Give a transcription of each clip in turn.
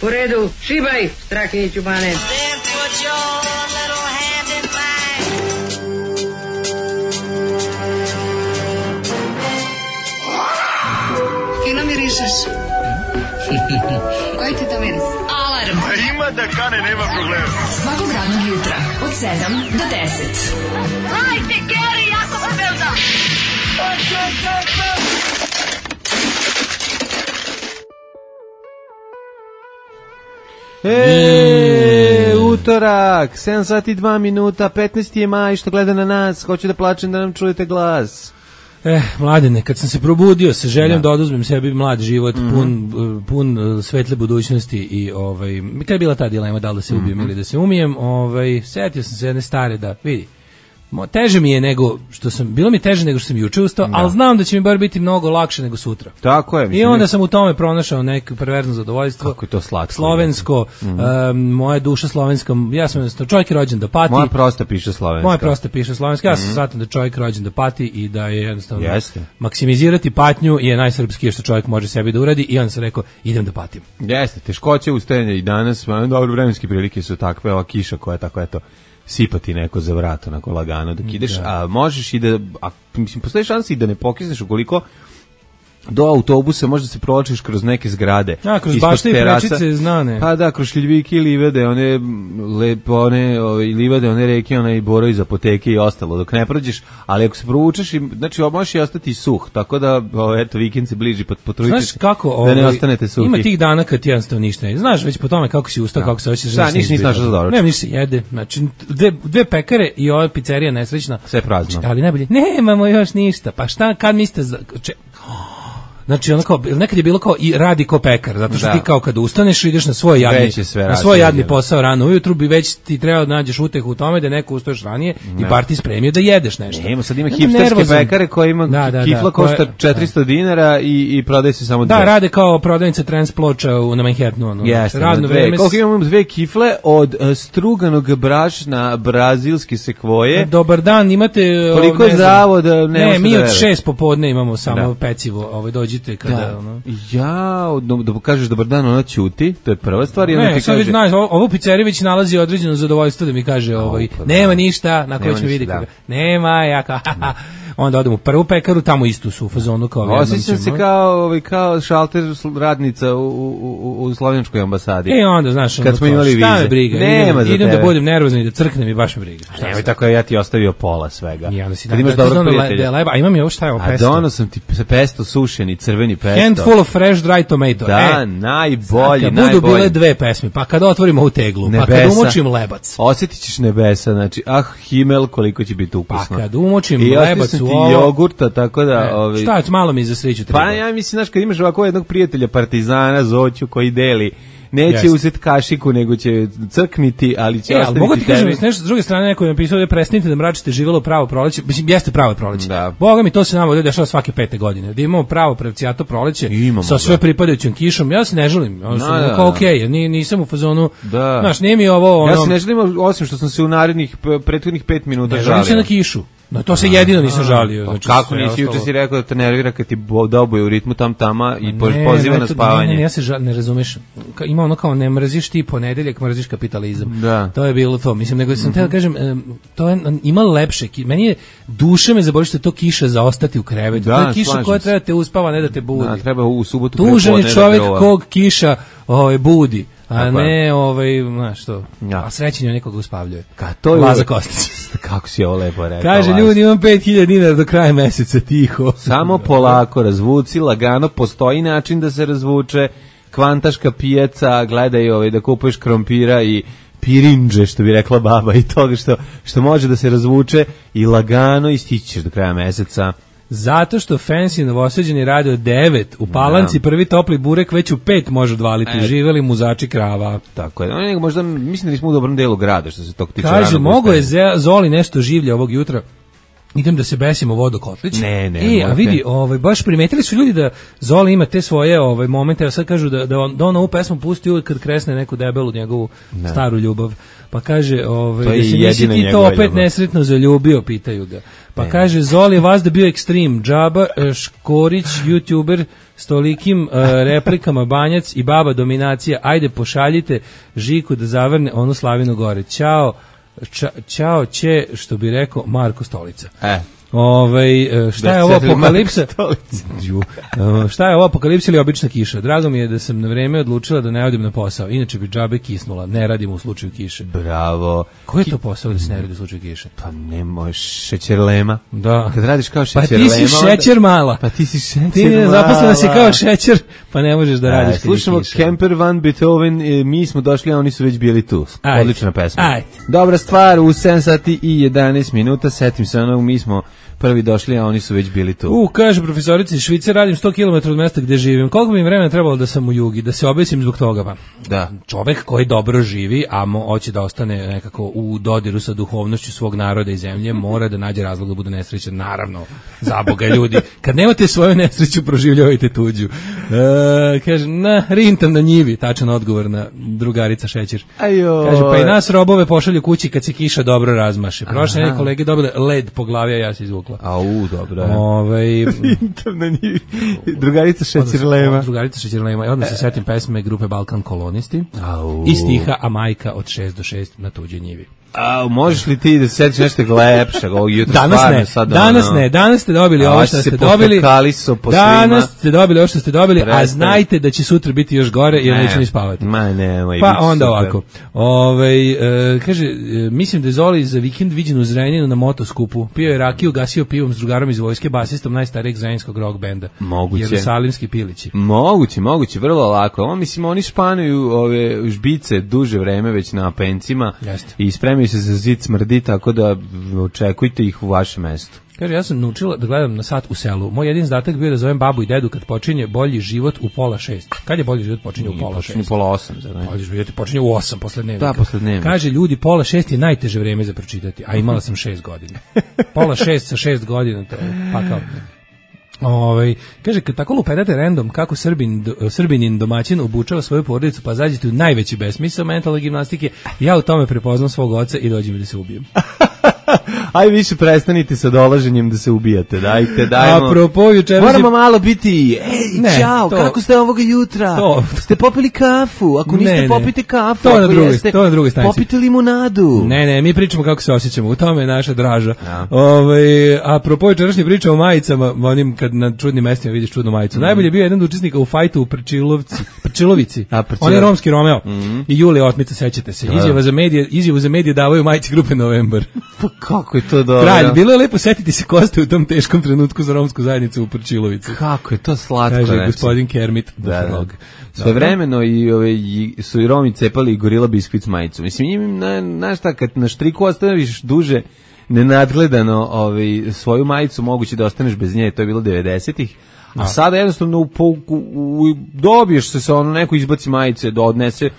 Po redu, šibaj, Strahinjiću Bane. Fino mirišeš. Koji ti to miris? Alarm. Ima da kane, nema problema. Svakog radnog jutra od 7 do 10. Hajde, Geri, jako se velda. Utorak, 7 sati 2 minuta, 15. je maj, što gleda na nas, hoću da plačem da nam čujete glas. Mladene, kad sam se probudio sa željom da oduzmem sebi mlad život, pun svetle budućnosti i kad je bila ta dilema da li da se ubijem ili da se umijem, setio sam se jedne stare da, vidi, teže mi je nego što sam, bilo mi teže nego što sam juče ustao, ali znam da će mi bar biti mnogo lakše nego sutra. Tako je. I onda sam u tome pronašao neko perverzno zadovoljstvo. Kako je to slatko. Slovensko, moja duša slovenska, ja sam jednostavno čovjek rođen da pati. Moja prosta piše slovenska. Ja sam shvatam da čovjek rođen da pati i da je jednostavno maksimizirati patnju je najsrpskije što čovjek može sebi da uradi i onda sam rekao idem da patim. Jeste, teškoće ustajanja i danas, dobro, vremenske prilike su takve, ova kiša koja je tako, eto, sipati neko za vrat, onako lagano dok ideš, a možeš i da, mislim, postoji šansa i da ne pokisneš ukoliko do autobusa možda se provlačiš kroz neke zgrade. Kroz bašte i prečice znane. Pa da, kroz šljiljvike i livade, one livade, one reke, one i borovi iz apoteke i ostalo, dok ne prođeš, ali ako se provučeš, znači možeš i ostati suh, tako da, eto, vikend se bliži, potrudite se da ne ostanete suhi. Ima tih dana kad ti jednostavno ništa ne znaš, već po tome kako si ustao, kako se osjećaš. Da, nisi našao za dobro. Ne, ništa jede, znači dve pekare i ova pizzerija nesrećna. Sve prazno. Ali najbolje, nemamo još ništa, pa šta, kad mislite znači ono kao, nekad je bilo kao i radi ko pekar, zato što ti kao kada ustaneš ideš na svoj jadni posao rano ujutru, bi već ti treba da nađeš utehu u tome da neko ustoješ ranije i bar ti spremio da jedeš nešto. Nema, sad ima hipsterske pekare koje ima kifla košta 400 dinara i prodaje se samo dve. Da, rade kao prodavnice transploča na Manhattanu. Radno vreme. Koliko imamo dve kifle od struganog brašna brazilske sekvoje. Dobar dan, imate... Koliko je zdravo da ne, mi od 6 popodne imamo samo pecivo, dođi kada da kažeš dobar dan, ona ćuti, to je prva stvar. Ne, sad već znaš, ovo pizzerija već nalazi određeno zadovoljstvo da mi kaže nema ništa, na koje će mi vidjeti nema, onda odem u prvu pekaru, tamo istu su u fazonu kao osjećam se kao šalter radnica u slovenskoj ambasadi. Onda znaš, kad smo imali vize, šta me briga, idem da budem nervozan i da crknem i baš me briga. Nemoj tako, ja ti ostavio pola svega. Kad imaš dobrog prijatelja. A imam je ovo šta je ovo pesto. A dono sam ti pesto sušeni, crveni pesto. Handful of fresh dry tomato. Da, najbolji. Kad budu bile dve pesme, pa kad otvorimo ovu teglu, pa kad umočim lebac. Osjetit ćeš nebesa, znači, Himmel, koliko će biti ukusno. Pa kad umočim lebac u ovo... jogurta, tako da... Šta, malo mi za sreću treba. Pa ja mislim, znaš, kad imaš ovako jednog prijatelja partizana, Zoću, koji deli, neće uzeti kašiku, nego će crkniti, ali će ostaviti mogu ti kažem, nešto s druge strane neko je napisao da prestanite da mračite živelo pravo proleće, mislim, jeste pravo proleće. Boga mi, to se nama ovdje dešava svake 5. godine, da imamo pravo pravcijato proleće, sa sve pripadajućom kišom, ja se ne želim, kao okej, nisam u fazonu, znaš, nije mi ovo... Ja se ne želim, osim što sam se u narednih prethodnih 5 žalio. Ne želim se na kišu. No, to se jedino nisam žalio. Znači, kako nisi, juče si rekao da te nervira kad ti dobuje u ritmu tama i poziva na spavanje. Ne, ja se ne razumeš. Ima ono kao ne mrziš ti ponedeljak, mrziš kapitalizam. Da. To je bilo to. Mislim, nego sam da kažem, to je, ima lepše. Meni je, duše me zaboli što je to kiša za ostati u krevetu. To je kiša koja treba te uspava, ne da te budi. Da, treba u subotu prepodne. Tužan je čovjek kog kiša budi. A ne, znaš što, a srećen je nekoga uspavljuje. Laza Kostić. Kako si ovo lepo rekao. Kaže, ljudi, imam 5.000 dinara do kraja meseca, tiho. Samo polako, razvuci, lagano, postoji način da se razvuče, kvantaška pijaca, gledaj da kupuješ krompira i pirinđe, što bi rekla baba, i toga što može da se razvuče i lagano i stići ćeš do kraja meseca. Zato što fancy Novosađani rade od 9, u Palanci prvi topli burek već u 5 može odvaliti, živeli muzači krava. Tako je, možda mislim da nismo u dobrom delu grada što se tog tiče. Kaže, mogo je Zoli nešto življe ovog jutra. idem da se besim u vodokotlić. Ne, a vidi, baš primetili su ljudi da Zoli ima te svoje momente, a sad kažu da on ovu pesmu pusti uvijek kad kresne neku debelu njegovu staru ljubav. Pa kaže, da se nisi ti to opet nesretno zaljubio, pitaju ga. Pa kaže, Zoli je vas da bio ekstrem, Džaba, Škorić, youtuber, s tolikim replikama Banjac i baba dominacija, ajde pošaljite Žiku da zavrne onu Slavinu gore. Ćao, što bi rekao Marko Stolica. Šta je ovo apokalipsa? Šta je ovo apokalipsa ili obična kiša? Drago mi je da sam na vreme odlučila da ne odim na posao. Inače bi džabe kisnula. Ne radimo u slučaju kiše. Bravo. Koji je to posao da se ne radi u slučaju kiše? Pa ne možeš, šećerlema. Da. Kad radiš kao šećerlema. Pa ti si šećer mala. Ti ne zaposlena si kao šećer, pa ne možeš da radiš kad je kiša. Slušamo Kemper Van Beethoven, mi smo došli, a oni su već bili tu. Odlična pesma. Ajde. Dobra stvar, u 7 sati i 11 minuta, setim se onog, mi smo prvi došli, a oni su već bili tu. Kaže profesorici iz Švice, radim 100 km od mesta gde živim. Koliko bi mi vremena trebalo da sam u Jugi, da se obesim zbog toga? Pa? Da. Čovek koji dobro živi, a hoće da ostane nekako u dodiru sa duhovnošću svog naroda i zemlje, mora da nađe razlog da bude nesrećan. Naravno, za Boga ljudi. Kad nemate svoju nesreću, proživljavajte tuđu. Kaže, rintam na njivi, tačan odgovor na drugarica Šećer. Kaže, pa i nas robove pošalju kući kad se kiša dobro razmaše. Prošle neke kolege dobile led po glavi, a ja se izvukla. Dobro. Rintam na njivi. Drugarica Šećerlema. Drugarica Šećerlema. I odmah se setim pesme grupe Balkan Kolonisti. I stiha A majka od 6 do 6 na tuđoj njivi. Možeš li ti da se setiš nešto lepšeg ovog jutra? Danas ste dobili ovo što ste dobili. Danas ste dobili ovo što ste dobili, a znajte da će sutra biti još gore jer neće ni spavati. Pa onda ovako. Kaže, mislim da je Zoli za vikend viđen u Zrenjaninu na motoskupu. Pio je rakiju, gasio pivom s drugarom iz vojske, basistom najstarijeg zrenjanskog rock benda. Moguće. Jerusalimski pilići. Moguće, vrlo lako. Oni španuju ove žbice duže vreme već na pencima i spremaju se za zid smrdi, tako da očekujte ih u vašem mestu. Kaže, ja sam naučila da gledam na sat u selu. Moj jedin zadatak bio da zovem babu i dedu kad počinje bolji život u 5:30. Kad je bolji život počinje u 5:30? Počinje u 5:30. Bolji život počinje u 8 posle dnevnika. Da, posle dnevnika. Kaže, ljudi, 5:30 je najteže vreme za pročitati, a imala sam 6 godina. 5:30 sa 6 godina, to je pakao. Kaže, kad tako lupedate random kako Srbinin domaćin obučava svoju porodicu, pa zađete u najveći besmisao mentalne gimnastike, ja u tome prepoznam svog oca i dođem da se ubijem. Aj više prestanite sa dolaženjem da se ubijate, dajmo. Apropo, moramo malo biti, čao, kako ste ovoga jutra? Ste popili kafu? Ako niste, popite kafu. To na drugoj stanici. Popite limunadu. Ne, mi pričamo kako se osjećamo, u tome je naša draža. Apropo, jučerašnje pričamo o majicama, onim kad na čudnim mestima vidiš čudnu majicu. Najbolje je bio jedan od učesnika u fajtu u Prčilovici. On je romski Romeo. I Julija Otmica, sećate se. Izjavu za medije davaju majici grupe Novembar. Pa kako je to dobro. Kralj, bilo je lepo setiti se ko ste u tom teškom trenutku za romsku zajednicu u Prčilovici. Kako je to slatko, kaže gospodin Kermit. Svojevremeno su i Romi cepali i Gorila biskvit majicu. Mislim, znaš šta, kad na štriku ostaviš duže nenadgledano svoju majicu, moguće da ostaneš bez nje, to je bilo 90-ih. A sada jednostavno dobiješ se sa neko izbaci majice, da odnese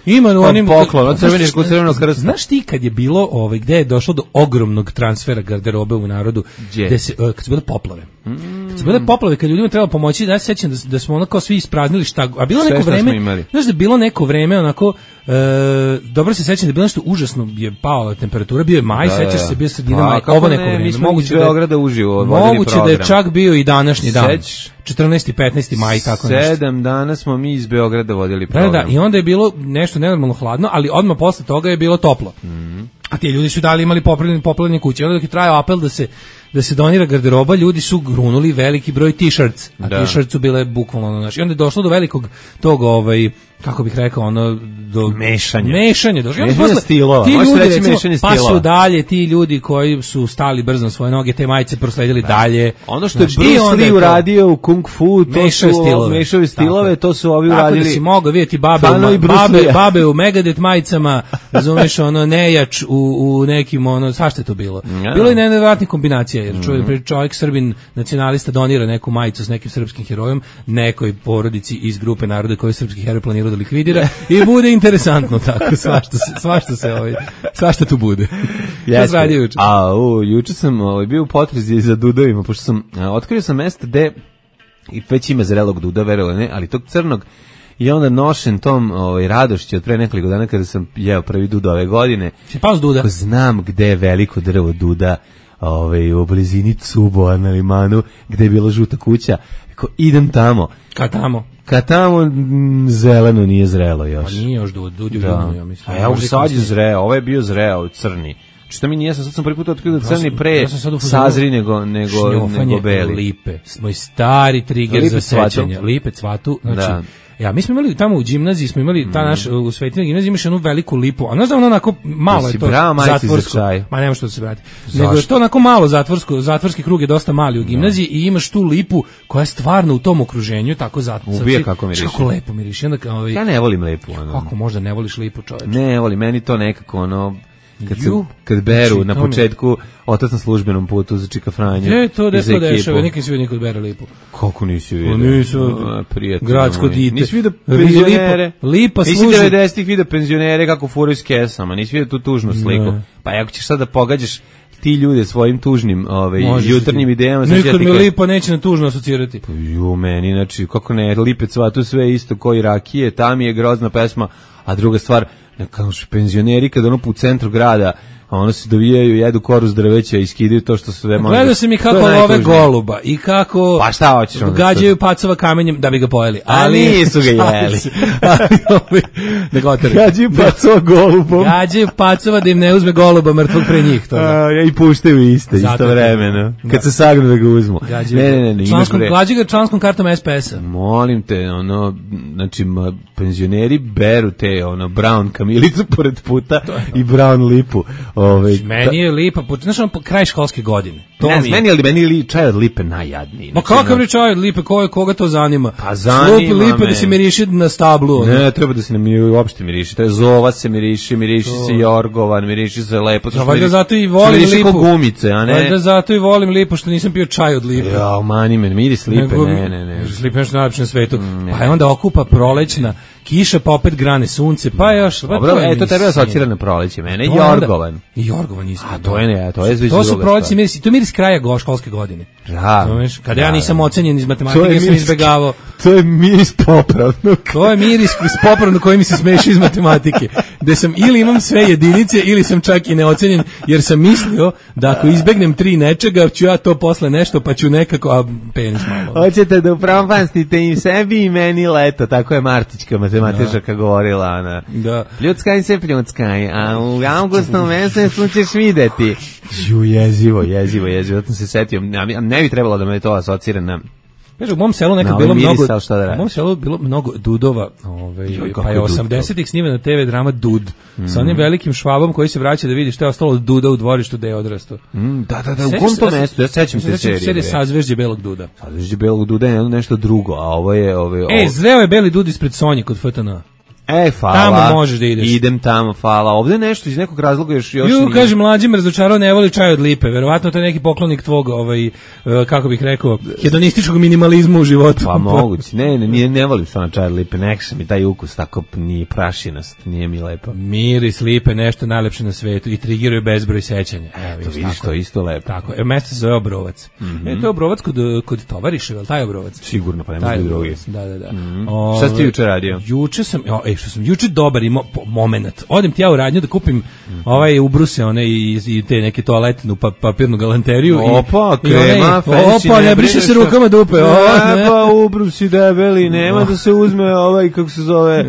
poklon od Crvenog krsta. Znaš ti kad je bilo, gde je došlo do ogromnog transfera garderobe u narodu, kad su bile poplave. Kad su bile poplave, kad ljudima treba pomoći, da se sjećam da smo onako svi ispraznili a bilo neko vreme, znaš da je bilo neko vreme onako, dobro se sjećam da je bilo nešto užasno, je pala temperatura, bio je maj, sećaš se, bio sredina maj, ovo neko vreme. Moguće da je čak bio i današnji dan. 14. i 15. maj, tako nešto. 7 dana smo mi iz Beograda vodili program. Da, i onda je bilo nešto nenormalno hladno, ali odmah posle toga je bilo toplo. A ti ljudi su imali poplavljene kuće. Onda dok je trajao apel da se donira garderoba, ljudi su grunuli veliki broj t-shirts, a t-shirts su bile bukvalno naši. I onda je došlo do velikog tog, kako bih rekao, do mešanja došlo. Mešanje stilova. Ti ljudi, recimo, pa su dalje ti ljudi koji su stali brzo na svoje noge, te majice prosledili dalje. Ono što je Bruce Lee uradio u Kung Fu, to su mešave stilove, to su ovi uradili. Tako da si mogao vidjeti babe u Megadeth majicama, razumeš, nejač u nekim, svašta je to bilo. Bilo je nevjerojatnih kombinacija. donacija, jer čovjek Srbin nacionalista donira neku majicu s nekim srpskim herojom, nekoj porodici iz grupe naroda koji srpski heroj planira da likvidira i bude interesantno tako, svašta tu bude. Šta se radi juče? Juče sam bio u potrazi za dudovima, pošto sam otkrio sam mesto gde i već ima zrelog duda, verovali ne, ali tog crnog i onda nošen tom radošću od pre nekoliko dana kada sam jeo prvi duda ove godine. Si pao s duda? Znam gde je veliko drvo duda u blizini Cubova na Limanu, gde je bila žuta kuća. Idem tamo. Kad tamo zeleno nije zrelo još. Pa nije još dud je žudno, ja mislim. A ja sad je zreo, ovo je bio zreo, crni. Što mi nije, sad sam prvi put otkrio da crni pre sazri nego beli. Lipe, moj stari trigger za sećanje. Lipe cvatu, znači... Ja, mi smo imali tamo u gimnaziji, ta naša, u Svetinoj gimnaziji imaš jednu veliku lipu, a znaš da ono onako malo je to zatvorsko, ma nema što da se vrati, nego je to onako malo zatvorski krug je dosta mali u gimnaziji i imaš tu lipu koja je stvarno u tom okruženju, tako zatvorski. Ubije kako miriši. Kako lepo miriši. Ja ne volim lipu. Kako možda ne voliš lipu, čoveče? Ne volim, meni to nekako kad beru na početku otac na službenom putu za Čika Franja. To dešava, nikad si vidio nikad bere lipu. Kako nisi vidio? Prijatelj. Gradsko dite. Nisi vidio penzionere? Lipa služi. Nisi 90-ih vidio penzionere kako furaju s kesama, nisi vidio tu tužnu sliku. Pa ako ćeš sad da pogađaš ti ljude svojim tužnim jutarnjim idejama. Nikad mi lipa neće na tužno asocirati. Meni, znači, kako ne, Lipec tu sve isto koji rakije, tam je grozna pesma, a druga stvar, kao penzioneri kada ono u centru grada, a ono se dovijaju, jedu koru s drveća i skidaju to što sve može. Gledao sam i kako love goluba i kako pa šta hoćeš gađaju pacova kamenjem da bi ga pojeli. Ali nisu ga jeli. Gađaju pacova golubom. Gađaju pacova da im ne uzme goluba mrtvog pre njih. I puštaju isto vremeno. Kad se sagnu da ga uzmu. Ne. Gađaju ga članskom kartom SPS-a. Molim te, znači penzioneri beru te brown kamilicu pored puta i brown lipu. Meni je lipa, znaš kraj školske godine. Meni je čaj od lipe najjadniji. Ma kakav je čaj od lipe, koga to zanima? Pa zanima me. Lipe da se miriši na stablu. Ne, treba da se uopšte miriši. Treba zova se miriši se jorgovan, miriši se lepo. Valjda zato i volim lipu. Gumice, a ne? Valjda zato i volim lipu, što nisam pio čaj od lipe. Ja, mani me, miris lipe, ne. Lipe je nešto najlepše na svetu. Pa je onda okupa prolećna kiša, pa opet grane sunce, pa još... Dobro, to treba da asocira na proleće, mene je jorgovan. I jorgovan isto. A to je ne, to je zviš druga stvar. To su proleći mirisi, to je miris kraja školske godine. Da. Kada ja nisam ocenjen iz matematike, sam izbegavao. To je miris popravnog. To je miris popravnog koji mi se smeši iz matematike. Gde sam ili imam sve jedinice, ili sam čak i neocenjen, jer sam mislio da ako izbegnem 3 nečega, ću ja to posle nešto, pa ću nekako, a penis malo. Hoćete da upropastite i sebi i meni leto, tako je Martićka matematičarka govorila, ona. Da. Pljuckaj se pljuckaj, a u avgustom mesecu ćeš videti. Jezivo, zato se setio, ne bi trebalo da me to asocira na... Kaže, u mom selu nekad bilo mnogo, u mom selu bilo mnogo dudova, pa je 80-ih snimena TV drama Dud, sa onim velikim švabom koji se vraća da vidi što je ostalo od Duda u dvorištu da je odrastao. Da, u kom to mestu, ja sećam se serije. Serije Sazvežđe belog Duda. Sazvežđe belog Duda je nešto drugo, a ovo je... zreo je beli Dud ispred Sonje kod FTN. Hvala. Tamo možeš da ideš. Idem tamo, hvala. Ovde nešto iz nekog razloga još nije. Kaže, mlađi me razočarao, ne voli čaj od lipe. Verovatno to je neki poklonik tvog, kako bih rekao, hedonističkog minimalizma u životu. Pa moguće. Ne volim stvarno čaj od lipe. Nekša mi taj ukus tako nije prašinast, nije mi lepo. Miris lipe, nešto najlepše na svetu i trigiruje bezbroj sećanja. To vidiš, to isto lepo. Tako, mesto se zove Obrovac. To je Obrovac kod tovariša, je li taj Obrovac? Sigurno, pa nema drugi. Da. Šta si juče radio? Juče sam, što sam juče dobar imao moment. Odem ti ja u radnju da kupim ubruse one i te neke toaletnu papirnu galanteriju. Opa, krema, opa, ne briše se rukama dupe. Pa ubrusi debeli, nema da se uzme kako se zove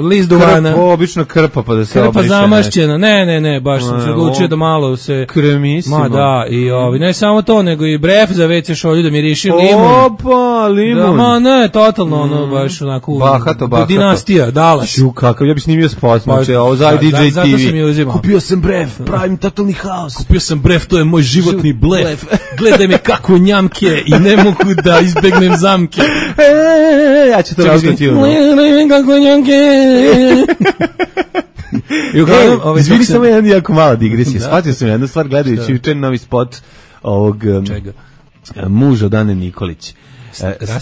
list duvana. Obično krpa pa da se obriše. Krpa zamašćena, ne, baš sam se odlučio da malo se... Kremisimo. Ma da, i ne samo to, nego i bref za WC šolju da miriši limun. Opa, limun. Ma ne, totalno baš onako... Bahato. Dinastija, Dalas. Kakav, ja bih snimio spot, znači, ovo za DJ TV. Zato sam je uzimao. Kupio sam brev, pravim totalni haos. Kupio sam brev, to je moj životni blef. Gledaj me kako njamke i ne mogu da izbegnem zamke. Ja ću to razgledati. Gledaj me kako njamke. Izvini samo jedan jako mala digresija. Shvatio sam jednu stvar gledajući juče novi spot ovog Čega? muža od Ane Nikolić.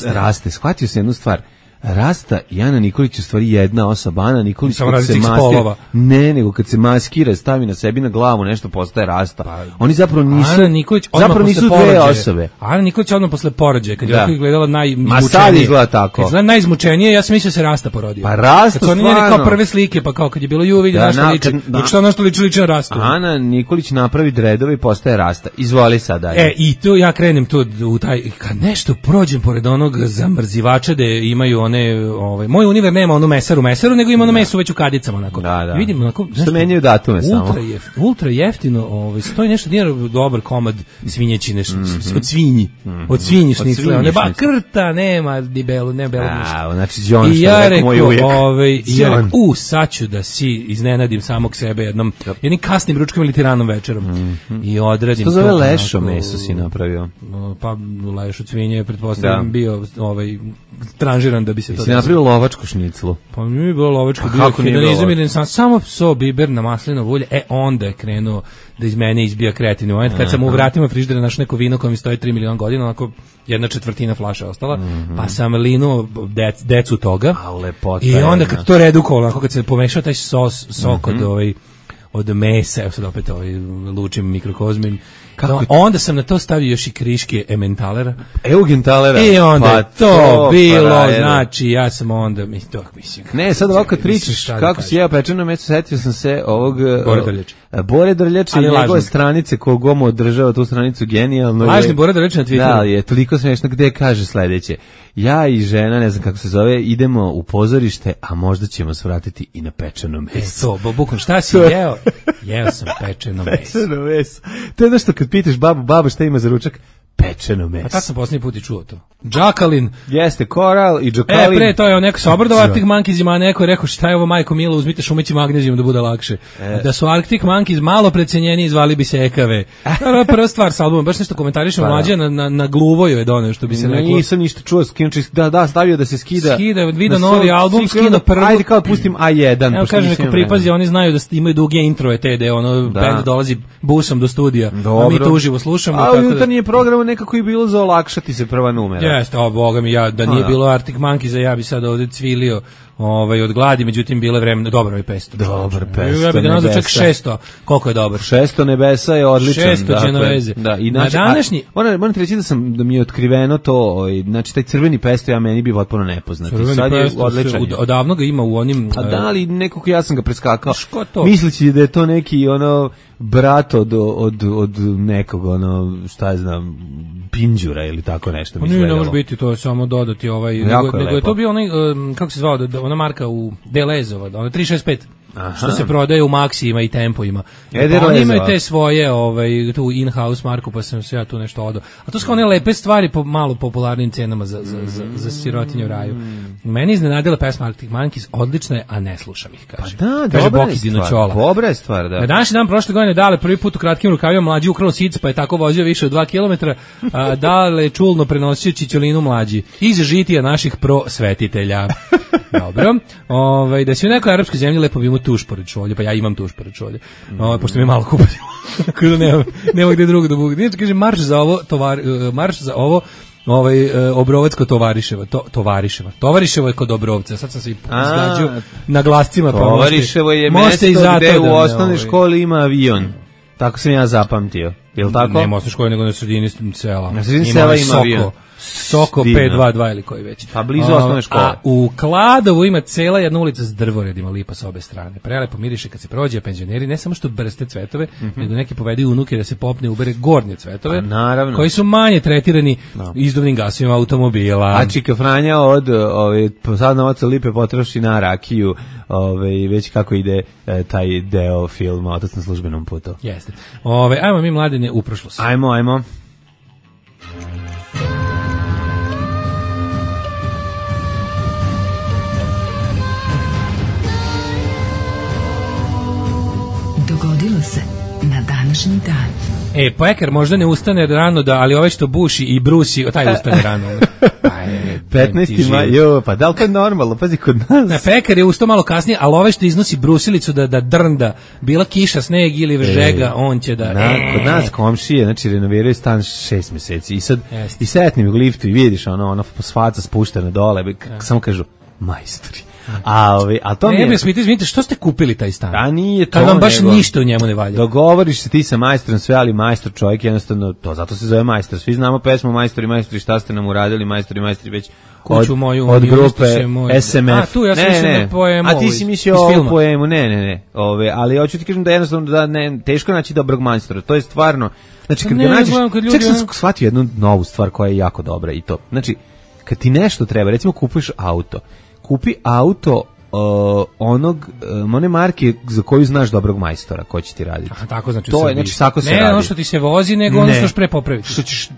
Raste. Shvatio sam jednu stvar. Rasta i Ana Nikolić u stvari jedna osoba. Ana Nikolić Samo kad se različitih maskira, spolova. ne, nego kad se maskira, stavi na sebi na glavu nešto postaje Rasta. Oni zapravo nisu, Ana Nikolić odmah zapravo nisu posle dve porođaja. osobe. Ana Nikolić odmah posle porođaja, kad je Da. ovako izgledala najizmučenije. Ma sad izgleda tako. Kad izgleda najizmučenije, ja sam mislio se Rasta porodio. Pa Rasta kad su oni njene kao stvarno. prve slike, pa kao kad je bilo ju vidi na što liči. Dok što na što liči na Rastu. Ana Nikolić napravi dredove i postaje Rasta. Izvoli sad dalje. I tu ja krenem tu u taj, kad nešto prođem pored onog zamrzivača da imaju one, moj univer nema onu mesaru, nego ima ono meso već u kadicama onako. Da. I vidim onako, Što menjaju datume samo. Ultra jeftino, stoji nešto dinara dobar komad svinjećine, od svinji. Od svinji šnicle, one ba krta, nema ni belu, ne belu ništa. Znači John, I što ja rekao moj ujek. sad ću da si iznenadim samog sebe jednim kasnim ručkom ili tiranom večerom. I odradim što to. zove lešo meso si napravio? Pa leš od svinje, pretpostavljam, bio tranžiran da bi se to... Si napravio lovačku šniclu? Pa nije bilo lovačko, Pa bio kako nije hedonizam bilo? ili samo so, biber na maslinovo ulje, onda je krenuo da iz mene izbija kreativni moment, kad sam u vratima frižidera našao neko vino koje mi stoji 3 miliona godina, onako 1/4 flaše ostala, pa sam linuo decu toga, i onda kad to redukovalo, onako kad se pomešao taj sok od mesa, evo sad opet lučim mikrokozmim, onda sam na to stavio još i kriške Emmentalera. Eugentalera. I onda pa je to bilo, znači ja sam onda, mislim. Ne, sad ovako kad pričaš kako si jeo pečeno meso, setio sam se ovog Bore Drljača i njegove stranice kogomo održava tu stranicu genijalno. Lažni Bore Drljača na Twitteru. Da, je toliko smešno gde kaže sledeće. Ja i žena, ne znam kako se zove, idemo u pozorište, a možda ćemo svratiti i na pečeno meso. Bukom, šta si jeo? Jeo sam pečeno meso. Pečeno meso. To je ono što kad pitaš baba šta ima za ručak, pečeno meso. A tad sam posljednji put i čuo to. Džakalin. Jeste, koral i džakalin. Pre, to je neko sa obradova Arctic Monkeysima, a neko je rekao šta je ovo majko milo, uzmite šumeći magnezijum da bude lakše. Da su Arctic Monkeys malo precenjeni, zvali bi se ekave. Prva stvar sa albumom, baš nešto komentarišemo, mlađe na gluvoju je doneo, što bi se reklo. Nisam ništa čuo, da, stavio da se skida. Skida, vidio novi album, skida prvo. Ajde kao pustim A1. Evo kaže neko pripazi, oni znaju da imaju duge introje te, da band dolazi busom do studija, a mi to uživo slušamo. A jutarnji program nekako je bilo za olakšati se prva numera. Jeste, boga mi, da nije bilo Arctic Monkeys, ja bi sad ovde cvilio od gladi, međutim bilo je vreme, dobro je 500. Dobar 500. Ja bih ga nazvao čak 600, koliko je dobar. 600 nebesa je odličan. 600 Genoveze. Da, i na današnji... Moram ti reći da mi je otkriveno to, znači taj crveni pesto, ja meni bi potpuno nepoznat. Sad je odličan. Odavno ga ima u onim... A da li nekako ja sam ga preskakao. Što to? Misleći da je to neki brat od nekog, šta je znam, pinđura ili tako nešto. Ne može biti, to je samo dodati nego je to bio onaj, kako se zvao, ona marka u Delezova, ona 365. Što se prodaje u Maxima i Tempo-ima. Oni imaju te svoje tu in-house marku, pa sam se ja tu nešto odao. A to su kao one lepe stvari po malo popularnim cenama za sirotinje u raju. Meni iznenadila pesma Arctic Monkeys, odlična je, a ne slušam ih, kaže. Pa da, kaže Boki Dinoćola. Dobra je stvar, da. Na današnji dan prošle godine Dale prvi put u kratkim rukavima mlađi ukrao sic, pa je tako vozio više od 2 km. Dale čulno prenosio čićolinu mlađi iz žitija naših prosvetitelja. Dobro. Da si u nekoj arapskoj zemlji lepo bi imao tuš pored šolje, pa ja imam tuš pored šolje. Pošto mi je malo kupatilo. Tako da nema gde drugo da budu. Nije kaže marš za ovo Obrovacko Tovariševo je kod Obrovca. Sad sam se izgađao na glascima. Tovariševo je mesto gde u osnovnoj školi ima avion. Tako sam ja zapamtio. Je li tako? Nema osnovne škole, nego na sredini sela. Na sredini sela ima avion. Soko 522 ili koji već. Pa blizu osnovne škole. A u Kladovu ima cela jedna ulica s drvoredima, lipa sa obe strane. Prelepo miriše kad se prođe, a penzioneri ne samo što brste cvetove, nego neki povedaju unuke da se popne ubere gornje cvetove, koji su manje tretirani izduvnim gasovima automobila. A Čika Franja od sad novaca lipe potroši na rakiju, već kako ide taj deo filma Otac na službenom putu. Jeste. Ajmo mi mladine u prošlost. Ajmo. Dogodilo se na današnji dan. Pekar možda ne ustane rano, ali ovaj što buši i brusi, taj ustane rano. 15. maj, pa da li to je normalno? Pazi, kod nas. Pekar je ustao malo kasnije, ali ovaj što iznosi brusilicu da drnda, bila kiša, sneg ili žega, on će da... Kod nas komšije, znači renoviraju stan 6 meseci i sad i setnim u liftu i vidiš ono svaca spuštena dole, samo kažu majstori. A to ne, izvinite, što ste kupili taj stan? A nije to. Kad vam baš ništa u njemu ne valja. Dogovoriš se ti sa majstorom sve, ali majstor čovjek jednostavno, to zato se zove majstor. Svi znamo pesmu majstori, šta ste nam uradili, majstori već kuću moju, od grupe SMF. A tu ja sam mislio na poemu. A ti si mislio o poemu, ne. Ali hoću ti kažem da jednostavno da teško naći dobrog majstora. To je stvarno, znači kad ga nađeš, čak sam shvatio jednu novu stvar koja je jako dobra i to. Znači, kad ti nešto treba, recimo kupuješ auto, kupi auto one marke za koju znaš dobrog majstora ko će ti raditi. A tako znači to je, znači tako se radi. Ne ono što ti se vozi, nego ono što pre popraviti.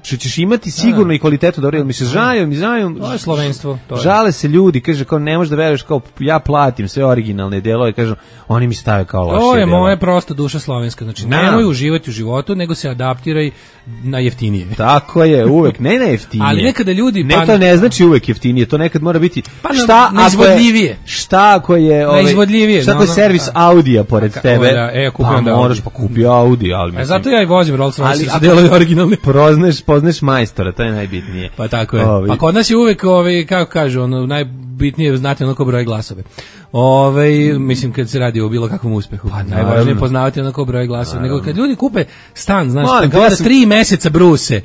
Što ćeš imati sigurno i kvalitetu dobro, jer mi se žalju. To je slovenstvo. Žale se ljudi, kaže kao ne možeš da veruješ, kao ja platim sve originalne delove, kažu oni mi stave kao loše. To je moja prosta duša slovenska, znači nemoj uživati u životu, nego se adaptiraj na jeftinije. Tako je, uvek, ne na jeftinije. Ali nekada ljudi... Ne, to ne znači uvek jeftinije, to nekad mora biti... Neizvodljivije. Šta ako je... Neizvodljivije. Šta ako je servis Audija pored tebe? Pa moraš pa kupi Audi, ali mislim... Zato ja i vozim Rolls Royce, su delovi originalni. Pozneš majstora, to je najbitnije. Pa tako je. Pa kod nas je uvek, kako kažu, najbitnije je znati onako broj glasove. Mislim kad se radi o bilo kakvom uspehu, najvažnije je poznavati onako broj glasova. Nego kad ljudi kupe stan, znaš, kao da 3 meseca bruse,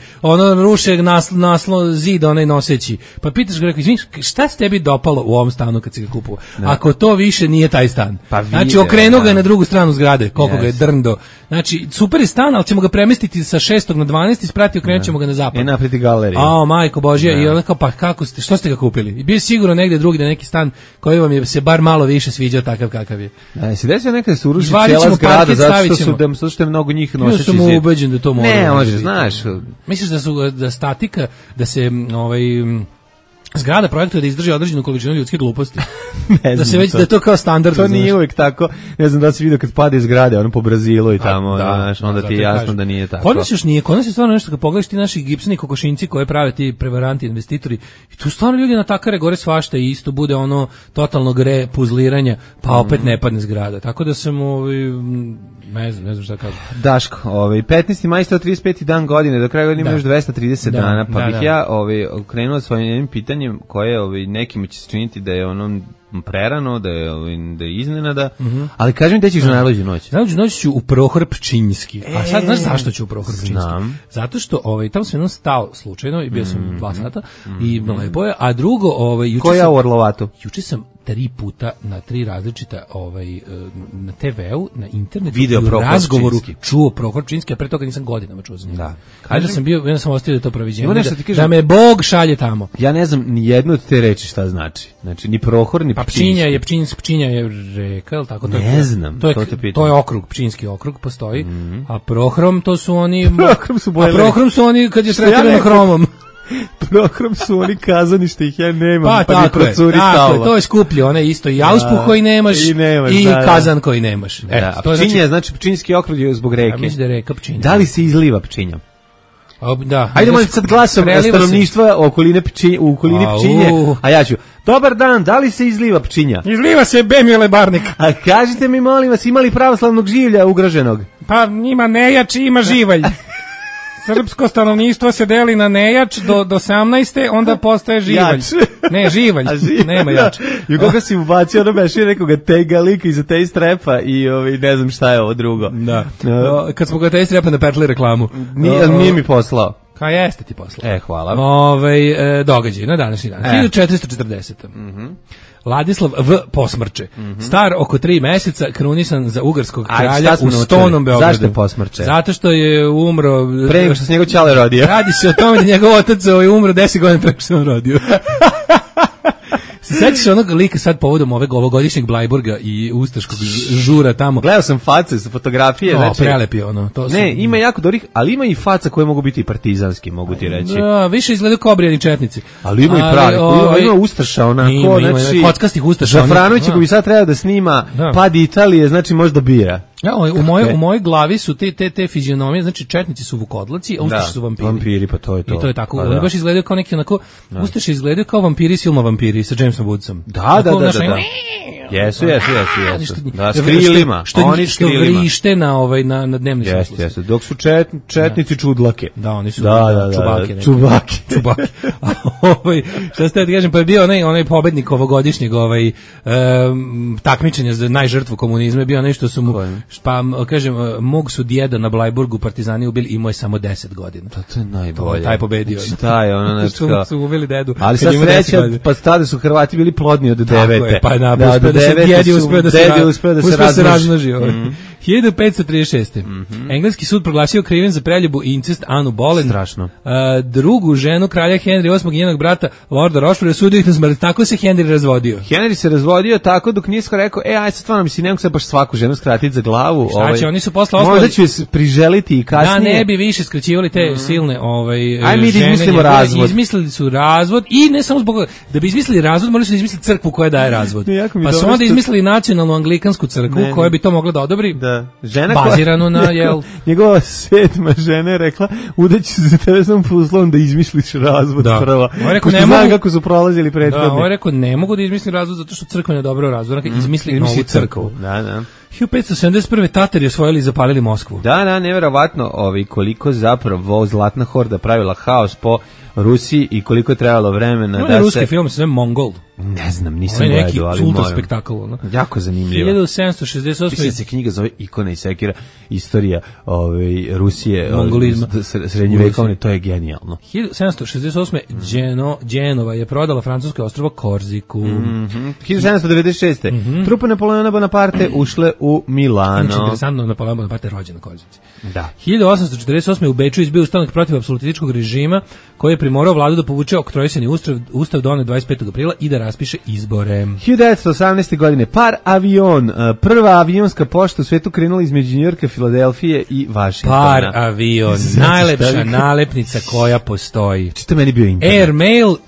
ruše naslov zida onaj noseći. Pa pitaš ga, rekao, izvini, šta se tebi dopalo u ovom stanu kad si ga kupovao? Ako to više nije taj stan. Znači, okrenuo ga je na drugu stranu zgrade, koliko ga je drndo. Znači, super je stan, ali ćemo ga premestiti sa 6. na 12. sprati, okrenut ćemo ga na zapad. Napriti galeriju. Majko Božja, i on kao, pa kako ste, što ste ga kupili? I bio sigurno negde drugi, neki stan koji vam je se bar malo više sviđao takav kakav je. Se desio nekada se uruši cijela zgrada zato što je mnogo njih noseći zid. Ja sam ubeđen da to mora. Ne, može, znaš. Misliš da statika, da se zgrada projektuje da izdrži određenu količinu ljudske gluposti. Da se već da je to kao standard. To nije uvijek tako. Ne znam da si vidio kad pada iz zgrade, ono po Brazilu i tamo, onda ti je jasno da nije tako. Kod nas još nije, kod nas je stvarno nešto kad pogledaš ti naši gipsani kokošinci koje prave ti prevaranti investitori i tu stvarno ljudi natakare gore svašta i isto bude ono totalnog puzliranja, pa opet ne padne zgrada. Tako da sam ne znam šta kažem. Daško, 15. maj 135. dan godine, do kraja godine ima još 230 dana, pa bih ja krenuo svojim pitanjem koje nekima će se činiti da je ono prerano, da je iznenada, ali kaži mi da ćeš na najluđu noć. Najluđu noć ću u Prohor Pčinjski. A sad znaš zašto ću u Prohor Pčinjski? Znam. Zato što tamo sam jednom stao slučajno i bio sam 2 sata i lepo je, a drugo koja u Orlovatu? Juče sam 3 puta na 3 različita na TV-u, na internetu video u razgovoru čuo Prohor Pčinjski, a pre toga nisam godinama čuo za njega. Da. Kažem sam bio, ja sam ostavio da to proviđenje. Da me Bog šalje tamo. Ja ne znam ni jednu od te reči šta znači. Znači ni Prohor ni Pčinjski. Pčinja je reka, je li tako? Ne znam, to je okrug, Pčinjski okrug postoji, a Prohrom to su oni... Prohrom su oni kad je tretirano hromom. Prohrom su oni kazanište, ih ja nemam, pa mi procuri stalno. To je skuplje, one isto i auspuh koji nemaš i kazan koji nemaš. A Pčinja, znači Pčinjski okrug je zbog reke. Mislim da je reka Pčinja. Da li se izliva Pčinja? Da. Ajde molim sad glasom stanovništva u okolini Pčinje, a ja ću. Dobar dan, da li se izliva Pčinja? Izliva se Bemile Barnik. A kažite mi, molim vas, ima li pravoslavnog življa ugroženog? Pa ima nejač i ima živalj. Srpsko stanovništvo se deli na nejač do 18. onda postaje živalj. Ne, živalj. Nema jač. I kako si ubacio ono mešio nekoga tega lika iza te strepa i ne znam šta je ovo drugo. Da. Kad smo ga te strepa napetli reklamu. Nije mi poslao. Ka jeste ti poslao. Hvala. Događaj na današnji dan. 1440. Ladislav V. posmrče. Star oko 3 meseca, krunisan za ugarskog kralja u Stonom Beogradu. Zašto je posmrče? Zato što je umro... Pre nego što se njegov ćale rodio. Radi se o tome da njegov otac je umro 10 godina pre što se on rodio. Se sećaš onog lika sad povodom ovogodišnjeg Blajburga i ustaškog žura tamo? Gledao sam face sa fotografije. Prelep je ono. Ima jako dobrih, ali ima i faca koje mogu biti i partizanski, mogu ti reći. Da, više izgledaju kao obrijani četnici. Ali ima i pravi, ima ustaša onako. Ima kockastih ustaša. Žafranović koji bi sad trebao da snima Pad Italije, znači možda bira. Ja, u mojoj glavi su te fizionomije, znači četnici su vukodlaci, a ustaše su vampiri. Vampiri, pa to je to. I to je tako, oni baš izgledaju kao neki onako, ustaše izgledaju kao vampiri iz filma Vampiri sa Jamesom Woodsom. Da. Jesu. Da, s krilima. Oni s krilima. Što vrište na dnevni svetlosti. Jeste. Dok su četnici čudlake. Da, oni su čubake. Čubake. Šta ste da kažem, pa je bio onaj pobednik ovogodišnjeg takmičenja za najžrtvu komunizma, je bio nešto su mu, pa kažem, mog su djeda na Blajburgu partizani ubili, imao je samo 10 godina. To je najbolje. Taj pobedio. Šta je ono nešto? Su ubili dedu. Ali sad sreća, pa tada su Hrvati bili plodni od 9. Pa djedi uspeo da se razmnoži. 1536. Engleski sud proglasio krivim za preljubu i incest Anu Boleyn. Strašno. Drugu ženu kralja Henry VIII i njenog brata Lorda Rochefora sudio ih na smrt. Tako se Henry razvodio. Henry se razvodio tako dok nisko rekao, aj sad stvarno mislim, ne mogu se baš svaku ženu skratiti za glavu. Znači, oni su posle ostali... Možda ću je priželiti i kasnije. Da ne bi više skraćivali te silne mi da izmislimo razvod. Izmislili su razvod i ne samo zbog... Da bi izmislili razvod, morali su izmisliti crkvu koja daje razvod. Pa su onda izmislili nacionalnu anglikansku crkvu koja bi to mogla da odobri. Da. Žena bazirano na njegova 7. žena je rekla, udaću se za tebe sam uslovom da izmisliš razvod prva. Ne znam kako su prolazili prethodni. Da, on je rekao, ne mogu da izmislim razvod zato što crkva ne dobro razvod. Izmisli novu crkvu. Da. 1571. Tatari osvojili i zapalili Moskvu. Da, neverovatno koliko zapravo Zlatna horda pravila haos po Rusiji i koliko je trebalo vremena da se... ruski film se zove Mongol. Ne znam, nisam gledao, ali neki sultan spektakl. Jako zanimljivo. 1768. Mislim da se knjiga zove Ikona i sekira, istorija Rusije, srednjevekovne, to je genijalno. 1768. Dženova je prodala francusko ostrvo Korziku. 1796. Trupe Napoleona Bonaparte ušle u Milano. Znači, interesantno, Napoleon Bonaparte je rođen na Korzici. Da. 1848. u Beču izbio ustanak protiv apsolutističkog režima koji je primorao vladu da povuče oktroisani ustav donet 25. aprila i da raspiše izbore. 1918. godine par avion, prva avionska pošta u svetu krenula između Njujorka, Filadelfije i Vašingtona. Par avion, najlepša nalepnica koja postoji. Čito meni bio internet.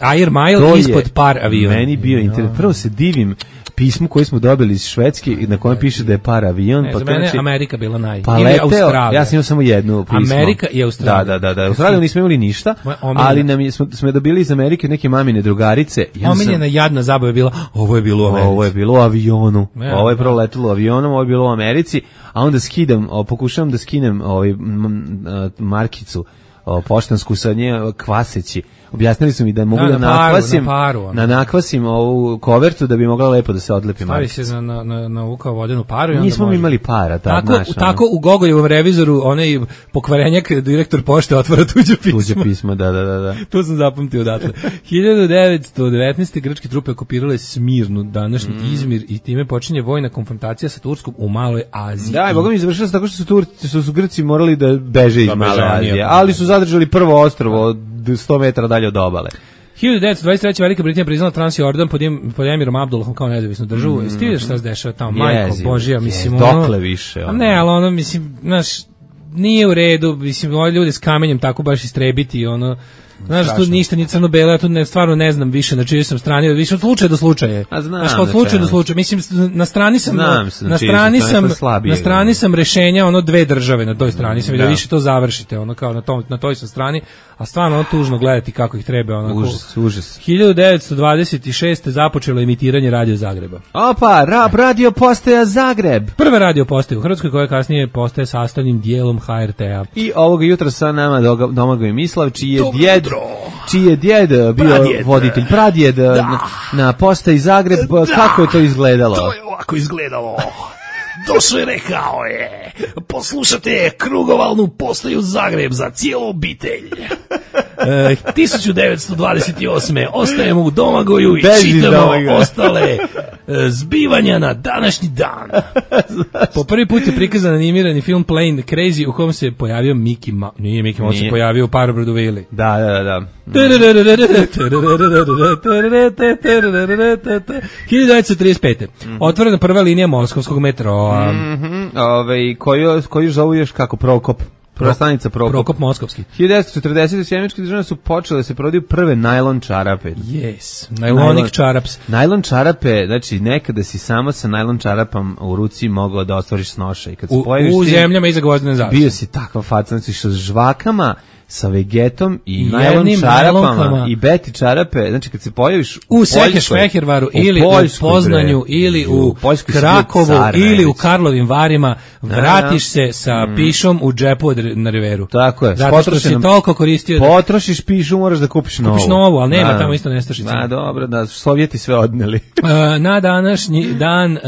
Air Mail ispod par avion. Meni bio internet. Prvo se divim pismu koje smo dobili iz Švedske na kojem piše da je par avion. Za mene Amerika bila ili Australija. Ja sam imao samo jednu pismo. Amerika i Australija. Da. Australiju nismo imali ništa, ali smo dobili iz Amerike neke mamine drugarice. Omiljena jadna zabava je bila, ovo je bilo u Americi. Ovo je bilo u avionu. Ovo je prvo letilo avionom, ovo je bilo u Americi, a onda pokušavam da skinem markicu poštansku sa nje kvaseći. Objasnili su mi da mogu da nakvasim ovu kovertu da bi mogla lepo da se odlepi markica. Stavi se na ovu kao vodenu paru i onda nismo imali para. Tako u Gogoljevom revizoru onaj pokvarenjak direktor pošte otvara tuđe pismo. Da. To sam zapamtio odatle. 1919. grčke trupe okupirale Smirnu, današnji Izmir, i time počinje vojna konfrontacija sa Turskom u Maloj Aziji. Da, i boga mi završila se tako što su Grci morali da beže iz Male Azije, ali su zadržali prvo ostrvo od 100 metara dalje od obale. 1923. Velika Britanija priznala Transjordan pod Emirom Abdullahom kao nezavisnu državu. Jesi ti vidiš šta se dešava tamo? Majko Božija, mislim, dokle više. Ne, ali ono, mislim, znaš, nije u redu, mislim, ovi ljudi s kamenjem tako baš istrebiti, ono, znaš, tu ništa ni crno-belo, ja tu stvarno ne znam više na čijoj sam strani, više od slučaja do slučaja. Znaš, od slučaja do slučaja. Mislim, na strani sam rešenja, ono, dve države na toj strani sam, da više to završite, ono, kao na toj sam strani, a stvarno ono tužno gledati kako ih treba, ono. Užas. 1926. započelo emitiranje Radio Zagreba. Opa, radio postaja Zagreb. Prva radio postaja u Hrvatskoj koja kasnije postaje sastavnim dijelom HRT-a. I ovoga jutra sa nama Domagoj Mislav, čiji je djed bio voditelj, pradjed na postaji Zagreb. Kako je to izgledalo? To je ovako izgledalo. Došao je, rekao je, poslušate krugovalnu postaju Zagreb za cijelu obitelj. 1928. ostajemo u Domagoju i čitamo ostale zbivanja na današnji dan. Po prvi put je prikazan animirani film Plane Crazy u kom se pojavio Mickey Mouse. Nije Mickey Mouse, se pojavio u Parobrodu Vili. Da. 1935. Otvorena prva linija moskovskog metroa. Koju zovu još kako Prokop. Stanica Prokop Moskovski. 1940. sjemeničke države su počele da se prodaju prve najlon čarape. Yes, najlonik čaraps. Najlon čarape, znači nekada si samo sa najlon čarapom u ruci mogao da ostvariš snošaj. Kad se pojaviš u zemljama iza Gvozdene zavese. Bio si takva faca, znači sa žvakama, sa vegetom i najlon čarapama i beti čarape, znači kad se pojaviš u Sekeš-Fehervaru ili u Poznanju ili u Krakovu ili u Karlovim Varima, vratiš se sa pišom u džepu na riveru. Tako je. Zato što si toliko koristio. Potrošiš pišu, moraš da kupiš novu. Kupiš novu, ali nema tamo isto nestašica. Dobro, da, Sovjeti sve odneli. Na današnji dan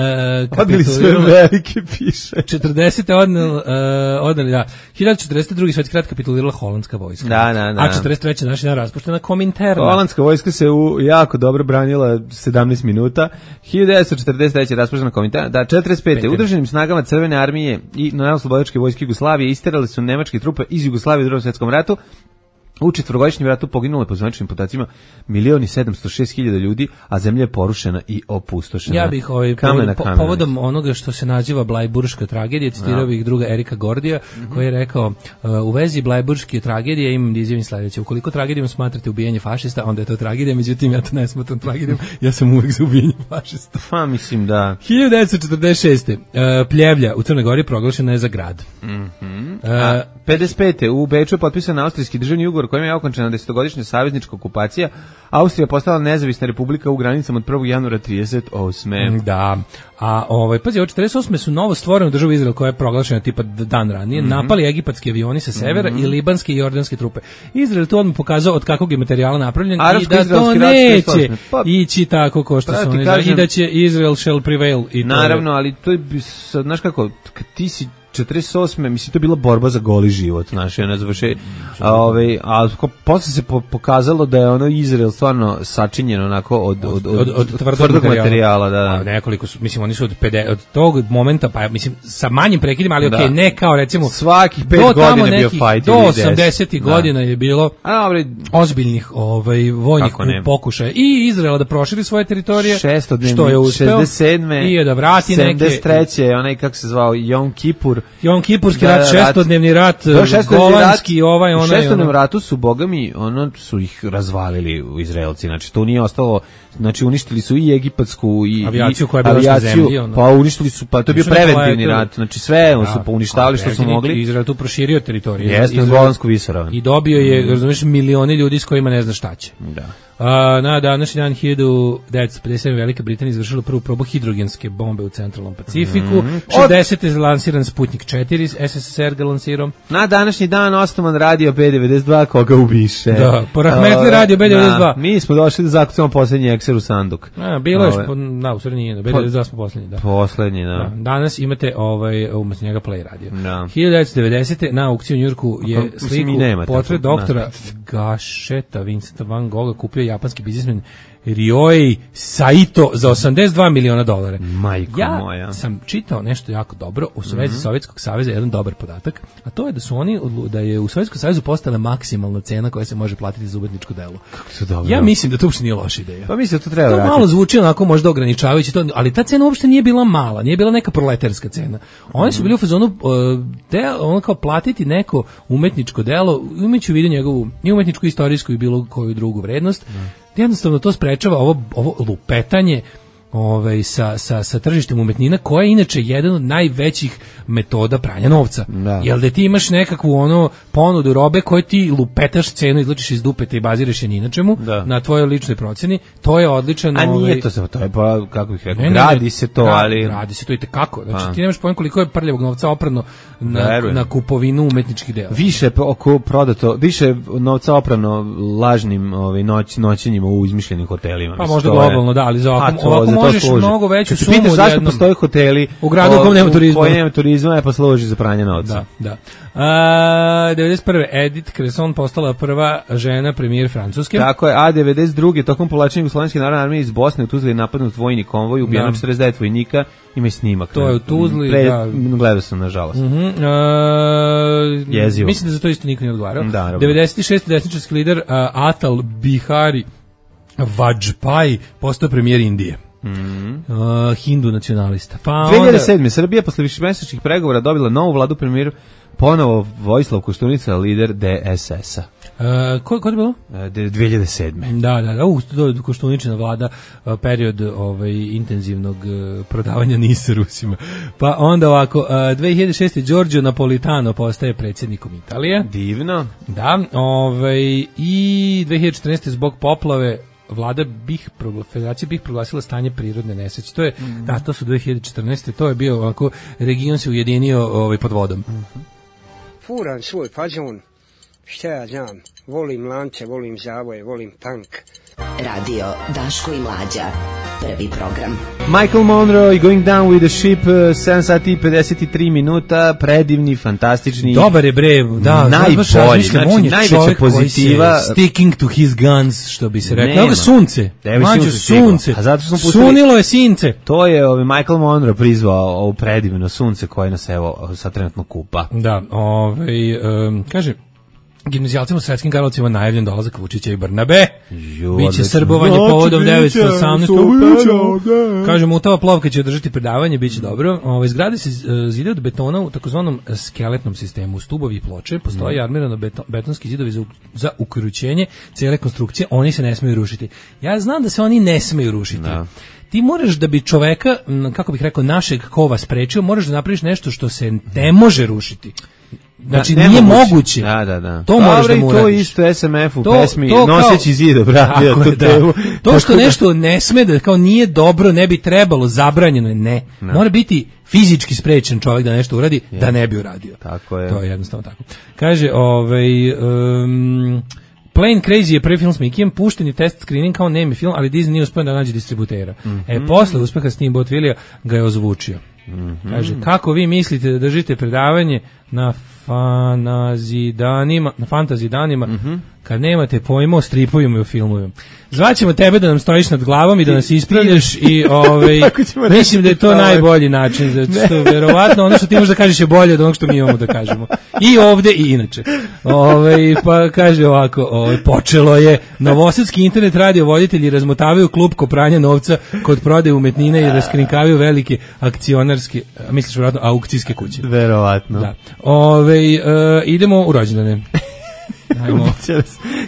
odneli sve velike piše. 40. odneli, da. 1042. svetski rat kapitulirala holandska vojska. Da. A 43. naši dan raspuštena Kominterna. Holandska vojska se jako dobro branila 17 minuta. 1943. raspuštena Kominterna. Da, 45. udruženim snagama Crvene armije i Narodnooslobodilačke vojske Jugoslavije isterali su nemačke trupe iz Jugoslavije u Drugom svjetskom ratu. U četvorogodišnjem ratu poginulo je po zvaničnim podacima 1.706.000 ljudi, a zemlja je porušena i opustošena. Ja bih povodom onoga što se naziva Blajburška tragedija, citirao bih druga Erika Gordija, koji je rekao u vezi Blajburške tragedije imam da izjavim sledeće: ukoliko tragedijom smatrate ubijanje fašista, onda je to tragedija, međutim ja to ne smatram tragedijom, ja sam uvek za ubijanje fašista. Pa mislim da. 1946. Pljevlja u Crnoj Gori proglašena je za grad. 55. u Beču je potpisan austrijski državni ugovor kojim je okončena 10-godišnja saveznička okupacija. Austrija postala nezavisna republika u granicama od 1. januara 38. Da. A pazi, od 48. su novo stvorenu državu Izrael koja je proglašena tipa dan ranije, napali egipatski avioni sa severa i libanske i jordanske trupe. Izrael tu odmah pokazao od kakvog je materijala napravljen i da to neće ići tako ko što su oni i da će Izrael shall prevail. Naravno, ali to je, znaš kako, kad ti si 48. mislim to je bila borba za goli život, znaš, ne završe. A posle se pokazalo da je ono Izrael stvarno sačinjeno onako od tvrdog materijala, da. Nekoliko su, mislim, oni su od tog momenta, pa mislim sa manjim prekidima, ali okej, ne kao recimo svakih 5 godina bio fight do 80. godina je bilo ozbiljnih vojnih pokušaja i Izraela da proširi svoje teritorije, što je uspeo, 67. i da vrati 73. onaj kako se zvao Jom Kipurski rat, šestodnevni rat, golanski, onaj. U šestodnevnom ratu su, bogami, su ih razvalili u Izraelci, znači to nije ostalo, znači uništili su i egipatsku i avijaciju koja je bila na zemlji. Pa uništili su, pa to je bio preventivni rat, znači sve su uništavali što su mogli. Izrael tu proširio teritoriju. Jeste, na Golansku visoravan. I dobio je, razumiješ, milioni ljudi s kojima ne zna šta će. Da. Na današnji dan 1957. Velika Britanija izvršila prvu probu hidrogenske bombe u centralnom Pacifiku. 60. je lansiran Sputnik 4, SSSR ga lansirao. Na današnji dan osnovan radio B92, koga ubiše. Da, porahmetli radio B92. Mi smo došli da zakucamo poslednji ekser u sanduk. Bilo je, u stvari nije, B92 smo poslednji, da. Poslednji, da. Danas imate umesto njega Play radio. Da. 1990. na aukciju u Njujorku je sliku portret doktora Gasheta Vincenta Van Gogha kupio japanski biznismen Ryoi Saito za $82 miliona. Majko moja. Ja sam čitao nešto jako dobro u vezi Sovjetskog saveza, jedan dobar podatak, a to je da je u Sovjetskom savezu postala maksimalna cena koja se može platiti za umetničko delo. Kako to dobro. Ja mislim da to uopšte nije loša ideja. Pa mislim da to treba vratiti. To malo zvuči onako možda ograničavajuće, ali ta cena uopšte nije bila mala, nije bila neka proletarska cena. Oni su bili u fazonu ono kao platiti neko umetničko delo, imajući u vidu njegovu i umetničku, istorijsku i bilo koju drugu vrednost. Jednostavno to sprečava ovo lupetanje sa tržištem umetnina, koja je inače jedan od najvećih metoda pranja novca. Jel da ti imaš nekakvu ponudu robe koje ti lupetaš cenu, izlučiš iz dupeta i baziraš je ni na čemu, na tvojoj ličnoj procjeni, to je odličan... A nije to je pa, kako bih rekao, radi se to, ali... Radi se to i tekako. Znači, ti nemaš pojem koliko je prljavog novca oprano na kupovinu umetničkih dela. Više prodato, više novca oprano lažnim noćenjima u izmišljenim hotelima. Pa možda globalno, da, ali za ovako možeš mnogo veću sumu odjednom. Zašto postoje hoteli u gradu u kojem nema turizma, pa služi za pranje novca. Da. 91. Edith Cresson postala prva žena premijer Francuske. Tako je, a 92. tokom povlačenja Jugoslovenske narodne armije iz Bosne u Tuzli je napadnut vojni konvoj, ubijeno 49 vojnika, ima i snimak. To je u Tuzli, gledao sam, nažalost. Jezivo. Mislim da za to isto niko nije odgovarao. 96. desničarski lider Atal Bihari Vajpayee postao premijer Indije. Hindu nacionalista. 2007. Srbija posle višemesečnih pregovora dobila novu vladu. Premijer Ponovo Vojislav Koštunica, lider DSS-a. Ko je bilo? 2007. Da, Koštuničina vlada, period intenzivnog prodavanja NIS Rusima. Pa onda ovako, 2006. Giorgio Napolitano postaje predsjednikom Italije. Divno. Da, i 2014. zbog poplave Federacija BiH proglasila stanje prirodne nesreće. To je, to su 2014. To je bio ovako, region se ujedinio pod vodom. Furam svoj fazon, šta ja znam, volim lance, volim zavoje, volim punk. Radio Daško i Mlađa, prvi program. Michael Monroe i Going Down with the Ship, 7 sati i 53 minuta, predivni, fantastični. Dobar je bre, da, najbolji, znači najveća pozitiva. Sticking to his guns, što bi se rekao. Evo sunce, sunce. A zato smo pustili, sunilo je since. To je Michael Monroe prizvao ovo predivno sunce koje nas evo sad trenutno kupa. Da, kaže, gimnazijalcima u Sretskim Karlovcima najavljen dolazak Vučića i Brnabe. Biće srbovanje povodom 918. Kaže, Mutava Plovka će održati predavanje, biće dobro. Zgrade se zide od betona u takozvanom skeletnom sistemu. Stubovi i ploče, postoji armirano betonski zidovi za uključenje cijele konstrukcije, oni se ne smiju rušiti. Ja znam da se oni ne smiju rušiti. Da. Ti moraš da bi čoveka, kako bih rekao, našeg kova sprečio, moraš da napraviš nešto što se ne može rušiti. Znači, nije moguće. Da. To moraš da mu uradiš. To isto SMF u pesmi Noseći zid, obratio tu temu. To što nešto ne sme da, kao nije dobro, ne bi trebalo, zabranjeno je, ne. Mora biti fizički sprečen čovjek da nešto uradi, da ne bi uradio. Tako je. To je jednostavno tako. Kaže, Plane Crazy je prvi film s Mikijem, pušten je test screening kao nemi film, ali Disney nije uspio da nađe distributera. Posle uspeha Steamboat Willija ga je ozvučio. Kaže, kako vi mislite da držite predavanje na fantasy danima kad nemate pojma o stripovima i o filmovima? Zvaćemo tebe da nam stojiš nad glavom i da nas ispravljaš i mislim da je to najbolji način, zato što verovatno ono što ti možeš da kažeš je bolje od onog što mi imamo da kažemo. I ovde i inače. Pa kaže ovako, počelo je. Novosadski internet radio voditelji razmotavaju klupko pranja novca kod prodaje umetnine i raskrinkavaju velike akcionarske, misliš verovatno aukcijske kuće. Verovatno. Da. Idemo u rođendane.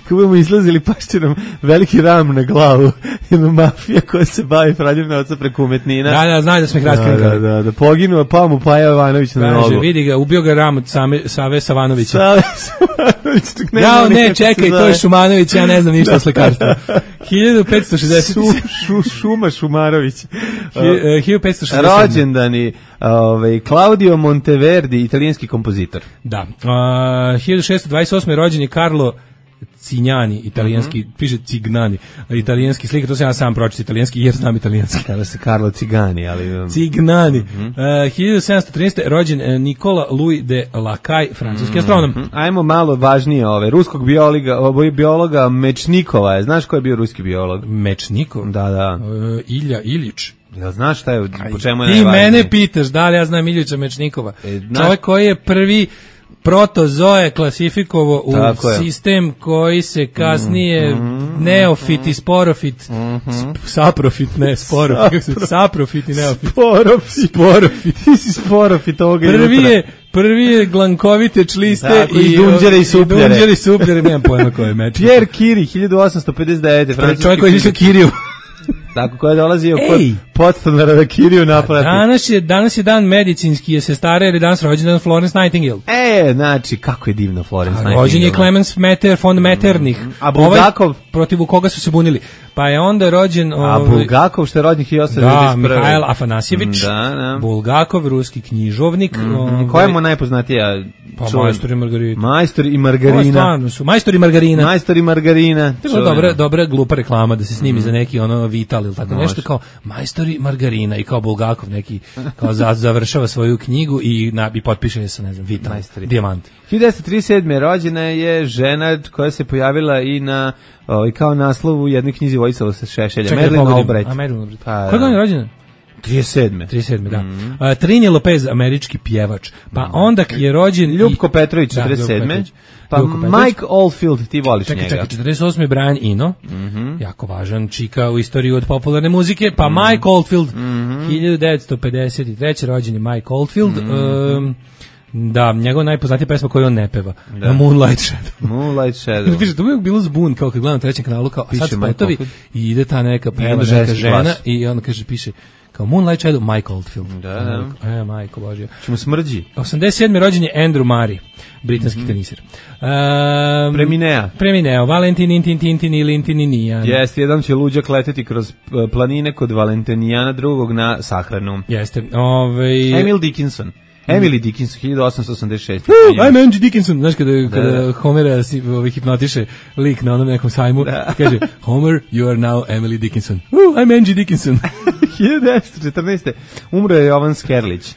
Kako budemo izlazili, pašće nam veliki ram na glavu. Jedna mafija koja se bavi pranjem novca preko umetnina. Da, znaju da smo ih raskrinkali. Da, poginuo, pa mu Paja Jovanović na nogu. Vidi ga, ubio ga ram od Save Savanovića. Save Savanović. Ja, ne, čekaj, to je Šumanović, ja ne znam ništa o slikarstvu. 1560. Šuma Šumarović. 1560. Rođendani, Claudio Monteverdi, italijanski kompozitor. Da. 1628. rođen je Carlo Cignani, italijanski, piše Cignani, italijanski slikar, to se ja sam pročiti italijanski jer znam italijanski. Kada se Carlo Cigani, ali... Cignani. 1713. rođen Nikola Louis de Lacaille, francuski astronom. Ajmo malo važnije ruskog biologa Mečnikova. Znaš ko je bio ruski biolog? Mečnikov? Da. Ilja Ilić. Ja znaš šta je, po čemu je ti najvažnije? Mene pitaš da li ja znam Iljića Mečnikova. Čovjek koji je prvi protozoe klasifikovao u sistem koji se kasnije neofit i sporofit, saprofit, ne sporofit, saprofit i neofit. Sporofit. Ti si sporofit ovoga Prvi je glankovite čliste i dunđere i supljere. Dunđere i supljere, nemam pojma ko je Mečnikov. Pierre Curie, 1859. Francuski čovjek koji je išao Kiriju. Tako koja je dolazio kod podstanara da Kiriju naplati. Danas je dan medicinski, je sestara ili danas rođendan Florence Nightingale. Znači, kako je divno Florence Nightingale. Rođen je Clemens von Metternich. A Bulgakov? Protiv koga su se bunili. Pa je onda rođen... A Bulgakov, što je rođen 1891. Da, Mihail Afanasjević. Da. Bulgakov, ruski knjižovnik. Koja mu najpoznatija? Pa Majstor i Margarita. Majstor i Margarina. Ovo stvarno su. Majstor i Margarina. Majstor i Margarina. To je dobra glupa reklama da se snimi za neki Vital ili tako nešto kao Majstor i Margarina i kao Bulgakov neki kao završava svoju knjigu i potpiše se, ne znam, Vital, Dijamant. 1937. rođena je žena koja se pojavila i na kao naslov u jednoj knjizi Vojislava Šešelja. Madeline Albright. Koja je rođena? 37. Da. Trini Lopez, američki pjevač. Pa onda je rođen Ljubko Petrović, 47. Pa Mike Oldfield, ti voliš njega. Čekaj, 48. Brian Eno, jako važan čika u istoriji od popularne muzike. Pa Mike Oldfield, 1953. rođen je Mike Oldfield. Da, njegova najpoznatija pesma koju on ne peva. Na Moonlight Shadow. Moonlight Shadow. Piše, to bi bilo zbun, kao kad gledam na trećem kanalu, kao, a sad spotovi i ide ta neka peva, neka neka žena glas. i onda kaže, piše, kao Moonlight Shadow, Mike Oldfield. Da. Majko Božja. Čemu smrđi? 87. rođen je Andrew Murray, britanski teniser. Premineo, Valentin, Tintin i Lintinijan. Jeste, jedan će luđak leteti kroz planine kod Valentinijana drugog na sahranu. Jeste. Emily Dickinson, 1886. I'm Angie Dickinson. Znaš kada Homera hipnotiše lik na onom nekom sajmu, kaže, Homer, you are now Emily Dickinson. I'm Angie Dickinson. 1914. umro je Jovan Skerlić.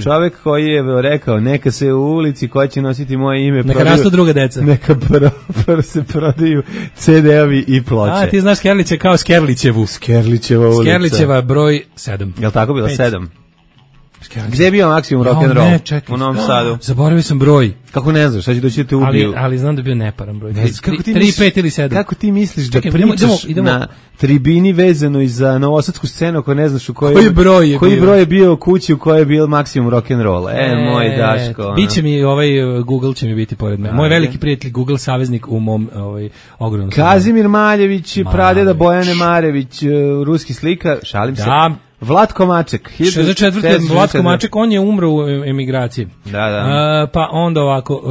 Čovjek koji je rekao, neka se u ulici koja će nositi moje ime neka rastu druga deca. Neka se prodaju CD-ovi i ploče. A, ti znaš Skerlića kao Skerlićevu. Skerlićeva ulica. Skerlićeva broj 7. Jel tako bilo? 7. Gde je bio maksimum rock'n'roll? U Novom Sadu. Zaboravio sam broj. Kako ne znaš, sad će doći da te ubiju. Ali znam da je bio neparan broj. 3, 5 ili 7. Kako ti misliš da pričaš na tribini vezano za novosadsku scenu ako ne znaš u koji broj je bio kući u kojoj je bio maksimum rock'n'rolla? Moj Daško. Biće mi Google će mi biti pored mene. Moj veliki prijatelj Google saveznik u mom ogromnom. Kazimir Maljević, pradeda Bojane Marević, ruski slika, šalim se. Vlatko Maček. 64. Vlatko Maček, on je umro u emigraciji. Da. Pa onda ovako...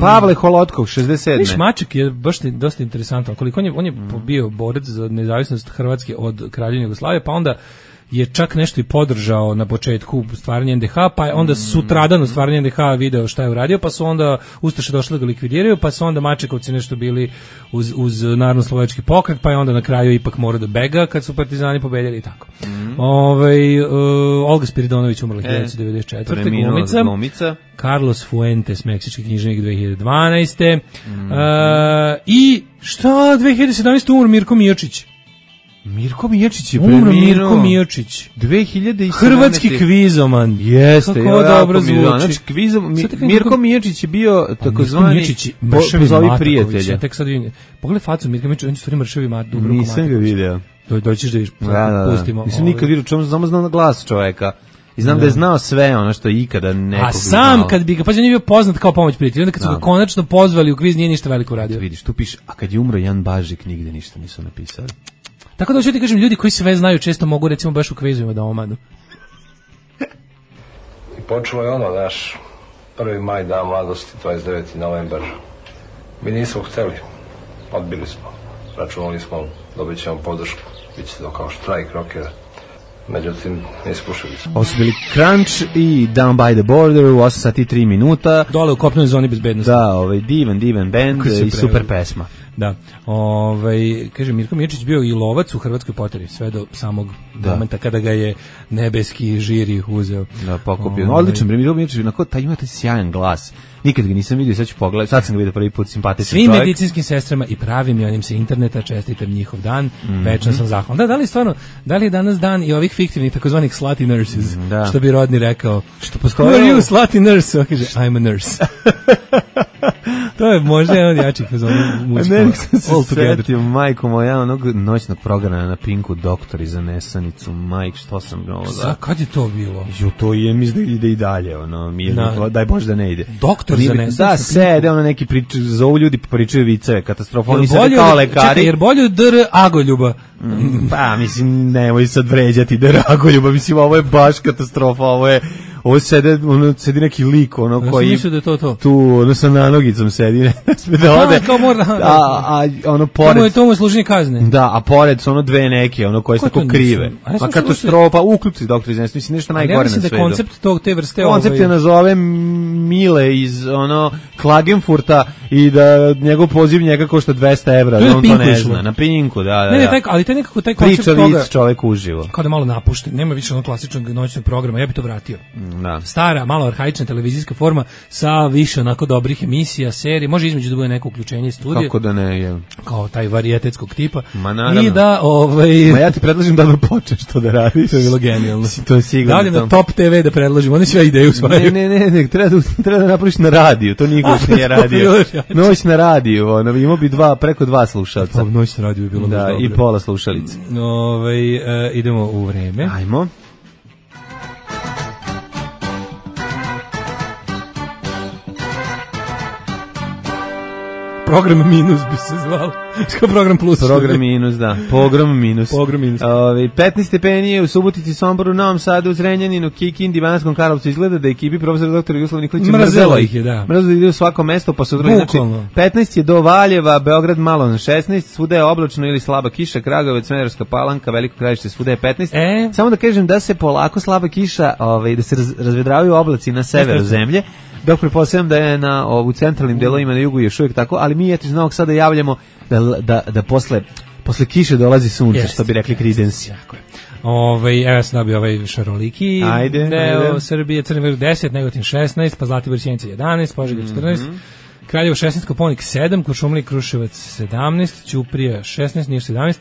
Pavle Holotkov, 67. Viš, Maček je baš dosta interesantan. Koliko on je bio borac za nezavisnost Hrvatske od Kraljevine Jugoslavije, pa onda je čak nešto i podržao na početku stvaranja NDH, pa je onda sutradan u stvaranju NDH video šta je uradio, pa su onda Ustaše došli da ga likvidiraju, pa su onda Mačekovci nešto bili uz Narodno-slovački pokret, pa je onda na kraju ipak morao da bega kad su partizani pobedili i tako. Olga Spiridonović umrla 1994. Glumica. Carlos Fuentes, meksički književnik 2012. I šta 2017. umro Mirko Mijočić. Mirko Mijočić je umro. Mirko Mijočić 2017. Hrvatski kvizoman. Jeste, kako dobro zvuči. Znači, Mirko Mijočić je bio takozvani pozovi prijatelja. Tek sad vidim. Pogledaj facu Mirka Mijočić, on je stvari mršavi mat. Nisam ga video. Doćiš da vidiš, pustimo. Nisam nikad vidio, samo znam na glas čoveka. I znam da je znao sve ono što je ikada nekog. A sam kad bi ga, pa on je bio poznat kao pomoć prijatelj, onda kad su ga konačno pozvali u kviz nije ništa veliko radio. Vidiš, tu piše, a kad je umro Jan Bažik nigde ništa nisu napisali. Tako da hoću ti kažem, ljudi koji sve znaju često mogu recimo baš u kvizovima da omanu. I počelo je ono, naš 1. maj, dan mladosti, 29. novembar. Mi nismo hteli, odbili smo. Računali smo, dobit ćemo podršku, bit će to kao štrajk rockera. Međutim, ne ispušili smo. Ovo su bili Crunch i Down by the Border u 8 sati 3 minuta. Dole u kopnoj zoni bezbednosti. Da, divan band i super pesma. Da, kaže Mirko Mijočić bio i lovac u Hrvatskoj poteri, sve do samog momenta kada ga je nebeski žiri uzeo. Da, pokupio. Odličan, Mirko Mijočić, taj ima taj sjajan glas. Nikad ga nisam vidio, sad ću pogledati, sad sam ga vidio prvi put, simpatičan čovjek. Svim medicinskim sestrama i pravim i onim sa interneta, čestitam njihov dan, večno sam zahvalan. Da li stvarno, da li je danas dan i ovih fiktivnih takozvanih slutty nurses, što bi Rodni rekao, što postoje... Who are you, slutty nurse? Kaže, I'm a nurse. To je možda jedan od jačih fazona muzika. Ne, sam se setio, majko moja, onog noćnog programa na Pinku, Doktori za nesanicu, majk, što sam bilo. Kad je to bilo? To je, mislim da ide i dalje, daj Bože da ne ide. Doktor za nesanicu? Da, sede, neki pričaju, zovu ljudi pa pričaju viceve, katastrofa, oni sede kao lekari. Čekaj, jer bolje Dr. Agoljuba? Pa, mislim, nemoj sad vređati Dr. Agoljuba, mislim, ovo je baš katastrofa, ovo sedi neki lik, koji... Ja sam mislio da je to. Tu, sa nanogicom sedi, ne sme da ode. Pored... To mu je služenje kazne. Da, a pored su dve neke, koje su tako krive. Pa katastrofa, uključi Doktor iz nesanice, mislim, nešto najgore na svetu. Ja mislim da koncept te vrste... Koncept je nazove Mile iz, Klagenfurta i da njegov poziv njega košta 200 evra, da on to ne zna. Na Pinku, da. Ne, ali to je nekako taj koncept toga... Priča vic čovek uživo. Kao da malo napušten, nema više klasičnog noćnog programa, ja bi to vratio. Da. Stara, malo arhaična televizijska forma sa više onako dobrih emisija, serije, može između da bude neko uključenje studije. Kako da ne je? Kao taj varijetetskog tipa. Ma naravno. I da, Ma ja ti predlažem da počneš to da radiš. To je bilo genijalno. To je sigurno. Da li na Top TV da predlažim, oni sve ideju usvajaju. Ne, treba da napraviš na radiju, to niko nije radio. Noć na radiju, imao bi preko 2 slušalca. Noć na radiju bi bilo da, dobro. I pola slušalice. Idemo u vreme. Ajmo. Program minus bi se zvao. Kao program plus. Program minus, da. Pogrom minus. Pogrom minus. 15 stepeni je u Subotici, Somboru, Novom Sadu, Zrenjaninu, Kikindi, Banatskom Karlovcu. Izgleda da ekipi profesora dr. Jugoslav Nikolić mrzelo ih je, da. Mrzelo ide u svako mesto, pa su znači 15 je do Valjeva, Beograd malo na 16, svuda je oblačno ili slaba kiša, Kragujevac, Smederevska Palanka, Veliko Gradište, svuda je 15. Samo da kažem da se polako slaba kiša, da se razvedravaju oblaci na severu zemlje. Dok pretpostavljam da je u centralnim delovima na jugu još uvijek tako, ali mi eto iz Novog Sada javljamo da posle kiše dolazi sunce, što bi rekli Creedence. Evo ja sam dobio šaroliki deo Srbije, Crni vrh 10, Negotin 16, pa Zlatibor, Sjenica 11, Požega 14, Kraljevo 16, Koponik 7, Kuršumlija, Kruševac 17, Ćuprija 16, Niš 17,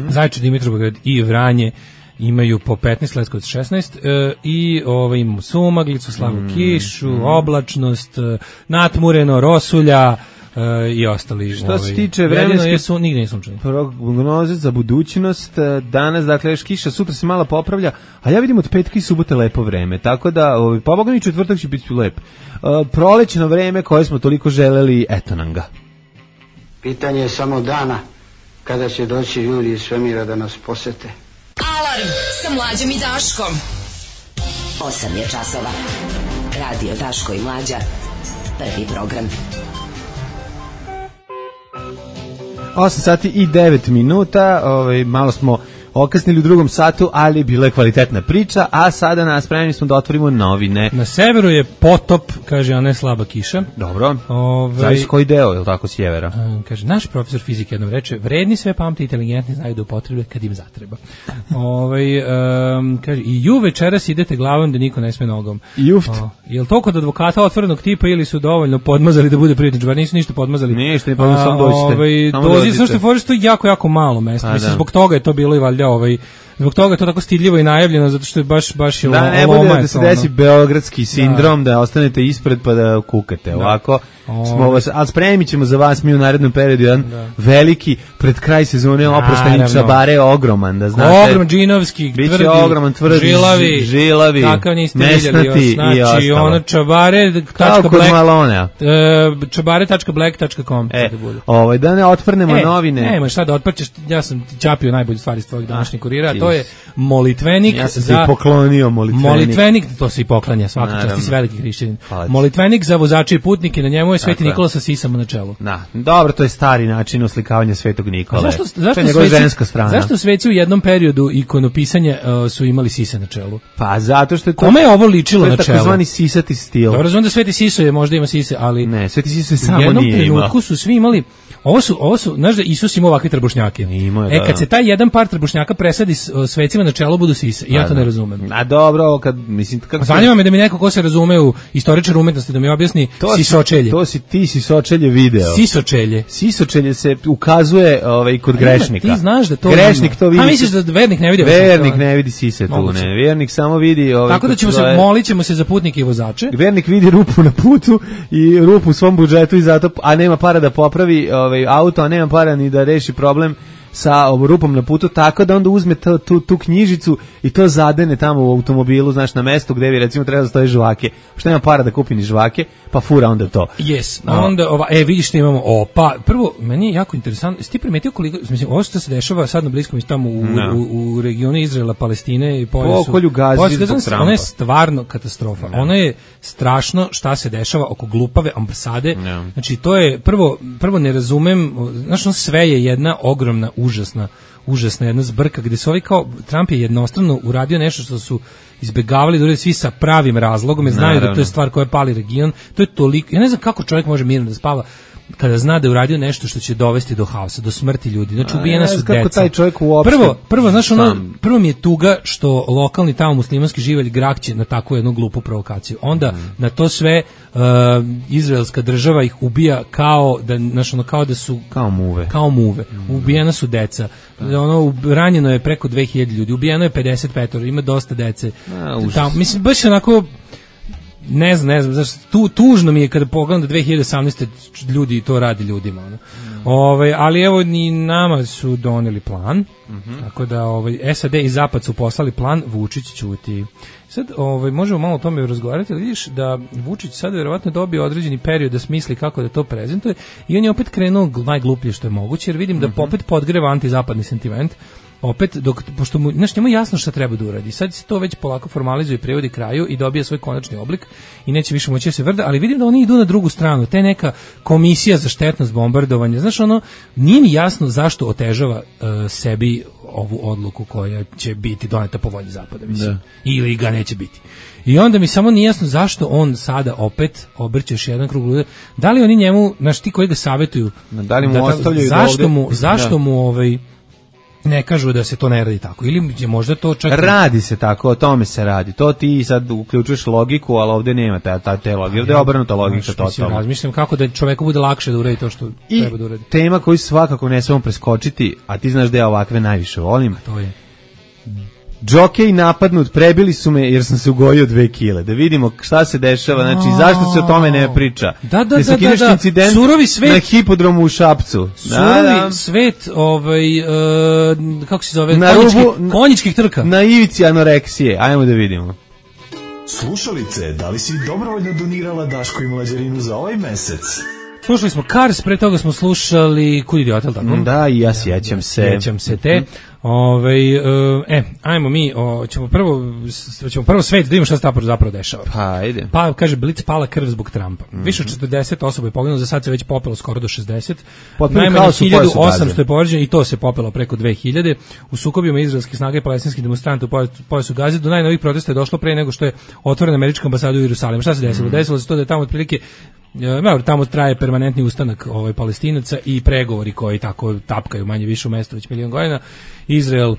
Zaječar, Dimitrovgrad i Vranje imaju po 15, Leskovac 16 i imamo sumaglicu, slavu kišu, oblačnost, natmureno, rosulja i ostali. Što se tiče vremenske nigde nije sunčano. Prognoze za budućnost, danas dakle još kiša, sutra se malo popravlja, a ja vidim od petka i subote lepo vreme, tako da pa Boga mi četvrtak će biti lep. Prolećno vreme koje smo toliko želeli, eto nam ga. Pitanje je samo dana kada će doći ljudi iz svemira da nas posete. Alarm sa Mlađom i Daškom. 8 je časova. Radio Daško i Mlađa. Prvi program. 8 sati i 9 minuta. Malo smo okasnili u drugom satu, ali bila je kvalitetna priča, a sada spremni smo da otvorimo novine. Na severu je potop, kaže, a ne slaba kiša. Dobro. Zavisi koji deo, je li tako, sjevera? Kaže, naš profesor fizike jednom reče, vredni sve pamte, inteligentni znaju da upotrebe kad im zatreba. Kaže, i ju večeras idete glavom da niko ne sme nogom. Juft. Je li to kod advokata otvorenog tipa ili su dovoljno podmazali da bude privatnič, bar nisu ništa podmazali? Ništa, pa samo dođite. Dođite, samo što je foriš, to je jako, jako malo mesta. Mislim, zbog toga je to bilo i valjda zbog toga je to tako stidljivo i najavljeno, zato što je baš je loma. Da ne bude da se desi beogradski sindrom, da ostanete ispred pa da kukate. Ovako smo vas, ali spremit ćemo za vas mi u narednom periodu jedan veliki, pred kraj sezone oprošteni čabare, ogroman, da znate. Ogroman, džinovski, tvrdi, ogroman, tvrdi, žilavi, takav niste vidjeli još. Znači, ono čabare.black.com da ne otvrnemo novine. Nema šta da otprčeš, ja sam čapio najbolju stvari iz tvojeg današnjeg kurira, to je molitvenik. Ja sam se poklonio molitvenik, to se i poklanja svaka čast, ti si veliki hrišćanin. Molitvenik za vozače i putnike, na njemu je Sveti Nikola sa sisama na čelu. Dobro, to je stari način oslikavanja Svetog Nikole. Zašto sveci u jednom periodu ikonopisanja su imali sise na čelu? Pa zato što je to... Kome je ovo ličilo na čelu? To je takozvani sisati stil. Dobro, znam da Sveti Siso je možda ima sise, ali... Ne, Sveti Siso je samo nije imao. U jednom trenutku su svi imali... Ovo su, znaš da Isus ima ovakve trbušnjake. Kad se taj jedan par trbušnjaka presadi svecima na čelo, budu sise. Ja to ne razumem. A dobro, kad mislim... Zanima me da mi neko ko se razume u istoričar umetnosti da mi objasni sisočelje. To si ti sisočelje video. Sisočelje. Sisočelje se ukazuje kod grešnika. Ti znaš da to... Grešnik to vidi. A misliš da vernik ne vidi? Vernik ne vidi sise tu, ne. Vernik samo vidi... Tako da molit ćemo se za putnike i vozače. Vernik vidi rupu na putu i rupu u svom budžetu i zato, a nema para da popravi auto, a nema para ni da reši problem sa rupom na putu, tako da onda uzme tu knjižicu i to zadene tamo u automobilu, znaš, na mestu gde bi recimo treba da stoje žvake. Što nema para da kupi ni žvake, pa fura onda to. Yes, onda vidiš što imamo, pa prvo, meni je jako interesantno, jesi ti primetio koliko, mislim, ovo što se dešava sad na Bliskom istoku tamo u regionu Izraela, Palestine i pokolju Gazi zbog Trumpa. Ono je stvarno katastrofa. Ono je strašno šta se dešava oko glupave ambasade. Znači, to je, prvo ne razumem, znači, sve je jedna ogromna užasna jedna zbrka gde su kao Trump je jednostrano uradio nešto što su izbegavali da urade svi sa pravim razlogom, jer znaju da to je stvar koja pali region. To je toliko, ja ne znam kako čovjek može mirno da spava kada zna da je uradio nešto što će dovesti do haosa, do smrti ljudi. Znači, ubijena su deca. Kako taj čovjek uopšte... Prvo, znaš, prvo mi je tuga što lokalni tamo muslimanski živelj grakće na takvu jednu glupu provokaciju. Onda, na to sve, izraelska država ih ubija kao da su... Kao muve. Ubijena su deca. Ranjeno je preko 2000 ljudi. Ubijeno je 55, ima dosta dece. Mislim, baš onako... ne znam, zašto, tužno mi je kada pogledam da 2018. ljudi to radi ljudima. Ono. Ali evo ni nama su doneli plan, tako da SAD i Zapad su poslali plan, Vučić ćuti. Sad možemo malo o tome razgovarati, ali vidiš da Vučić sad verovatno dobio određeni period da smisli kako da to prezentuje i on je opet krenuo najgluplje što je moguće, jer vidim da opet podgreva antizapadni sentiment. Opet, pošto mu, njemu je jasno šta treba da uradi. Sad se to već polako formalizuje, prevodi kraju i dobija svoj konačni oblik i neće više moći da se vrda, ali vidim da oni idu na drugu stranu. Te neka komisija za štetnost bombardovanja. Znaš, nije mi jasno zašto otežava sebi ovu odluku koja će biti doneta po volji Zapada, mislim. Ili ga neće biti. I onda mi samo nije jasno zašto on sada opet obrće još jedan krug lude. Da li oni njemu, znaš, ti koji ga savjetuju, da li mu ostavljaju zašto mu ne kažu da se to ne radi tako, ili je možda to čak... Radi se tako, o tome se radi. To ti sad uključuješ logiku, ali ovdje nema te logike, ovdje je obrnuta logika totalno. Razmišljam kako da čoveku bude lakše da uradi to što treba da uradi. I tema koju svakako ne smemo preskočiti, a ti znaš da ja ovakve najviše volim. To je... Džokej napadnut, prebili su me jer sam se ugojio 2 kile. Da vidimo šta se dešava, znači zašto se o tome ne priča. Da. Surovi svet na hipodromu u Šapcu. Surovi svet, kako se zove, konjičkih trka. Na ivici anoreksije, ajmo da vidimo. Slušalice, da li si dobrovoljno donirala Daško i Mlađarinu za ovaj mesec? Slušali smo Cars, pre toga smo slušali Kud idiot, tako? Da, i ja sjećam se. Sjećam se te. Ajmo mi, ćemo prvo svet da vidimo šta se zapravo dešava. Pa, ajde. Pa, kaže, Blic pala krv zbog Trumpa. Više od 40 osoba je poginulo, za sad se već popelo skoro do 60. Najmanje 1800 je povređeno i to se popelo preko 2000. U sukobima izraelskih snaga i palestinskih demonstranata u pojasu Gaze do najnovih protesta je došlo pre nego što je otvorena američka ambasada u Jerusalimu. Šta se desilo? Desilo se to da je tamo otprilike tamo traje permanentni ustanak Palestinaca i pregovori koji tako tapkaju manje više u mestu već milion godina. Izrael,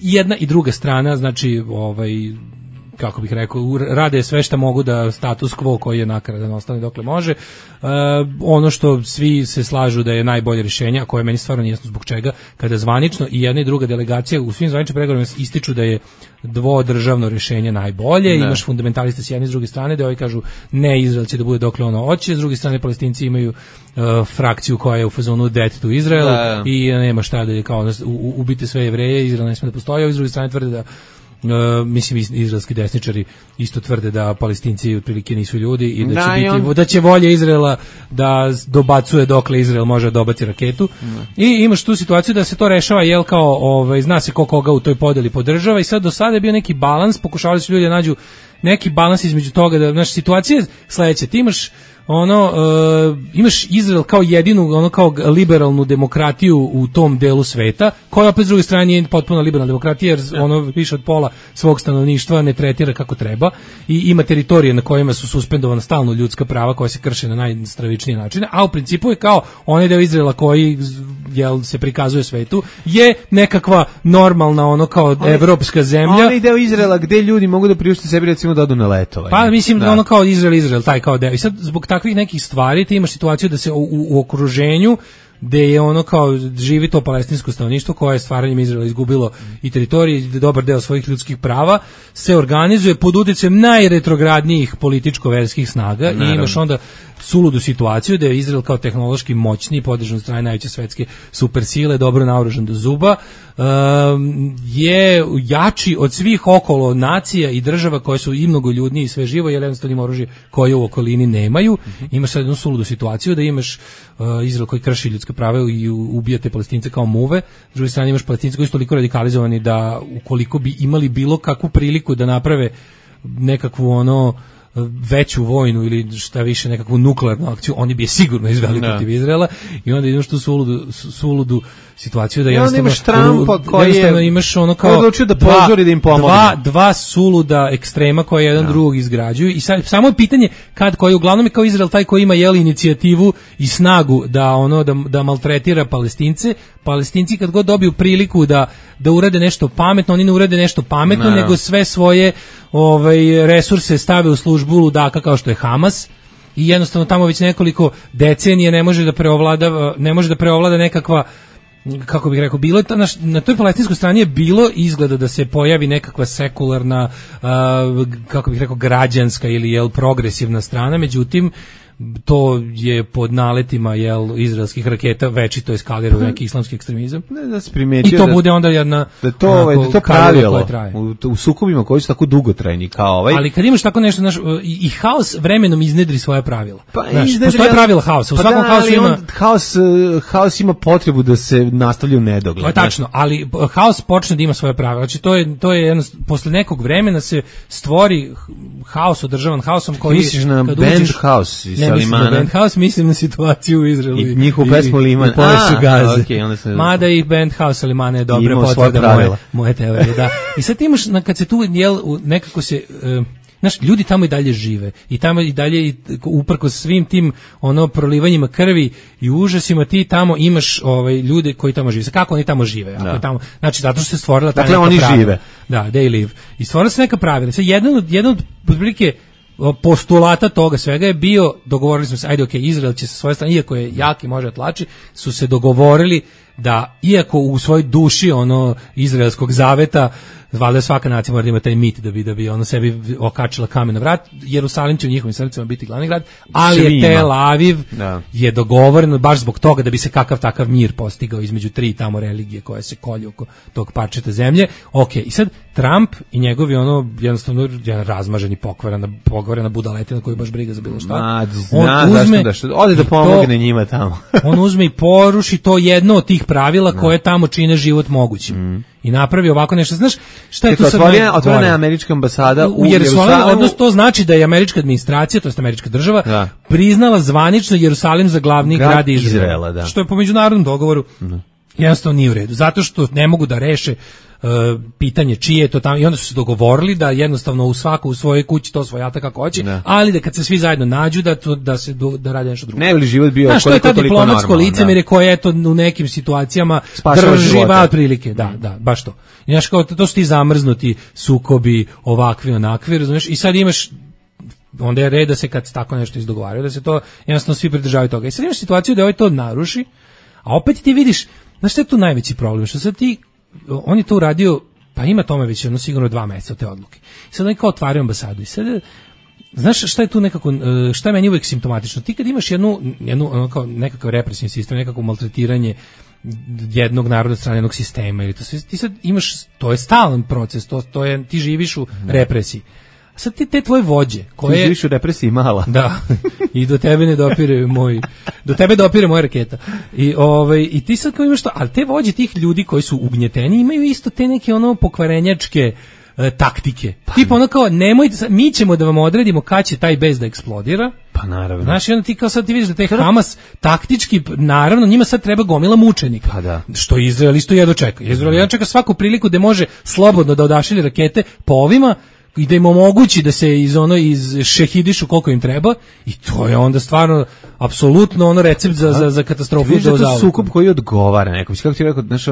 jedna i druga strana, znači kako bih rekao, rade sve što mogu da status quo koji je nakaradan ostane dokle može. Ono što svi se slažu da je najbolje rješenje, a koje meni stvarno nije jasno zbog čega, kada zvanično i jedna i druga delegacija u svim zvaničnim pregovorima ističu da je dvodržavno rješenje najbolje, imaš fundamentaliste s jedne i s druge strane, da ovi kažu ne, Izrael će da bude dokle ono hoće, s druge strane Palestinci imaju frakciju koja je u fazonu death to Israel i nema šta da je kao ubite sve Jevreje, Izrael ne sme da postoji, a s druge strane tvrde da izraelski desničari isto tvrde da Palestinci otprilike nisu ljudi i da će volja Izraela da dobacuje dokle Izrael može da dobaci raketu. I imaš tu situaciju da se to rešava kao zna se koga u toj podeli podržava i sad do sada je bio neki balans, pokušavali su ljudi da nađu neki balans između toga da situacija je sledeća, ti imaš imaš Izrael kao jedinu kao liberalnu demokratiju u tom delu sveta, koja opet s druge strane nije potpuno liberalna demokratija jer više od pola svog stanovništva ne tretira kako treba i ima teritorije na kojima su suspendovana stalno ljudska prava koja se krše na najstravičnije načine, a u principu je kao onaj deo Izraela koji se prikazuje svetu je nekakva normalna kao evropska zemlja. Onaj deo Izraela gde ljudi mogu da priušte sebi recimo da odu na letovanje. Pa mislim da kao Izrael taj kao deo. I sad zbog takvih nekih stvari ti imaš situaciju da se u okruženju gde je kao živi to palestinsko stanovništvo koje je stvaranjem Izraela izgubilo i teritorije i dobar deo svojih ljudskih prava se organizuje pod uticajem najretrogradnijih političko-verskih snaga. Naravno. I imaš onda suludu situaciju da je Izrael kao tehnološki moćni, podržan od strane najveće svetske supersile, dobro naoružan do zuba, je jači od svih okolo nacija i država koje su i mnogo ljudniji i sve živo, jer jednostavno ima oružje koje u okolini nemaju. Imaš sad jednu suludu situaciju da imaš Izrael koji krši ljudska prava i ubija te Palestince kao muve, s druge strane imaš Palestince koji su toliko radikalizovani da ukoliko bi imali bilo kakvu priliku da naprave nekakvu veću vojnu ili šta više nekakvu nuklearnu akciju, oni bi je sigurno izveli protiv Izraela i onda ideš tu suludu situaciju da jednostavno imaš kao odlučio da pozori da im pomogne. Dva suluda ekstrema koje jedan drugog izgrađuju i sad samo je pitanje koji uglavnom je kao Izrael taj koji ima inicijativu i snagu da maltretira Palestince. Palestinci kad god dobiju priliku da urade nešto pametno, oni ne urade nešto pametno, nego sve svoje resurse stave u službu ludaka kao što je Hamas. I jednostavno tamo već nekoliko decenija ne može da preovlada nekakva kako bih rekao, bilo je na toj palestinskoj strani je bilo izgleda da se pojavi nekakva sekularna, kako bih rekao, građanska ili progresivna strana, međutim to je pod naletima izraelskih raketa večito eskalira u neki islamski ekstremizam. Ne, da se primetio i to bude onda jedna da to pravilo u sukobima koji su tako dugotrajni kao ovaj. Ali kad imaš tako nešto, i haos vremenom iznedri svoja pravila. Postoje pravila haosa. U svakom haosu ima haos ima potrebu da se nastavlja u nedogled. To je tačno, ali haos počne da ima svoje pravila. Znači to je posle nekog vremena se stvori haos održavan haosom koji misliš na band house. Ne mislim na Bandhouse, mislim na situaciju u Izraelu i njihovu pesmu Liman. Pojasu Gaze. Okay, mada i Bandhouse Limana je dobra potvrda moje teorije. Da. I sad imaš, kad se tu nekako se... Znaš, ljudi tamo i dalje žive i tamo i dalje uprkos svim tim prolivanjima krvi i užasima ti tamo imaš ljude koji tamo žive. Kako oni tamo žive? Ako tamo, znači zato što se stvorila ta neka oni pravila. Žive. Da, they live. I stvorila se neka pravila. Sad jedan od otprilike postulata toga svega je bio, dogovorili smo se, Izrael će sa svoje strane, iako je jak i može tlači, su se dogovorili da, iako u svojoj duši izraelskog zaveta, valjda svaka nacija mora da ima taj mit da bi sebi okačila kamen na vrat, Jerusalim će u njihovim srcima biti glavni grad, ali je Tel Aviv je dogovoreno baš zbog toga da bi se kakav takav mir postigao između tri tamo religije koje se kolju oko tog parčeta zemlje. I sad Trump i njegovi jednostavno razmaženi pokvarena budaletina koju baš briga za bilo šta. Ode da pomogne njima tamo. On uzme i poruši to jedno od tih pravila koje tamo čine život mogućim. I napravi ovako nešto. Znaš, šta je tu sad otvorena je američka ambasada u Jerusalimu. Odnosno, to znači da je američka administracija, to jest američka država, priznala zvanično Jerusalim za glavni grad Izraela. Da. Što je po međunarodnom dogovoru jednostavno nije u redu. Zato što ne mogu da reše pitanje čije je to tamo, i onda su se dogovorili da jednostavno u svojoj kući to svojata kako hoće, ali da kad se svi zajedno nađu da rade nešto drugo. Ne bi li život bio koliko toliko normalno. Diplomatsko licemerje koje u nekim situacijama drži otprilike. Da, baš to. I znaš, kao to su ti zamrznuti sukobi, ovakvi, onakvi, razumiješ, i sad imaš, onda je red da se kad tako nešto izdogovaraju, da se to jednostavno svi pridržavaju toga. I sad imaš situaciju da to naruši, a opet ti vidiš, znaš što je tu najveći problem, što sad on je to uradio, pa ima tome već sigurno 2 meseca od te odluke. I sad oni kao otvaraju ambasadu i sad, znaš šta je tu nekako, šta je meni uvijek simptomatično? Ti kad imaš jednu kao nekakav represivni sistem, nekako maltretiranje jednog naroda strane jednog sistema, ili to sve, ti sad imaš, to je stalan proces, to je, ti živiš u represiji. A sad te tvoje vođe, koje... Ti živiš u represiji mala. Da, i do tebe ne dopire moja raketa. I ti sad kao imaš to, ali te vođe tih ljudi koji su ugnjeteni imaju isto te neke pokvarenjačke taktike. Tipa kao, nemojte, mi ćemo da vam odredimo kad će taj bez da eksplodira. Pa naravno. Znaš, i onda ti kao sad ti vidiš da taj Hamas taktički, naravno, njima sad treba gomila mučenika. Pa da. Što Izrael isto jedno čeka. Izrael jedno čeka svaku priliku da može slobodno da odašilje rakete po ovima, i da im omogući da se iz šehidišu koliko im treba, i to je onda stvarno apsolutno recept za katastrofu. Vidiš da je to sukob koji odgovara nekom. Kako ti rekao, znaš,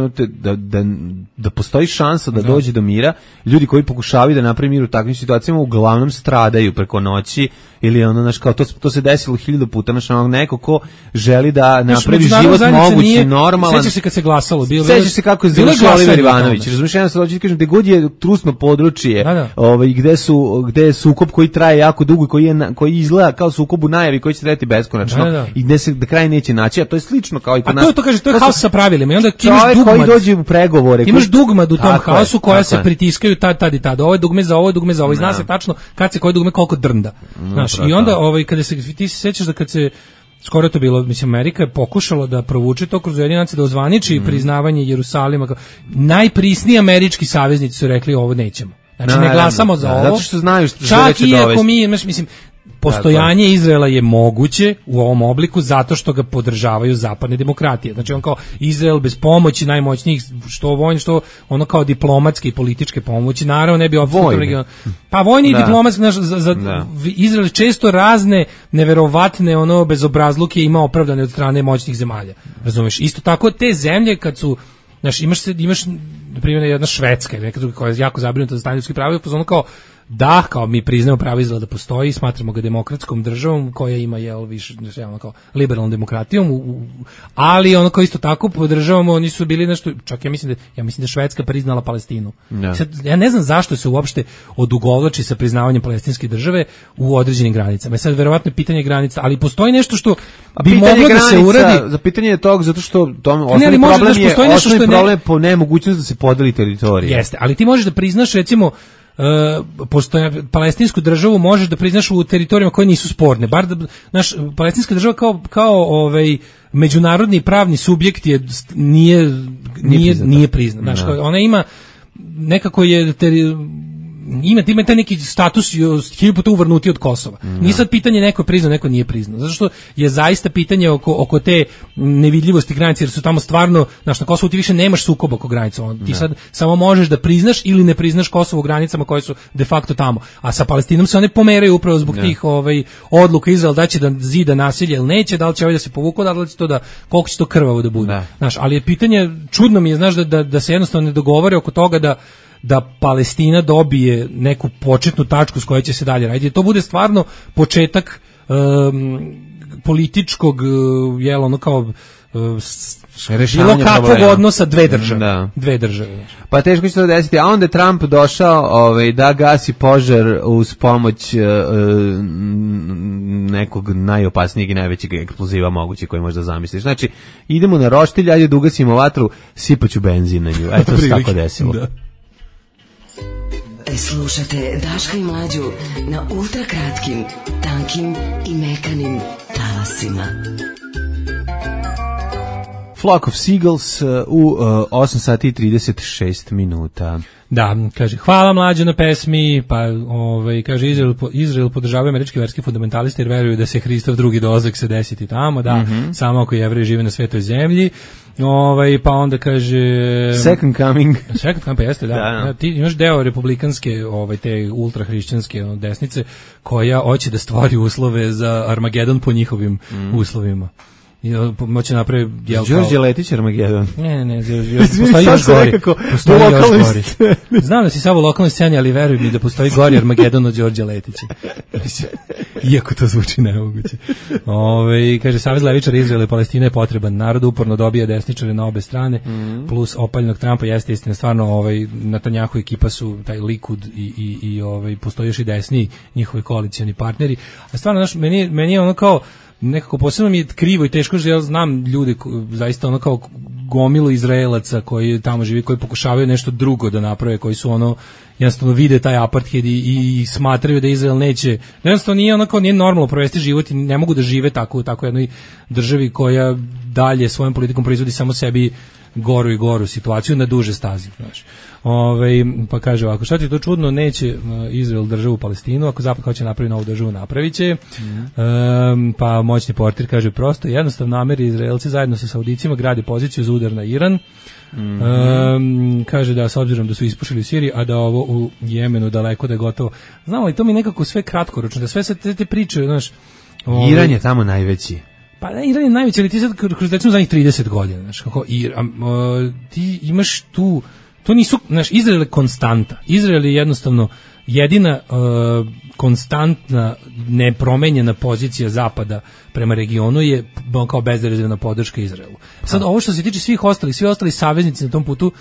da postoji šansa da dođe do mira, ljudi koji pokušavaju da napravi mir u takvim situacijama uglavnom stradaju preko noći, ili znaš, kao to se desilo 1000 puta, znaš, neko ko želi da napravi život mogući, normalan. Sećaš se kad se glasalo, sećaš se kako je završio Oliver Ivanović, razumiješ, jedno sad hoću ti kažem, gde god je trusno područje, gde je sukob koji traje jako dugo, koji izgleda kao sukob u najavi, koji će trajati beskonačno, i gde se do kraja neće naći, a to je slično kao i kod nas. A to kaže, to je haos sa pravilima, i onda čovjek koji dođe u pregovore. Imaš dugmad u tom haosu koja se pritiskaju tad i tad. Ovo je dugme za ovo, dugme za ovo. I zna se tačno kad se koje dugme koliko drnda. Znaš, i onda kada ti se sećaš da kad se skoro to bilo, mislim, Amerika je pokušala da provuče to kroz Ujedinjene nacije, da ozvaniči priznavanje Jerusalima. Najprisniji američki saveznici su rekli ovo nećemo. Znači ne glasamo za ovo. Zato što znaju što čak i ako mi, mislim, postojanje Izraela je moguće u ovom obliku zato što ga podržavaju zapadne demokratije. Znači on kao Izrael bez pomoći najmoćnijih, što vojni, što ono kao diplomatske i političke pomoći, naravno ne bi opstao region. Pa vojni i diplomatski, Izrael često razne neverovatne bezobrazluke ima opravdane od strane moćnih zemalja. Razumeš? Isto tako te zemlje kad su, znaš, imaš na primjer jedna Švedska ili neka druga koja je jako zabrinuta za stanje ljudskih prava, pa kao da, kao mi priznajemo pravo Izraela da postoji, smatramo ga demokratskom državom koja ima više kao liberalnom demokratijom, ali ono kao isto tako podržavamo, oni su bili nešto, čak ja mislim da Švedska priznala Palestinu. Sad, ja ne znam zašto se uopšte odugovlači sa priznavanjem palestinske države u određenim granicama. Sad verovatno je pitanje granica, ali postoji nešto što bi moglo da se uradi. Za pitanje je tog zato što osnovni problem je po nemogućnosti da se podeli teritorija. Jeste, ali ti možeš da priznaš recimo pošto palestinsku državu možeš da priznaš u teritorijama koje nisu sporne. Bar da palestinska država kao međunarodni pravni subjekt nije priznat. Znaš, ona ima nekako ima taj neki status 1000 puta uvrnuti od Kosova. Nije sad pitanje neko je priznao, neko nije priznao. Zato što je zaista pitanje oko te nevidljivosti granice, jer su tamo stvarno, na Kosovu ti više nemaš sukoba oko granica. Ti sad samo možeš da priznaš ili ne priznaš Kosovo u granicama koje su de facto tamo. A sa Palestinom se one pomeraju upravo zbog tih odluka Izrael da će da zida nasilje ili neće, da li će da se povuku, da li će to koliko će to krvavo da bude. Znaš, ali je pitanje, čudno mi je, znaš, da se jednostavno ne dogovore oko toga da Palestina dobije neku početnu tačku s kojoj će se dalje raditi. To bude stvarno početak političkog, bilo kakvog odnosa dve države. Pa teško će to desiti, a onda je Trump došao da gasi požar uz pomoć nekog najopasnijeg i najvećeg eksploziva moguće koji možda zamisliš. Znači, idemo na roštilj, ajde da ugasimo vatru, sipaću benzin na nju. Eto se tako desilo. Da. Slušate Daška i Mlađu na ultrakratkim, tankim i mekanim talasima. Flock of Seagulls u 8 sati i 36 minuta. Da, kaže, hvala Mlađo na pesmi, pa kaže, Izrael podržava američke verske fundamentaliste jer veruju da se Hristov drugi dolazak se desiti tamo, samo ako Jevreji žive na svetoj zemlji. Pa onda kaže Second Coming, pa jeste, da. Ti imaš deo republikanske te ultrahrišćanske desnice koja hoće da stvori uslove za Armagedon po njihovim uslovima. Moće napravi Đorđe Letić Armagedon. Ne, postoji još gori. Znam da si samo u lokalnoj sceni, ali veruj mi da postoji gori Armagedon od Đorđe Letića. Iako to zvuči nemoguće. Kaže, Savez levičara Izraela i Palestina je potreban. Narod uporno dobija desničare na obe strane, plus opaljnog Trumpa, jeste istina, stvarno Netanjahu ekipa su taj Likud i postoji još i desni njihovi koalicioni partneri. A stvarno, meni je ono kao nekako posebno mi je krivo i teško, jer ja znam ljude zaista kao gomilu Izraelaca koji tamo živi, koji pokušavaju nešto drugo da naprave, koji su jednostavno vide taj apartheid i smatraju da Izrael neće, jednostavno nije normalno provesti život i ne mogu da žive tako jednoj državi koja dalje svojom politikom proizvodi samo sebi goru i goru situaciju na duže stazi, znaš. Pa kaže ovako, šta ti je to čudno, neće Izrael državu Palestinu, ako Zapad hoće napraviti novu državu, napravit će. Pa moćni portir kaže prosto, jednostavno Ameri i Izraelci zajedno sa Saudicima grade poziciju za udar na Iran. Kaže da s obzirom da su ispušili u Siriji, a da ovo u Jemenu daleko da je gotovo. Znamo, ali to mi nekako sve kratkoročno, da sve se te priče, znaš. Iran je tamo najveći. Pa Iran je najveći, ali ti sad kroz recimo zadnjih 30 godina, znaš, ti imaš tu, to nisu, znaš, Izrael je konstanta. Izrael je jednostavno jedina konstantna, nepromenjena pozicija Zapada prema regionu je kao bezrezervna podrška Izraelu. Sad ovo što se tiče svi ostali saveznici na tom putu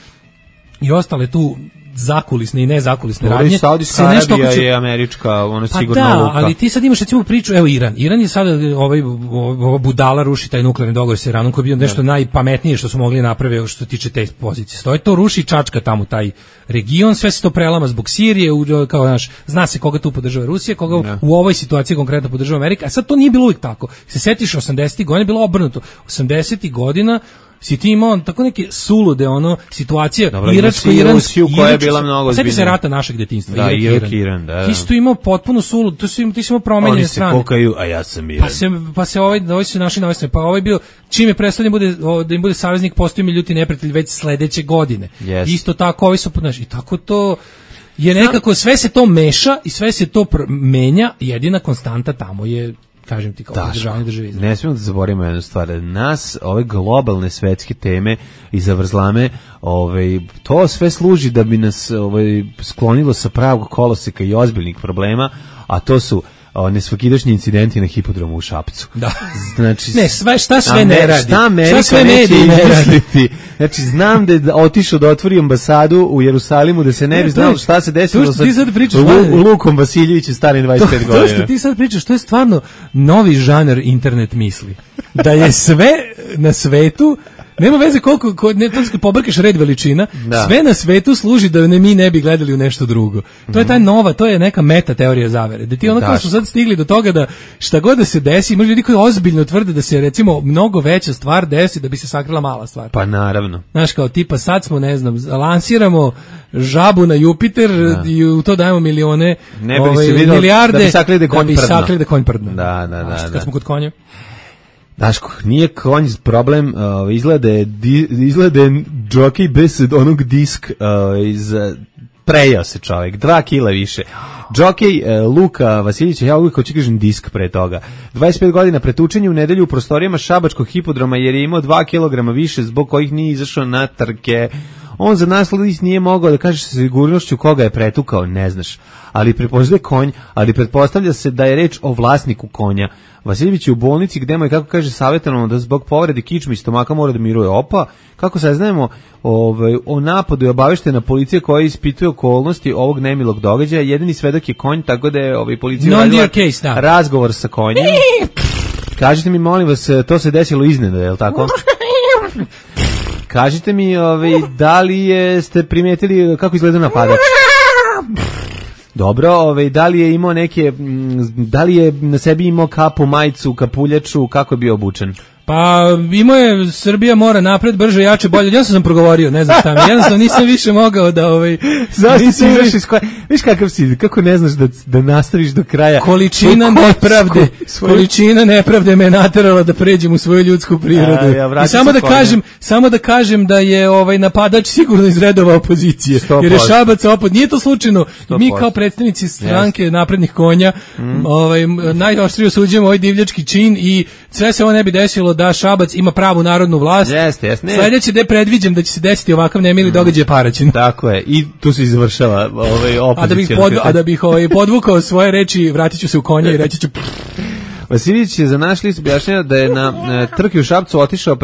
i ostale tu zakulisne i nezakulisne radnje. Saudijska Arabija je američka, sigurno luka. Ali ti sad imaš recimo priču, evo Iran. Iran je sada ova budala ruši taj nuklearni dogovor sa Iranom koji je bio nešto najpametnije što su mogli napraviti što se tiče te pozicije. Stoji to ruši čačka tamo taj region, sve se to prelama zbog Sirije, kao znaš, zna se koga tu podržava Rusija, koga u ovoj situaciji konkretno podržava Amerika. A sad to nije bilo uvijek tako. Se setiš 80-ih godina bilo obrnuto. 80-ih godina si ti imao tako neke sulude situacija Iransko-Iransku koja je bila mnogo ozbiljnija. Sjeti se rata našeg detinjstva. Da, Irak-Iran, da. Ti si tu imao potpuno sulud, ti si imao promenjene strane. Oni se kokaju, a ja sam Iran. Pa se ovi su naši na ovoj strane. Pa ovaj bio, čim je predstavljen da im bude saveznik, postoji mi ljuti neprijatelj već sledeće godine. Yes. Isto tako, ovi su, znaš, i tako to je nekako, sve se to meša i sve se to menja, jedina konstanta tamo je kažem ti, kao održavanje države Izrael. Ne smijemo da zaboravimo jednu stvar. Nas, ove globalne svetske teme i zavrzlame, to sve služi da bi nas sklonilo sa pravog koloseka i ozbiljnih problema, a to su nesvakidašnji incidenti na hipodromu u Šapcu. Da. Znači, šta sve ne radi. Šta Amerika neće izmisliti. Znači, znam da je otišao da otvori ambasadu u Jerusalimu, da se ne bi znalo šta se desilo sa Lukom Vasiljevićem starim 25 godina. To što ti sad pričaš, to je stvarno novi žanar internet misli. Da je sve na svetu, nema veze koliko pobrkaš red veličina, sve na svetu služi da mi ne bi gledali u nešto drugo. To je ta nova, to je neka meta teorija zavere. Da ti kao su sad stigli do toga da šta god da se desi, možda ljudi koji ozbiljno tvrde da se recimo mnogo veća stvar desi da bi se sakrila mala stvar. Pa naravno. Znaš, kao tipa sad smo, ne znam, lansiramo žabu na Jupiter i u to dajemo milione, milijarde da bi sakrili da konj prdno. Da. Kad smo kod konja. Daško, nije konj problem, izgleda je džokej bez onog disk prejao se čovjek, 2 kila više. Džokej Luka Vasiljevića, ja uvijek hoću kažem disk pre toga. 25 godina pretučenje u nedelju u prostorijama šabačkog hipodroma jer je imao 2 kilograma više zbog kojih nije izašao na trke. On za nas nije mogao da kaže sa sigurnošću koga je pretukao, ne znaš. Ali prepoznaje konj, ali pretpostavlja se da je reč o vlasniku konja. Vasiljević je u bolnici gde mu je, kako kaže, savjetovano da zbog povrede kičme i stomaka mora da miruje. Kako saznajemo, o napadu je obaveštena policija koja ispituje okolnosti ovog nemilog događaja. Jedini svedok je konj, tako da je policija radila razgovor sa konjem. Kažite mi, molim vas, to se desilo iznenada, je li tako? Kažite mi, da li ste primetili kako izgleda napadač? Dobro, da li je imao da li je na sebi imao kapu, majicu, kapuljaču, kako je bio obučen? Pa imao je Srbija mora napred, brže, jače, bolje. Ja sam progovorio, ne znam šta mi. Jednostavno nisam više mogao da Zašto si izašao iz koje? Viš kakav si, kako ne znaš da nastaviš do kraja? Količina nepravde me naterala da pređem u svoju ljudsku prirodu. I samo da kažem da je napadač sigurno iz redova opozicije. 100%. Jer je Šabac nije to slučajno. 100%. Mi kao predstavnici stranke naprednih konja najoštrije osuđujemo ovaj divljački čin i sve se ovo ne bi desilo da Šabac ima pravu narodnu vlast. Jeste. Sledeće da predviđam da će se desiti ovakav nemili događaj Paraćin. Tako je. I tu se završava opozicija. A da bih podvukao svoje reči, vratit ću se u konja i reći ću... Vasiljević je za naš list objašnjava da je na trki u Šapcu otišao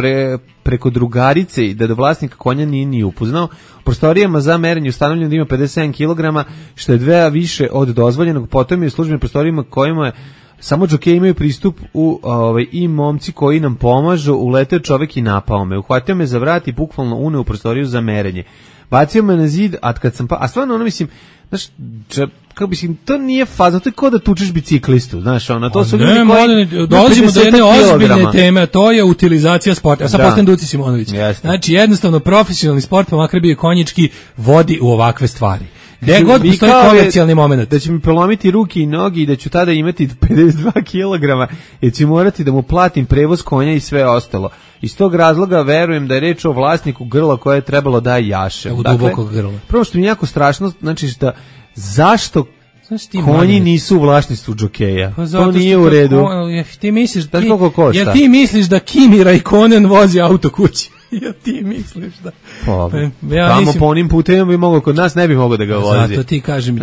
preko drugarice i da do vlasnika konja nije ni upoznao. U prostorijama za merenje ustanovljeno da ima 57 kg, što je 2 više od dozvoljenog. Potom je u službenim prostorijama kojima je samo džokeji imaju pristup i momci koji nam pomažu, uleteo čovjek i napao me. Uhvatio me za vrat i bukvalno uneo u prostoriju za merenje. Bacio me na zid, a stvarno mislim, znaš, kako bi to nije faza, to je kao da tučeš biciklistu, znaš, to su ljudi koji... Dolazimo do jedne ozbiljne teme, to je utilizacija sporta. Ja sad postavim Duci Simonović. Znači, jednostavno, profesionalni sport, pa makar bio konjički, vodi u ovakve stvari. Gde god postoji komercijalni moment. Da će mi prelomiti ruke i nogi i da ću tada imati 52 kg i ću morati da mu platim prevoz konja i sve ostalo. Iz tog razloga verujem da je reč o vlasniku grla koje je trebalo da jaše. Dubokog grla. Prvo što mi je jako strašno, znači zašto konji nisu u vlasništvu džokeja? Pa to nije u redu. Ti misliš da Kimi Raikkonen vozi auto kući? Ja ti misliš da... Tamo po onim putem bi mogao, kod nas ne bi mogao da ga vozi. Zato ti kažem,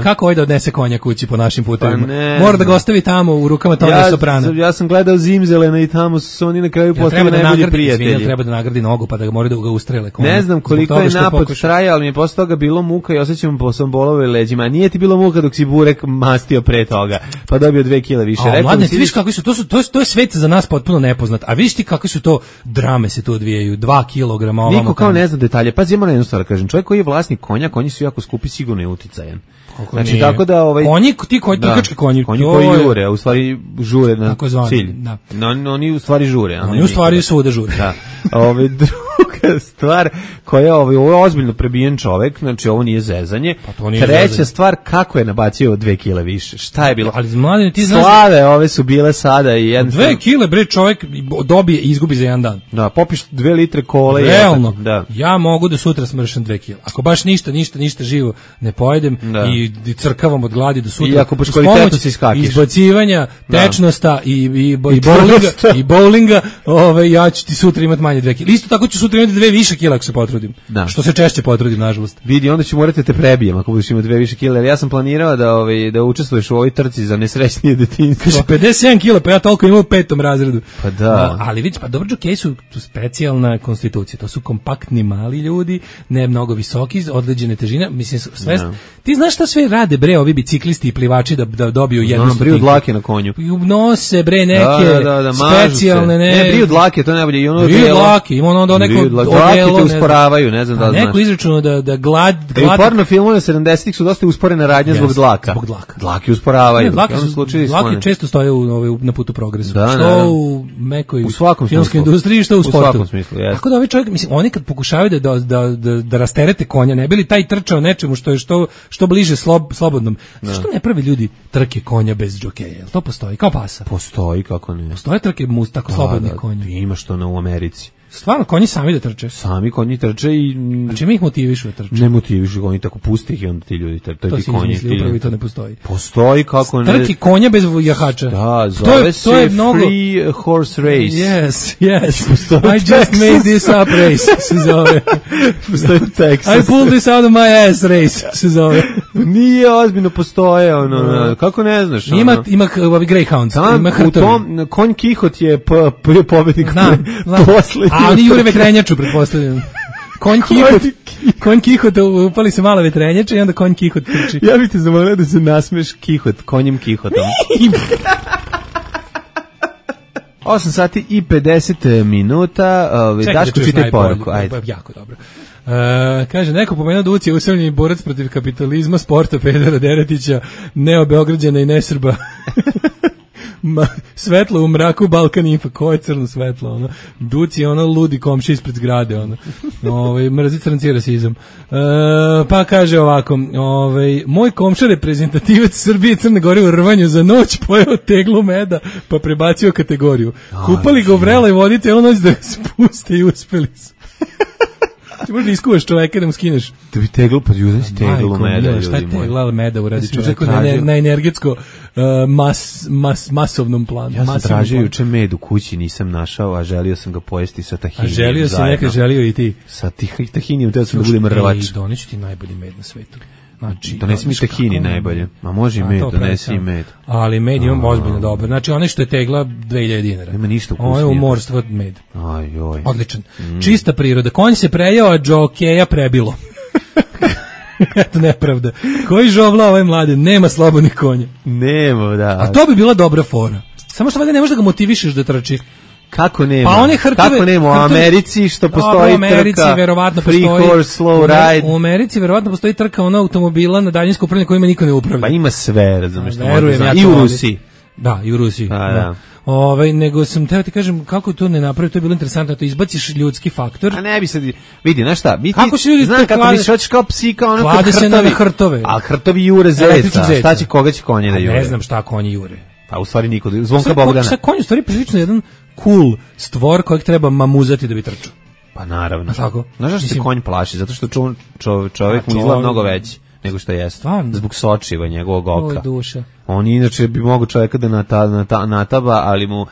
kako da odnese konja kući po našim putevima? Mora da ga ostavi tamo u rukama Tone Soprana. Ja sam gledao Zimzelena i tamo su oni na kraju postali najbolji prijatelji. Treba da nagradi nogu pa da mora da ga ustrele. Ne znam koliko je napad traja, ali mi je posle toga bilo muka i osjećam po svom bolove leđima. A nije ti bilo muka dok si burek mastio pre toga, pa dobio 2 kg više. Mladne, ti viš kako su, to je svet za nas potpuno nepoznat. A viš ti kako su to drame se tu odvijaju. 2 kg. Niko kao ne zna detalje. Pazi, ima na jednu stvar, kažem, čovjek koji je vlasnik konja, konji su jako skupi, sigurno je uticajan. Znači, tako da... Trkački konji. Konji koji jure, a u stvari žure na cilj. Oni u stvari žure. Oni u stvari svuda žure. Da. Druga stvar koja ovo je ozbiljno prebijen čovek, znači ovo nije zezanje. Pa to nije Treća zezanje. stvar, kako je nabacio 2 kile više? Šta je bilo? Ali mladen, ti znaš Slave ove su bile sada i 2 kile bre čovjek dobije i izgubi za jedan dan. Da, popiš 2 litre kole. Realno, da. ja mogu da sutra smršam 2 kila. Ako baš ništa živo ne pojedem i crkavam od gladi do sutra. I ako baš kvalitetno se iskakiš. Izbacivanja, tečnosta i bowlinga, ja ću ti sutra imati manje 2 kila. Isto tako ću sutra imati 2 više kila ako se potrudim. Da. Što se češće potrudim, nažalost. Vidi, onda ću morati te prebijem ako budeš imao 2 više kila. Ja sam planirao da učestvuješ u ovoj trci za nesrećnije detinjstvo. Kaže 57 kila, pa ja toliko imam u 5. razredu. Pa da. Ali vidiš, pa dobro, džokeji su specijalna konstitucija. To su kompaktni mali ljudi, ne mnogo visoki, određene težine. Mislim, sve. Ti znaš šta sve rade bre ovi biciklisti i plivači da dobiju jednu stotinku? Briju dlake na konju. Nose bre neke specijalne, ne briju dlake, to je najbolje. I ono briju dlake, ima ono neko odelo, usporavaju, ne znam da znaš. Neko izračunao da glad u porno filmovima 70-ih su dosta usporene radnje zbog dlaka. Dlake usporavaju. Dlake često stoje na putu progresu. Što u mekoj filmskoj industriji, što u sportu. U svakom smislu, jeste. Tako da ovaj čovjek, mislim, oni kad pokušavaju da rasterete konja, ne bi li taj trčao nečemu što je što bliže slobodnom. Zašto ne pravi ljudi trke konja bez džokeja? To postoji kao pasa. Postoji, kako ne. Postoje trke tako slobodnih konja. Imaš to u Americi. Stvarno, konji sami da trče? Sami konji trče i... Znači mi ih motivišu da trče? Ne motivišu, oni tako pusti ih i onda ti ljudi trče. To si izmislio, upravo i to ne postoji. Postoji, kako ne... Trki konja bez jahača. Da, zove se Free Horse Race. Yes. I just made this up race, se zove. Postoji u Texasu. I pulled this out of my ass race, se zove. Nije ozbiljno, postoje, kako ne znaš? Ima ovi Greyhounds, ima hrtovi. U tom, konj Kihot je pobednik poslednji. A oni jure vetrenjaču, pretpostavljam. Konj Kihot, upali se mala vetrenjača i onda konj Kihot trči. Ja bih te zamolio da se nasmeš konjem Kihotom. 8 sati i 50 minuta. Daško, čitaj poruku. Ajde. Jako dobro. Kaže, neko pomenuo da Uci je usamljeni borac protiv kapitalizma, sporta, pedera Deretića, neobeograđana i nesrba. Svetlo u mraku, Balkan Info, ko je crno svetlo, ono. Duci je ono ludi komši ispred zgrade, ono. Mrzi crnci rasizam. Pa kaže ovako, moj komša reprezentativac Srbije i Crne Gore u rvanju za noć pojeo teglu meda, pa prebacio kategoriju. Kupali ga u vreloj vodi celu noć da spuste i uspeli su. Ti možda iskuvaš čoveka da mu skineš. Da bi teglu, pa ljude si teglu meda, ljudi. Šta je tegla meda uradi čoveku na energetsko masovnom planu. Ja sam tražio juče med u kući, nisam našao, a želio sam ga pojesti sa tahinijem. A želio si neka, želio i ti. Sa tahinijem, teo sam da bude mrvač. Doneću ti najbolji med na svetu. Donesi mi tahini najbolje. Ma može i med, donesi i med. Ali med imam ozbiljno dobro. Znači onaj što je tegla 2000 dinara. Nema ništa ukusnije. Ovo je umorstvo med. Ajoj. Odličan. Čista priroda. Konj se prejao, a džokeja prebilo. Eto nepravda. Koji žovla ovaj mlade? Nema slobodnih konja. Nema, da. A to bi bila dobra fora. Samo što valjda ne možeš da ga motivišeš da trči. Kako nema? Pa one hrtove, kako nema? U Americi što postoji trka Free Horse Slow Ride. U Americi verovatno postoji trka ona automobila na daljinsko upravljanje kojima niko ne upravlja. Pa ima sve, razumeš što verujem ja. I u Rusiji. Da, i u Rusiji. Da. Nego sam teo ti kažem kako to ne napravi, to je bilo interesantno, to izbaciš ljudski faktor. A ne bi sad vidi, znaš šta? Kako se ljudi znam kako misliš, hoćeš kao psi, kao ono klade se na hrtove. A hrtovi jure zeca. Šta će, koga će konje da jure? Ne znam šta konji jure. Pa u stvari niko, Zvonka Bogdana. Šta konj u stvari prilično jedan cool stvor kojeg treba mamuzati da bi trčao. Pa naravno. Tako? Znaš zašto se konj plaši? Zato što čovjek mu izgleda mnogo veći nego što jeste. Stvarno? Zbog sočiva njegovog oka. Oj, duša. On inače bi mogao čovjeka da nataba, ali mu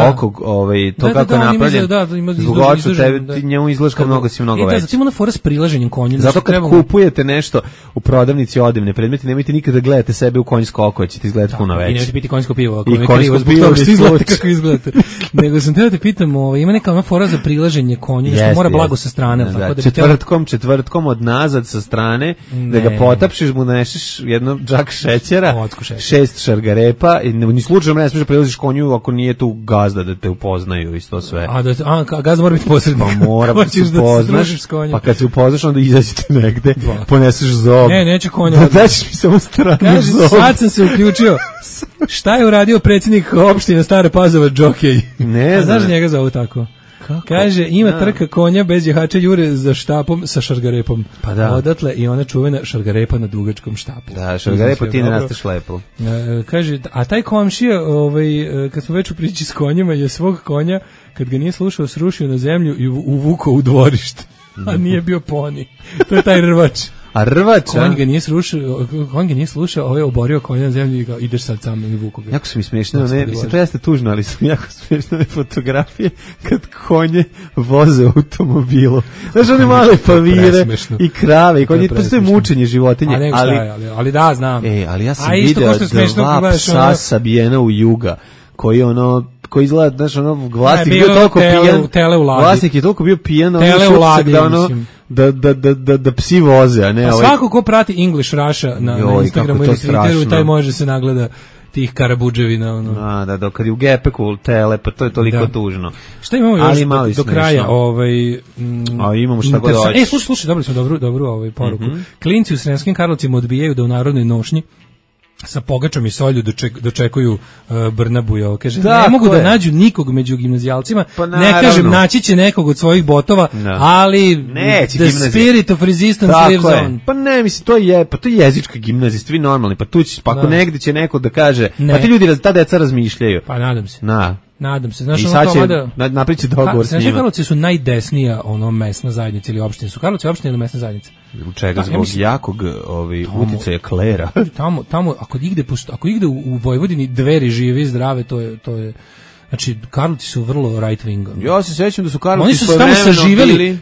oko, to kako je napravljen, zbog oču tebi, njemu izgledaš kao mnogo si mnogo veći. Zato ima ona fora s prilaženjem konju. Zato kad kupujete nešto u prodavnici odevne predmeti, nemojte nikada da gledate sebe u konjsko oko, ćete izgledati puno veći. I nemojte piti konjsko pivo, ako je krivo, zbog toga što izgledate kako izgledate. Nego sam teo te pitam, ima neka ona fora za prilaženje konju, što mora blago sa strane. Četvrtkom od nazad sa strane, da ga potapšiš, mu nešeš jedno džak šećera, 6 šargarepa i ni slučajno ne smiješ da prilaziš konju ako nije tu gazda da te upoznaju i to sve. A gazda mora biti posrednik. Pa mora da se upoznaš, pa kad se upoznaš onda izađete negde, poneseš zob. Ne, neće konja. Daćeš mi samo stranu zob. Sad sam se uključio. Šta je uradio predsjednik opštine Stare Pazova, džokej? Ne znam. Znaš njega zovu tako? Kaže, ima trka konja bez jahača jure za štapom sa šargarepom. Pa da. Odatle i ona čuvena šargarepa na dugačkom štapu. Da, šargarepa ti ne rasteš lepo. Kaže, a taj komšija, kad smo već u priči s konjima, je svog konja, kad ga nije slušao, srušio na zemlju i uvukao u dvorište. A nije bio poni. To je taj rvač. A rvač, konj ga nije slušao, ovaj oborio konja na zemlju i ga ideš sad sam i vuku ga. Jako su mi smiješne, mislim, to jeste tužno, ali su jako smiješne fotografije kad konje voze u automobilu. Znaš, one male pavire i krave i konje, to je mučenje životinje. Ali da, znam. Ali ja sam video 2 psa sabijena u Juga, koji izgleda, znaš, vlasnik je bio toliko pijan, vlasnik je toliko bio pijan, da psi voze, a ne a svako ko prati English Russia na Instagramu ili Twitteru, taj može se nagleda tih karabudževina. Da, kad je u gepeku tele, pa to je toliko tužno. Šta imamo još do kraja? Imamo šta god hoćeš. Slušaj, dobili smo dobru poruku. Klinci u Sremskim Karlovcima odbijaju da u narodnoj nošnji sa pogačom i solju dočekuju Brnabuja. Kaže, ne mogu da nađu nikog među gimnazijalcima, ne kažem, naći će nekog od svojih botova, ali the spirit of resistance lives on. Pa ne, mislim, to je jezička gimnazija, svi normalni, pa tu će, pa ako negdje će neko da kaže, pa ti ljudi, ta deca razmišljaju. Pa nadam se. Nadam se. Znaš, i sad će naprići dogovor s njima. Karlovci su najdesnija mesna zajednica ili opština. Su Karlovci opština ili mesna zajednica? U čega? Zbog jakog uticaja klera. Tamo, ako igde u Vojvodini Dveri žive i zdrave, to je znači, Karlovci su vrlo right wing. Ja se sećam da su Karlovci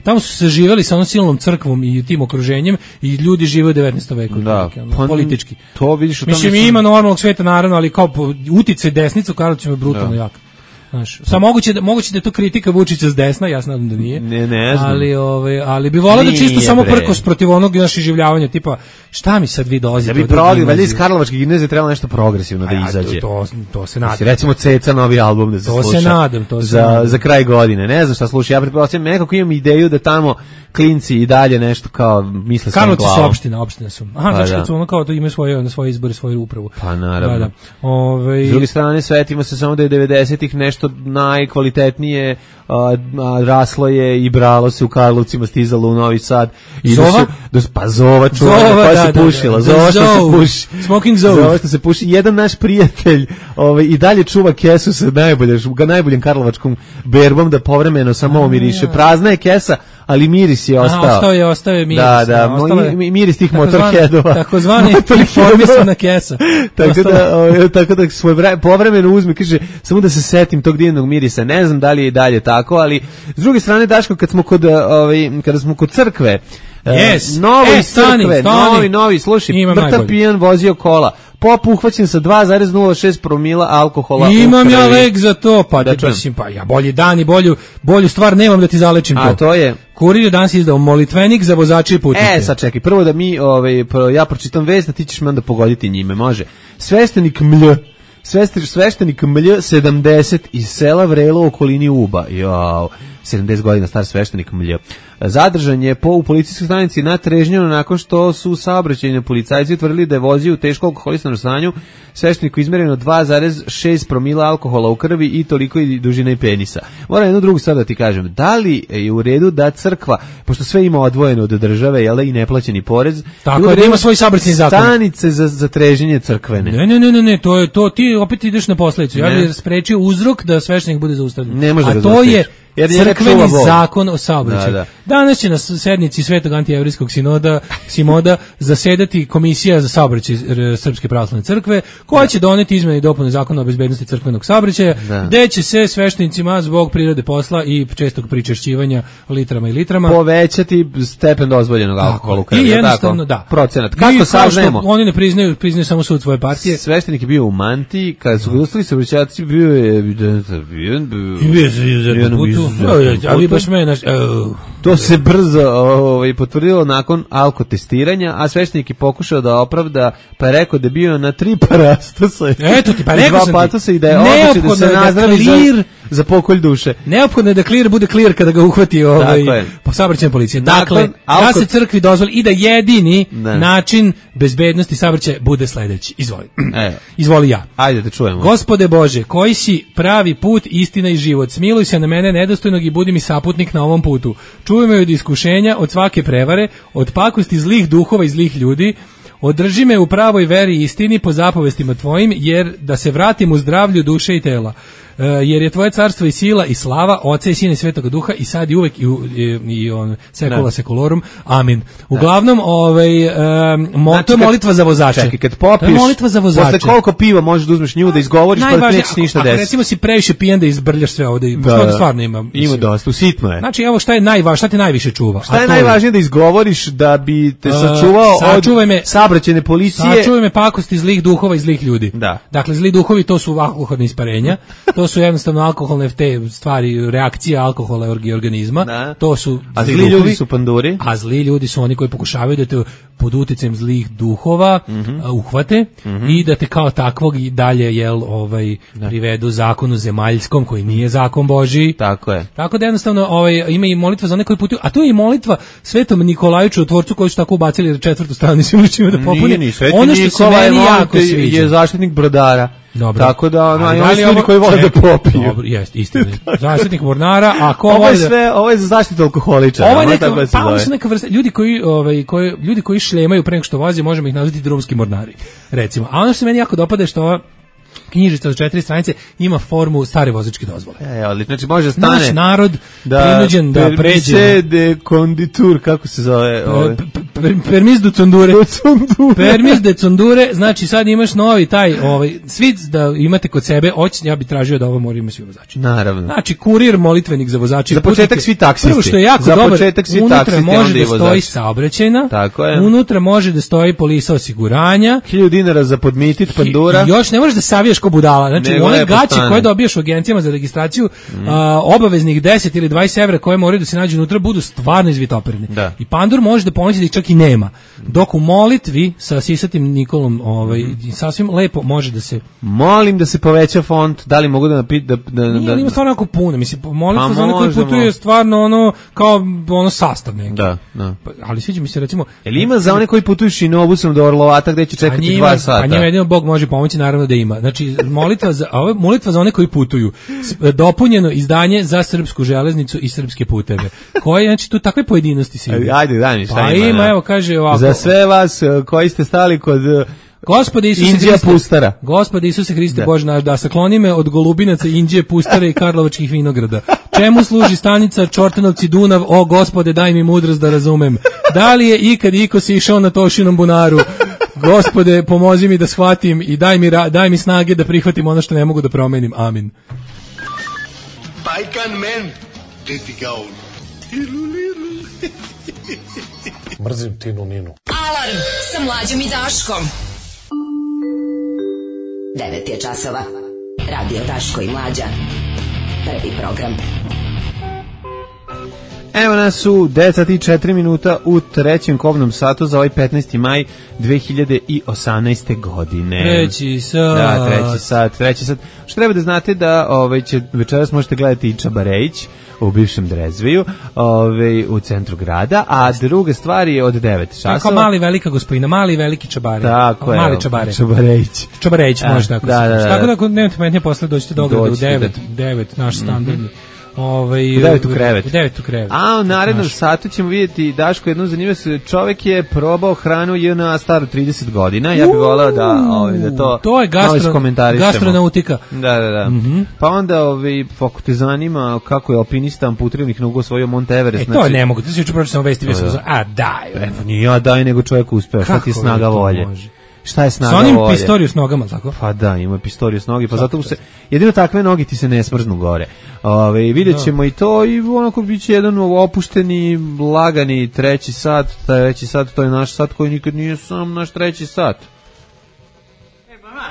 tamo su se živeli sa onom silnom crkvom i tim okruženjem i ljudi žive u 19. veku. Da, politički. To vidiš, mislim, ima normalnog sveta naravno, ali kao uticaj desnice u Karlovcima je brutalno jak. Znaš, moguće da je to kritika Vučića s desna, ja se nadam da nije. Ne znam. Ali bi volao da čisto samo prkos protiv onog naših življavanja, tipa, šta mi sad vi dolazite? Da bi valjda iz Karlovačke gimnazije trebalo nešto progresivno da izađe. To se nadam. Recimo Ceca novi album da se sluša. To se nadam. Za kraj godine. Ne znam šta sluša. Ja pretpostavljam, nekako imam ideju da tamo klinci i dalje nešto kao misle svojom glavom. Karlovci su opština su. Aha, znači kad su ono kao to imaju svoje izbore, svoju upravu. Pa naravno. S druge strane, svetimo se samo da je 90-ih nešto najkvalitetnije raslo je i bralo se u Karlovcima, stizalo u Novi Sad. Zova? Zova čuvanja koja se pušila. Zova što se puši. Smoking Zova. Zova što se puši. Jedan naš prijatelj i dalje čuva kesu sa najboljim karlovačkom berbom da povremeno samo omiriše. Prazna je kesa, ali miris je ostao. Ostao je miris. Da, miris tih motorheadova. Takozvani informisana kesa. Tako da svoj povremeno uzme, kaže, samo da se setim tog divnog mirisa. Ne znam da li je i dalje tako, ali s druge strane, Daško, kada smo kod crkve, novi, slušaj, mrtav pijan vozio kola, pop uhvaćen sa 2,06 promila alkohola. Imam ja lek za to, ja bolji dan i bolju stvar nemam da ti zalečim to. A to je? Kurir je danas izdao molitvenik za vozače i putnike. Sad čekaj, prvo da mi, ja pročitam vest, a ti ćeš me onda pogoditi njime, može. Sveštenik Mlj 70 iz sela Vrelo u okolini Uba. 70 godina star sveštenik Mlj. Zadržan je u policijskoj stanici na Trežnjanu nakon što su saobraćajni policajci utvrdili da je vozio u teško alkoholisanom stanju. Svešteniku izmereno 2,6 promila alkohola u krvi i toliko i dužina i penisa. Moram jednu drugu stvar da ti kažem. Da li je u redu da crkva, pošto sve ima odvojeno od države, jel da, i neplaćeni porez, tako da ima svoj saobraćajni zakon. Stanice za treženje crkvene. Ne, to ti opet ideš na posledicu. Ja bih sprečio uzrok da sveštenik bude zaustavljen. Ne može da to je crkveni zakon o saobraćaju. Danas će na sednici Svetog antijevrijskog sinoda zasedati komisija za saobraćaj Srpske pravoslavne crkve, koja će doneti izmene i dopune zakona o bezbednosti crkvenog saobraćaja, gde će se sveštenicima zbog prirode posla i čestog pričešćivanja litrama i litrama povećati stepen dozvoljenog alkohola u krvi. I jednostavno, procenat. Kako saznajemo? Oni ne priznaju samo sud svoje partije. Sveštenik je bio u mantiji, kada su ga ustali saobraćajci, bio je ali baš mene to se brzo potvrdilo nakon alkotestiranja, a sveštenik je pokušao da opravda, pa je rekao da je bio na 3 parastosa. Eto ti, pa rekao sam ti. I da je odlučio da se nazdravi za pokolj duše. Neophodno je da clear bude clear kada ga uhvati po saobraćajnoj policiji. Dakle, da se crkvi dozvoli i da jedini način bezbednosti saobraćaja bude sledeći. Izvoli. Izvoli ja. Ajde da čujemo. Gospode Bože, koji si pravi put, istina i život, smiluj se na mene nedostojnog i budi mi saputnik na ovom putu. Čuvaj me od iskušenja, od svake prevare, od pakosti zlih duhova i zlih ljudi. Održi me u pravoj veri i istini po zapovestima tvojim, jer da se vratim u zdravlju duše i tela. Jer je tvoje carstvo i sila i slava, Oca i Sina i Svetoga Duha i sad i uvek i on sekula sekolorum. Amin. Uglavnom, to je molitva za vozače. Čekaj, kad popiješ, molitva za vozače. Posle koliko piva možeš da uzmeš nju da izgovoriš, pa da neće ništa desiti. Ako recimo si previše pijan da izbrljaš sve ovde, što stvarno ima. Ima dosta, usitno je. Znači, evo šta je najvažnije, šta te najviše čuva? Šta je najvažnije da izgovoriš da bi te sačuvao od saobraćajne policije? Sačuvaj me pakosti zlih duhova i zlih ljudi. Da. Dakle, zli duhovi to su alkoholne isparenja, to su jednostavno alkoholne te stvari, reakcija alkohola i organizma. Da. To su zli ljudi su panduri. A zli ljudi su oni koji pokušavaju da te pod uticajem zlih duhova uhvate i da te kao takvog i dalje privedu zakonu zemaljskom koji nije zakon Božiji. Tako je. Tako da jednostavno ima i molitva za one koji putuju, a to je i molitva Svetom Nikolaju Čudotvorcu koji su tako ubacili na 4. stranu svim da popune. Ono što se meni jako sviđa je zaštitnik brodara. Dobro. Tako da oni ljudi koji vole da popiju. Dobro, jeste, istina. Zaštitnik mornara, a ko ovo je za zaštitu alkoholičara. Ovo je neka vrsta ljudi koji šlemaju pre nego što voze, možemo ih nazvati drumski mornari, recimo. A ono što se meni jako dopada je što ova knjižica od 4 stranice ima formu stare vozačke dozvole. Znači može stane naš narod prinuđen da pređe de konditur, kako se zove? Permis de condure. Permis de condure, znači sad imaš novi taj svi da imate kod sebe, ja bih tražio da ovo moraju imati svi vozači. Naravno. Znači kurir molitvenik za vozače. Za početak svi taksisti. Prvo što je jako dobar, unutra može da stoji saobraćajna, unutra može da stoji polisa osiguranja, 1000 dinara za podmitit pandura. I još ne možeš da savijaš ko budala. Znači, one gaće koje dobijaš u agencijama za registraciju, obaveznih 10 ili 20 evra koje moraju da se nađu unutra, budu stvarno izvitoperene. I pandur može da pomoći da ih čak i nema. Dok u molitvi sa sisatim Nikolom sasvim lepo može da se... Molim da se poveća font, da li mogu da Nije, ima stvarno jako puno. Mislim, molitva za one koji putuju je stvarno kao sastav neki. Da. Ali sviđa mi se, recimo... Jel ima za one koji putuju šinobusom do Orlovata gde će čekati 2 sata? A njima jedino Bog može pomoći, naravno da ima. Znači, molitva za one koji putuju, dopunjeno izdanje za srpsku železnicu i srpske puteve. Koje, znači, tu takve pojedinosti se ima. Ajde, daj mi šta ima. Pa ima, evo, kaže ovako. Za sve vas koji ste stali kod... Gospode Isuse Hriste, Gospode Isuse Hriste Bože naš, da sakloni me od golubinaca, Indije, pustara i karlovačkih vinograda. Čemu služi stanica Čortanovci Dunav, o Gospode daj mi mudrost da razumem. Da li je ikad iko se išao na Tošinom bunaru? Gospode pomozi mi da shvatim i daj mi snage da prihvatim ono što ne mogu da promenim. Amin. Bajkan men, ti ga on. Mrzim Tinu Ninu. Alarm sa Mlađom i Daškom. 9 je časova. Radio Daško i Mlađa. Prvi program. Evo nas u 9:04 minuta u trećem kobnom satu za ovaj 15. maj 2018. godine. Treći sat. Da, treći sat. Što treba da znate da večeras možete gledati i Čabarejić u bivšem Drezveju, u centru grada, a druga stvar je od 9 časova. Kao mali velika gospodina, mali veliki Čabare. Tako je. Mali Čabare. Čabarejić, može tako. Tako da ako nemate metnje posle dođete do Beograda u 9, naš standardni. U 9 u krevet. U 9 u krevet. A u narednom satu ćemo vidjeti, Daško, jednu zanimljivu se, čovjek je probao hranu JNA staru 30 godina, ja bih voleo da to je gastronautika. Da. Pa onda, ako te zanima kako je alpinista amputiranih nogu osvojio Mont Everest. To ne mogu, ti si juče pročito sam vesti, bio sam daj. Nije ja daj, nego čovjek uspeo, šta ti je snaga volje? Šta je snaga volje? Sa onim pistoriju s nogama, tako? Pa da, ima pistoriju s nogi, pa zato se, jedino takve noge ti se ne smrznu gore. Vidjet ćemo i to i onako bit će jedan opušteni, lagani treći sat, to je naš sat koji nikad nije sam naš treći sat. Mama,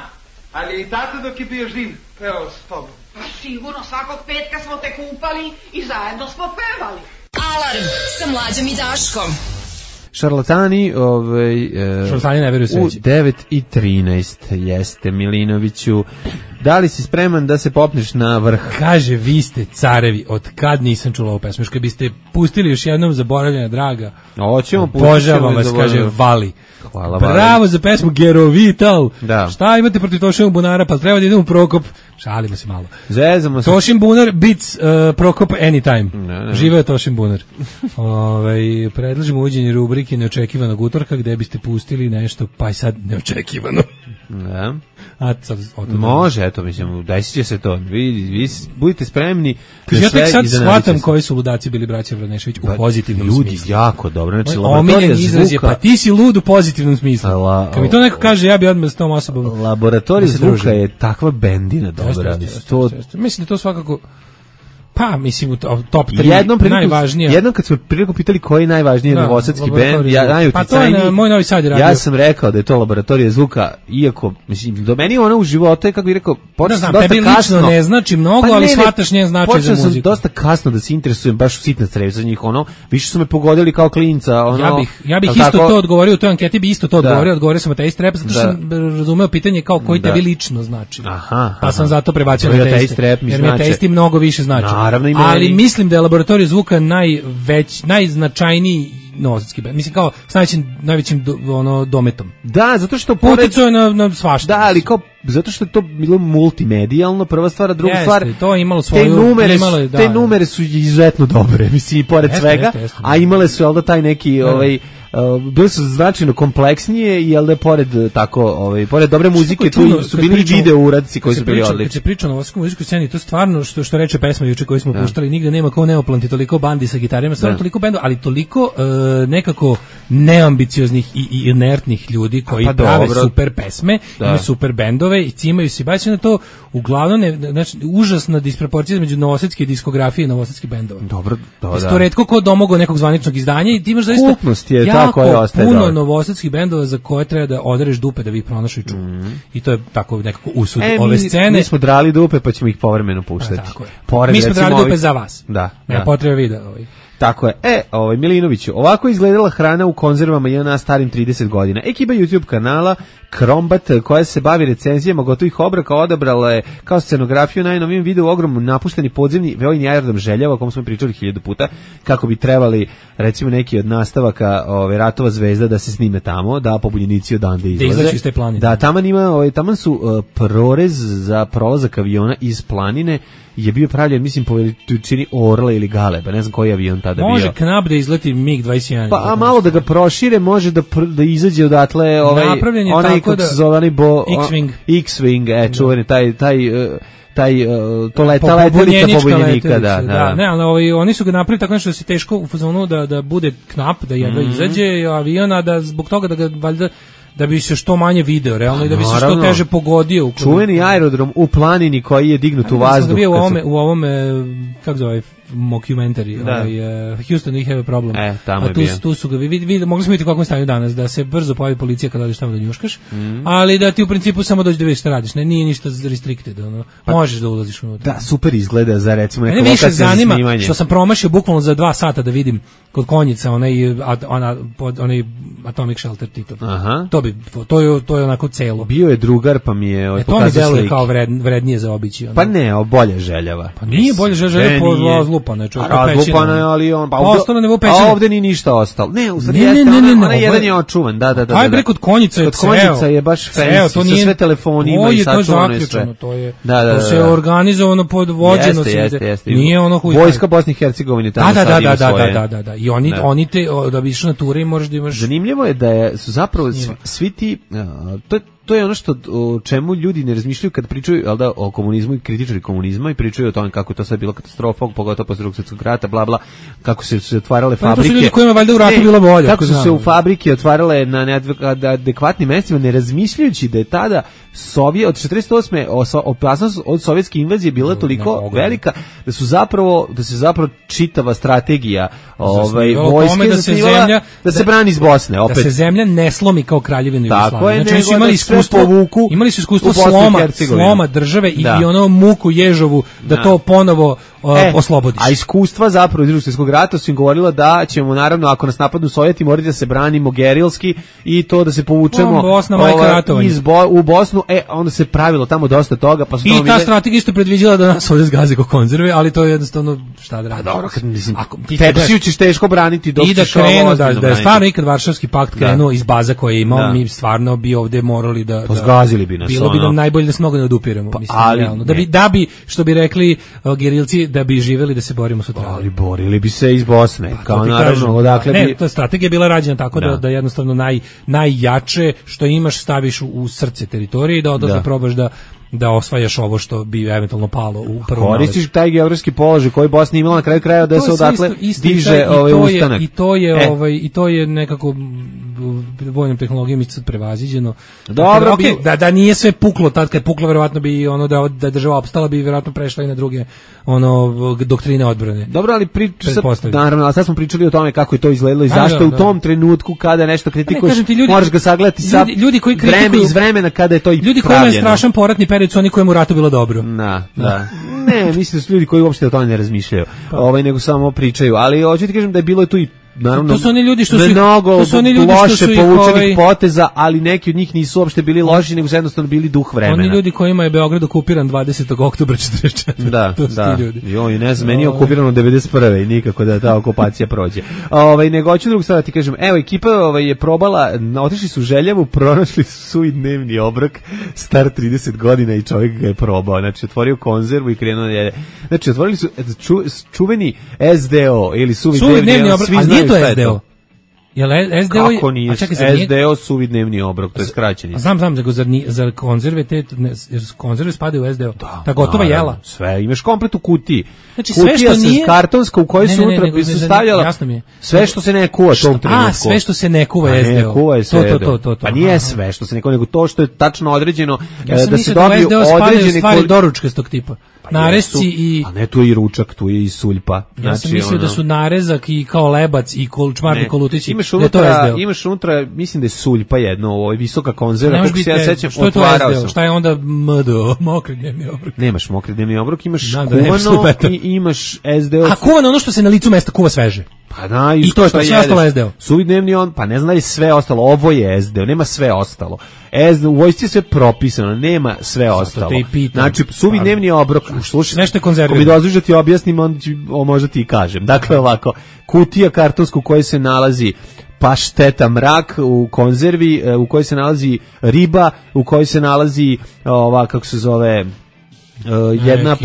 ali i tata dok je bio živ, pevao s tobom? Pa sigurno, svakog petka smo te kupali i zajedno smo pevali. Alarm sa Mlađom i Daškom. Šarlatani, Šarlatani ne veruju sveći. U 9:13 jeste Milinoviću. Da li si spreman da se popneš na vrh? Kaže, vi ste carevi, od kad nisam čula ovu pesmu. Još kad biste pustili još jednom Zaboravljena draga. Hoćemo pustiti. Obožavam vas, kaže Vali. Hvala, bravo za pesmu Gerovital. Da. Šta imate protiv Tošinog bunara, pa treba da idemo u Prokop. Šalimo se malo. Zezamo se. Tošin bunar beats Prokop anytime. Živeo Tošin bunar. Predlažemo uvođenje rubrike Neočekivanog utorka, gde biste pustili nešto, pa i sad neočekivano. Da. Može, eto, mislim, desit će se to. Vi budite spremni. Ja tek sad shvatam koji su ludaci bili braća Vranešević u pozitivnom smislu. Ljudi, jako dobro. Znači, omiljen izraz je, pa ti si lud u pozitivnom smislu. Kad mi to neko kaže, ja bi odmah s tom osobom. Laboratorij zvuka je takva bendina dobra. Mislim da to svakako... Pa, mislim, u top 3 najvažnije. Jednom kad smo priliku pitali koji je najvažniji novosadski bend, najuticajniji, pa to je Moj Novi Sad je radio. Ja sam rekao da je to Laboratorija zvuka, iako, mislim, do meni ona u životu je, kako bih rekao, počeo sam dosta kasno. Lično ne znači mnogo, ali shvataš njen značaj za muziku. Počeo sam dosta kasno da se interesujem, baš u sitna crev za njih, više su me pogodili kao klinca. Ja bih isto to odgovorio, u toj anketi bi isto to odgovorio sam ateist rap, zato što sam razumeo pitanje kao koji tebi lično znači. Pa sam zato prebacio na ateist rap, jer mi ateisti mnogo više znači. Ali mislim da je Laboratorij zvuka najznačajniji novosadski bend. Mislim kao s najvećim dometom. Da, zato što uticao je na svašta. Da, ali kao zato što je to bilo multimedijalno, prva stvar, a druga stvar, to je imalo svoju te numere su izuzetno dobre, mislim, i pored svega, a imale su da taj neki bili su značajno kompleksnije i da pored tako, pored dobre muzike tu su bili video uradci koji su bili odlični. Kad se priča o novosadskoj muzičkoj sceni, to stvarno što reče pesma juče koju smo puštali, nigde nema kao Neoplanti, toliko bandi sa gitarima, stvarno toliko bendova, ali toliko nekako neambicioznih i inertnih ljudi koji prave super pesme, imaju super bendove i cimaju se, baš na to uglavnom znači užasna disproporcija između novosadske diskografije i novosadskih bendova. Dobro, to retko ko domogao nekog zvaničnog izdanja i ti imaš zaista puno novosadskih bendova za koje treba da odereš dupe da vi ih pronašu i čuju. I to je tako nekako usud ove scene. Mi smo drali dupe pa ćemo ih povremeno puštati. Mi smo drali dupe za vas. Nema potrebe vida. Tako je. Milinoviću, ovako izgledala hrana u konzervama i ona starim 30 godina. Ekipa YouTube kanala Krombat, koja se bavi recenzijama gotovih obroka, odabrala je kao scenografiju najnovijem videu ogromno napušteni podzemni vojni aerodrom Željava, o kom smo pričali 1000 puta, kako bi trebali, recimo, neki od nastavaka Ratova zvezda da se snime tamo, da pobunjenici odande izlaze. Da iz te planine. Da, taman su prorez za prolazak aviona iz planine je bio pravljen, mislim, po veličini Orla ili Galeba, ne znam koji avion tada bio. Može Knap da izleti MiG-21. Pa, a malo da ga prošire, može da izađe odatle onaj, kako se zove, X-Wing. X-Wing, čuveni, ta letelica pobunjenika, da. Ne, ali oni su ga napravili tako nešto da se teško u fazonu da bude Knap, da jedva izađe aviona, da zbog toga da ga valjda da bi se što manje video, realno, i da bi se što teže pogodio. Čuveni aerodrom u planini koji je dignut u vazduh. Bio u ovome, kako zove, mockumentary, Houston, we have a problem. Tamo je bio. Tu su ga, mogli smo vidjeti u kakvom stanju danas, da se brzo pojavi policija kada odeš tamo da njuškaš, ali da ti u principu samo dođe da vidiš šta radiš, nije ništa restricted, možeš da ulaziš unutra. Da, super izgleda za, recimo, neko lokacija za snimanje. Mene više zanima što sam promašio bukvalno za 2 sata da vidim kod Konjica onaj Atomic Shelter Titov. To je onako celo. Bio je drugar, pa mi je to mi deluje kao vrednije za obići. Pa ne, bolje Željava. Pa nije bolje Željava, razlupana je čovjek. Razlupana je, ali on... A ovdje ni ništa ostalo. Ne, u stvari jeste, onaj jedan je očuvan. Da. Aj bre, kod Konjica je ceo. Kod Konjica je baš fancy, sa sve telefonima i sačuvano je sve. To se organizovano pod vođeno. Jeste. Nije ono huj. Vojska Bosne i Hercegovine tamo sad ima svoje. Da. I oni te, da bi išli na ture i možeš da imaš... Zanimljivo je da su zapravo svi ti... To je ono o čemu ljudi ne razmišljaju kad pričaju o komunizmu i kritičari komunizma i pričaju o tome kako to sad bilo katastrofa, pogotovo posle Drugog svjetskog rata, bla bla, kako se otvarale fabrike. To su ljudi kojima valjda u ratu bilo bolje. Kako su se u fabrike otvarale na neadekvatnim mestima, ne razmišljajući da je tada od 48. opasnost od sovjetske invazije bila toliko velika da se zapravo čitava strategija vojske zasnivala da se brani iz Bosne. Da se zemlja ne slomi kao Kraljevina Jugoslavije. Znači su imali povuku. Imali su iskustvo u Bosnu i sloma Hercegovinu. države i Da. ono muku Ježovu da to ponovo oslobodiš. A iskustva zapravo iz Drugog svjetskog rata su im govorila da ćemo naravno ako nas napadnu Sovjeti morati da se branimo gerilski i to da se povučemo Bosna, majka ratovanja. u Bosnu, onda se pravilo tamo dosta toga, pa su I ta strategija isto predviđala da nas ovdje zgaze ko konzerve, ali to je jednostavno šta da radiš. Dobro, kad mislim, Tepsiju ćeš teško braniti dok i da ćeš ovo krenu, ozbiljno da je stvarno ikad Varšavski pakt krenuo iz baza koje je imao, mi stvarno bi ovdje morali da zgazili bi nas. Bilo bi nam najbolje da se mnogo ne odupiremo, mislim, ali, realno. Da bi, što bi rekli gerilci, da bi živeli da se borimo sutra. Ali borili bi se iz Bosne, kao naravno, odakle bi... Ne, to strategija je bila rađena tako da jednostavno najjače što imaš staviš u srce teritorije i da odatle probaš da osvajaš ovo što bi eventualno palo u prvom naletu. Koristiš taj geografski položaj koji Bosna imala na kraju krajeva da se odatle diže ustanak. I to je nekako vojnom tehnologijom isto prevaziđeno. Dobro, da nije sve puklo, tad kad je puklo verovatno bi ono da država opstala bi verovatno prešla i na druge doktrine odbrane. Dobro, ali naravno, sad smo pričali o tome kako je to izgledalo i zašto u tom trenutku kada nešto kritikuješ, moraš ga sagledati sa vreme iz vremena kada je to i ljudi koji imaju strašan poratni period su oni kojima u ratu bilo dobro. Da. Ne, mislim da su ljudi koji uopšte o tome ne razmišljaju, nego samo pričaju, ali hoću ti kažem da je bilo tu i naravno, to su oni ljudi što su mnogo loše povučenih poteza, ali neki od njih nisu uopšte bili loši, nego su jednostavno bili duh vremena. Oni ljudi kojima je Beograd okupiran 20. oktobra 44. Da, to su ti ljudi. Joj, ne znam, meni je okupirano 91. i nikako da ta okupacija prođe. Nego hoću drugu stvar da ti kažem, evo, ekipa je probala, otišli su u Željevu, pronašli su i dnevni obrok, star 30 godina i čovjek ga je probao. Znači, otvorio konzervu i krenuo da jede. Znači, otvorili su čuveni SDO ili suvi dnevni obrok, svi znaju šta je to. Jel SDO kako nije? SDO suvi dnevni obrok, to je skraćeni. Znam, nego za konzerve konzerve spadaju u SDO. Ta gotova jela. Sve, imaš komplet u kutiji. Znači sve što nije kartonska u kojoj su unutra bi se stavljala. Sve što se ne kuva tom trenutku. Sve što se ne kuva SDO. To. Pa nije sve što se ne kuva, nego to što je tačno određeno da se dobiju određene stvari doručkastog tipa. Narezci i... A ne, tu je i ručak, tu je i suljpa. Ja sam mislio da su narezak i kao lebac i čmarni kolutići. Imaš unutra, mislim da je suljpa jedno, ovo je visoka konzerva, kako se ja sećam, otvarao sam. Šta je onda MDO, mokri dnevni obrok? Nemaš mokri dnevni obrok, imaš kuvano i imaš SDO. A kuvano ono što se na licu mesta kuva sveže. Pa da, i to je to, sve ostalo SDO. Suvi dnevni pa ne znam da je sve ostalo, ovo je SDO, nema sve ostalo. U vojsci je sve propisano, nema sve ostalo. Znači, suvi dnevni obrok, slušaj, nešto je konzervirano. Ako mi dozvoliš da ti objasnim, onda možda ti i kažem. Dakle, ovako, kutija kartonsku u kojoj se nalazi pašteta mrak u konzervi, u kojoj se nalazi riba, u kojoj se nalazi kako se zove, jedna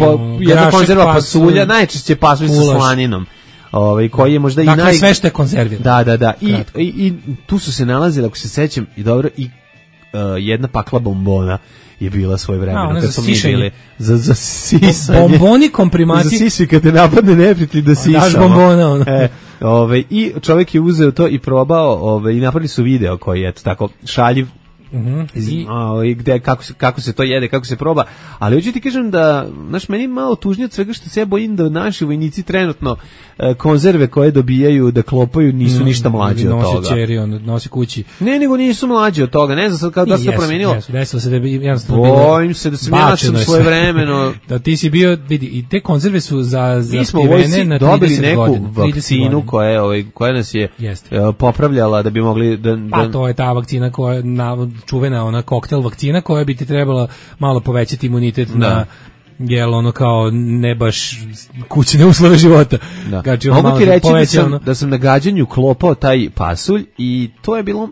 konzerva pasulja, najčešće pasulj sa slaninom. Koji je možda dakle, sve što je konzervirano. Da. I tu su se nalazili, ako se sećam, i dobro, i jedna pakla bombona je bila svoje vremena. Kad smo mi bili za sisanje. Bomboni komprimati. Za sisi, kad te napadne neprijatelj da sisamo. Daš bombona. I čovjek je uzeo to i probao i napravili su video koji je tako šaljiv. Kako se to jede, kako se proba, ali hoću ti kažem da, znaš, meni je malo tužnije od svega što se ja bojim da naši vojnici trenutno konzerve koje dobijaju da klopaju nisu ništa mlađi od toga. Nosi čeri, nosi kući. Ne, nego nisu mlađi od toga, ne znam sad kao da se to promenilo. Desilo se da bi jednostavno bilo. Bojim se da sam ja svoje vremeno. Da ti si bio, vidi, i te konzerve su za mi smo u vojsci dobili neku vakcinu koja nas je popravljala da bi mogli da... Pa to je ta vakcina koja čuvena ona koktel vakcina koja bi ti trebala malo povećati imunitet na ono kao ne baš kućne uslove života. Znači, mogu ti reći da sam na gađanju klopao taj pasulj i to je bilo...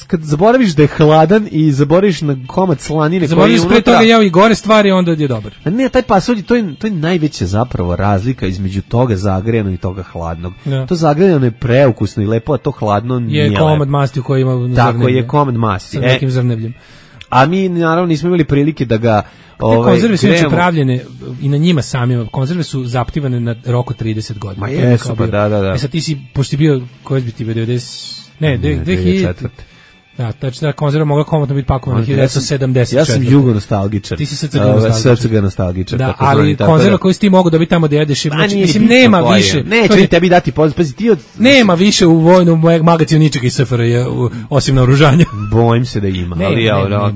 Kad zaboraviš da je hladan i zaboraviš na komad slanine koji je unutra... Zaboraviš pre toga jeo i gore stvari, onda je dobro. Ne, taj pasulj, to je najveća zapravo razlika između toga zagrejano i toga hladnog. To zagrejano je preukusno i lepo, a to hladno nije lepo. Je komad masti u kojoj ima zrnevlje. Tako je, komad masti. Sa nekim zrnevljem. A mi naravno nismo imali prilike da ga... konzerve su inače pravljene i na njima samima. Konzerve su zaptivane na rok od 30 godina. Ma jesu, pa da. Sad ti si, pošto si bio, koji bi ti bio, 90... Ne, 2004. Da, znači da konzerva mogla komotno biti pakovana 1974. Ja sam jugo nostalgičar. Ti si srce nostalgičar. Da, ali konzerva koju si ti mogu dobiti tamo da jedeš, znači, mislim, nema više. Neće ni tebi dati pazi ti od... Nema više u vojnom magazinu ničega iz SFRJ, osim naoružanja. Bojim se da ima, ali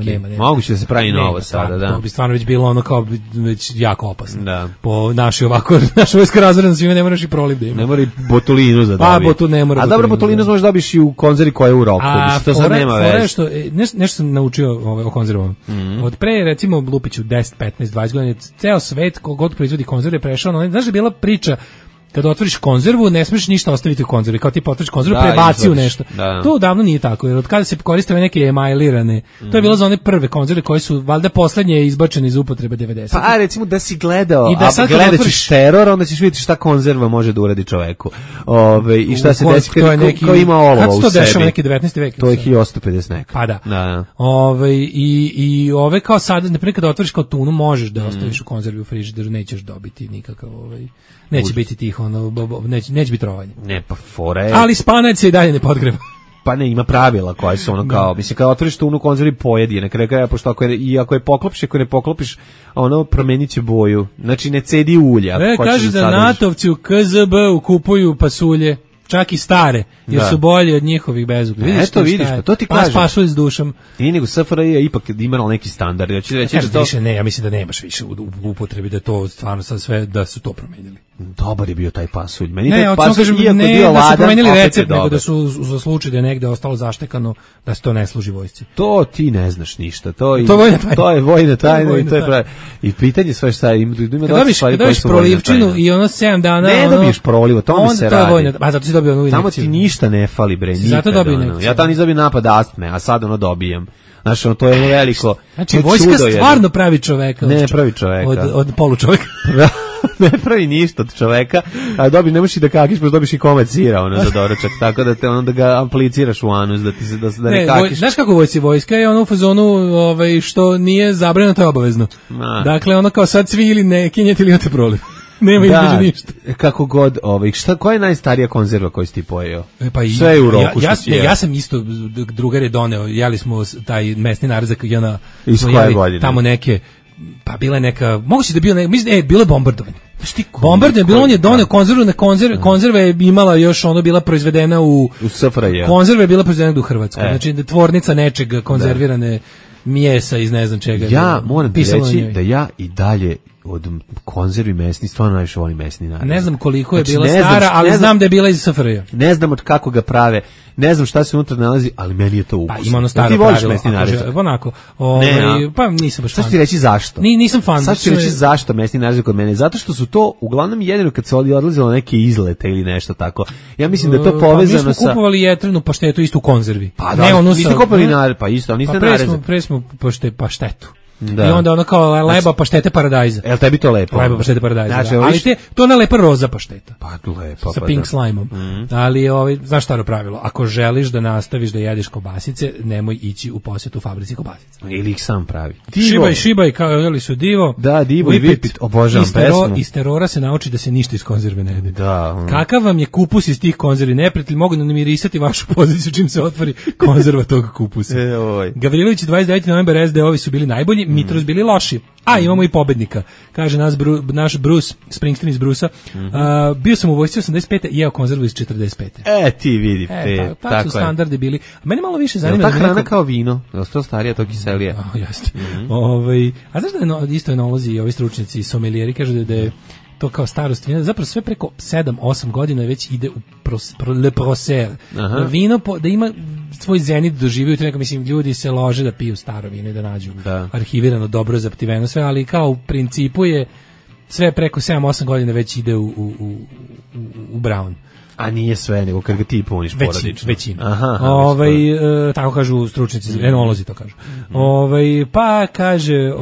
nema. Moguće da se pravi novo sada, da. To bi stvarno već bilo ono kao već jako opasno. Da. Po naša vojska razredna svima ne moraš i proliv da ima. Ne mora i botulinu za dobiti. Pa, ne mora. A dobro, botulinu možeš dobiš i u konzervi koja je u roku. To sad nema veze. Što, nešto sam naučio o konzervama. Od pre, recimo, Lupiću 10, 15, 20 godina, ceo svet, kogod proizvodi konzerve, prešao na... Znaš da je bila priča kada otvoriš konzervu, ne smiješ ništa ostaviti u konzervi. Kao ti otvoriš konzervu, prebaci u nešto. Da. To davno nije tako, jer od kada se koriste neke emailirane, to je bilo za one prve konzerve koje su, valjda, poslednje izbačene iz upotrebe 90. Pa, recimo da si gledao, a gledat ćeš teror, onda ćeš vidjeti šta konzerva može da uradi čoveku. I šta se desi ko ima olova u sebi. Kad se to dešava neki 19. vek? To je 1850 neka. Pa da. I ove kao sad, naprimjer kada otvoriš kao tunu, možeš da ostaviš u konzervi u frižideru, nećeš dobiti nikakav neće biti tih, neće biti rovanje. Ne, pa fore. Ali spanac se i dalje ne podgreva. Pa ne, ima pravila koja su ono kao, mislim, kada otvoriš tunu u konzervi pojedi je, na kraju kraja, pošto ako je poklopiš, ako ne poklopiš, ono promenit će boju. Znači, ne cedi ulja. Kaže da NATO-vci u KZB kupuju pasulje, čak i stare, jer su bolje od njihovih bezuglja. Vidiš, to ti kažem. Pa pasulj s dušom. Nije nego SFRJ je ipak imala neki standard. Ja ću reći da to... Više ne, ja mislim da nemaš više u upotrebi, da to stvarno sad sve, da su to promenili. Dobar je bio taj pasulj. Meni ne, taj pasulj, kažem, iako ne, bio da ladan, su promenili recept, nego da su za slučaj da je negde ostalo zaštekano, da se to ne služi vojsci. To ti ne znaš ništa. To je vojna tajna i to je pravi. I pitanje sve šta ima kad dobiš prolivčinu i ono 7 dana... Ne dobiješ proliv, to mi se radi. A zato si dobio onu injekciju. Tamo ti ništa ne fali, bre. Zato dobio injekciju. Ja tamo nisam dobio napad astme, a sad ono dobijem. Znaš, to je veliko... Znači, vojska stvarno pravi čoveka. Ne pravi čoveka. Od polučoveka. Ne pravi ništa od čoveka, a ne možeš i da kakiš, pa dobiš i komad sira za doručak, tako da te da ga apliciraš u anus, da ne kakiš. Znaš kako vojska je ono u fazonu što nije zabranjeno, to je obavezno. Dakle, ono kao sad svi ili ne kinjete ili imate proliv. Nema između ništa. Kako god, koja je najstarija konzerva koju si ti pojeo? Sve je u roku što si jeo. Ja sam isto, drugar je doneo, jeli smo taj mesni narzak, iz koje godine? Tamo neke, pa bila je neka, moguće da bio bilo je bombardovanje. Bombardovanje, bilo on je doneo konzerva je imala još, bila proizvedena u SFRJ. Konzerva je bila proizvedena u Hrvatskoj, znači tvornica nečeg konzervirane mijesa iz ne znam čega. Ja moram ti reći da ja i dalje od konzervi mesni, stvarno najviše volim mesni naraz. Ne znam koliko je bila stara, ali znam da je bila iz SFRJ. Ne znam od kako ga prave, ne znam šta se unutra nalazi, ali meni je to ukusno. Pa ima ono staro pravilo. Onako. Pa nisam baš fan. Sad ću ti reći zašto. Nisam fan. Sad ću ti reći zašto mesni naraz kod mene. Zato što su to uglavnom jedino kad se odlazilo neke izlete ili nešto tako. Ja mislim da je to povezano sa... Mi smo kupovali jetrenu paštetu isto u konzervi. Pa da, niste kupili pa isto, ali niste narezali. Pre smo paštetu. Da. I onda ono kao leba paštete paradajza. Jel tebi to lepo? Leba paštete paradajza. Znači, ali to je lepa roza pašteta. Pa lepo. Sa pink slime-om. Ali znaš staro pravilo, ako želiš da nastaviš da jedeš kobasice, nemoj ići u posjetu fabrici kobasica. Ili ih sam pravi. Šibaj, kao jeli su Divo. Da, Divo i Vipit, obožavam pesmu. Iz terora se nauči da se ništa iz konzerve ne jede. Da. Kakav vam je kupus iz tih konzervi? Neprijatelj mogu da namirisati vašu poziciju čim se otvori konzerva tog kupusa. Gavrilović 29. novembar SD-ovi su bili najbolji, Mitros bili loši. A imamo i pobednika. Kaže naš Bruce, Springsteen iz Brusa. Bio sam u vojsci 85. i jeo konzervu iz 45. Ti vidi. Tako su standardi bili. A mene malo više zanima. Ta hrana kao vino. Ostalo starija, to kiselije. Jeste. A znaš da je isto enolozi i ovi stručnjaci sommelieri kažu da je to kao starost vina, zapravo sve preko 7-8 godina već ide u le procer. Vino da ima svoj zenit doživio, to mislim, ljudi se lože da piju staro vino i da nađu arhivirano dobro zaptiveno sve, ali kao u principu je sve preko 7-8 godina već ide u brown. A nije sve, nego kad ga ti puniš porodično. Većina. Tako kažu stručnjaci, enolozi to kažu. Pa kaže...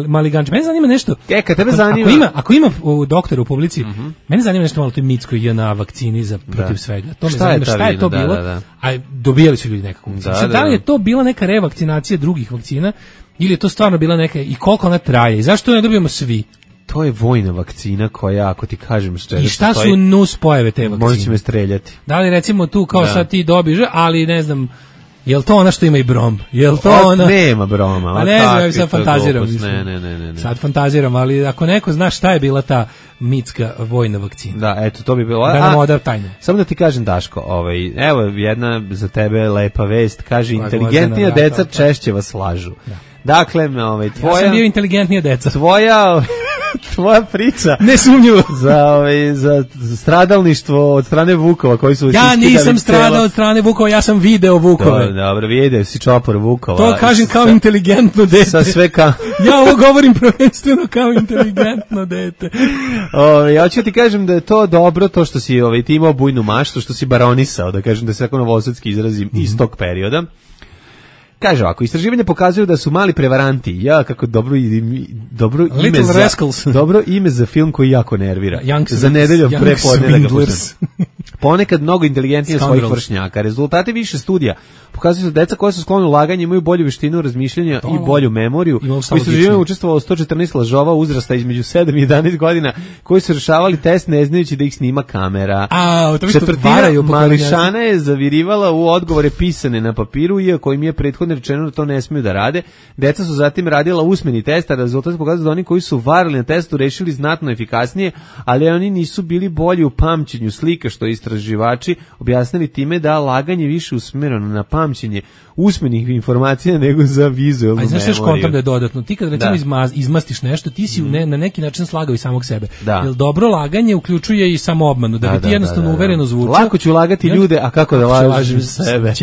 Maliganđe. Mene zanima nešto... Kad tebe zanima... Ako ima doktora u publici, mene zanima nešto malo o toj mitskoj JNA vakcini protiv svega. To me zanima šta je to bilo. A dobijali su ljudi nekako. Da li je to bila neka revakcinacija drugih vakcina ili je to stvarno bila neka... I koliko ona traje? I zašto ne dobijemo svi? To je vojna vakcina koja, ako ti kažem što je... I šta su nus pojave te vakcine? Možda će me streljati. Da li recimo tu kao sad ti dobiješ, ali ne znam, Jel to ona što ima i brom? Jel to ona? Nema broma. Pa ne znam, ja sad fantaziram. Ne. Sad fantaziram, ali ako neko zna šta je bila ta mitska vojna vakcina. Da, eto, to bi bilo. Da nam oda tajne. Samo da ti kažem, Daško, evo jedna za tebe lepa vest, kaže, inteligentnija deca češće vas lažu. Da. Dakle, tvoja... Ja sam bio inteligentnija deca. Tvoja priča nesumnjivo za stradalništvo od strane Vukova koji su ja nisam stradao od strane Vukova, ja sam video Vukove. Dobro, video si čopor Vukova. To kažem kao inteligentno dete. Sa sve ja ovo govorim prvenstveno kao inteligentno dete. Ja ću ti kažem da je to dobro, to što si ti imao bujnu maštu, što si baronisao, da kažem da se tako novosadski izrazim iz tog perioda. Kaže ovako, istraživanje pokazuju da su mali prevaranti, kako dobro ime za film koji jako nervira. Za nedeljom prepodne da ga puštam. Ponekad mnogo inteligentnije od svojih vršnjaka. Rezultati više studija pokazuju da deca koja su sklona ulaganju imaju bolju veštinu razmišljanja i bolju memoriju. U istraživanju učestvovalo 114 lažova uzrasta između 7 i 11 godina koji su rešavali test ne znajući da ih snima kamera. Četvrtina mališana je zavirivala u odgovore pisane na papiru, iako im je prethodno rečeno da to ne smiju da rade. Deca su zatim radila usmeni test, a rezultat pokazuje da oni koji su varali na testu rešili znatno efikasnije, ali oni nisu bili bolji u pamćenju slika, što istraživači objasnili time da laganje više usmereno na pamćenje usmenih informacija nego za vizualnu memoriju. A znaš kontam da je dodatno? Ti kad recimo izmastiš nešto, ti si na neki način slagao i samog sebe. Jer dobro laganje uključuje i samoobmanu, da bi ti jednostavno uvereno zvučao. Lako ću lagati ljude, a kako da lažem sebe?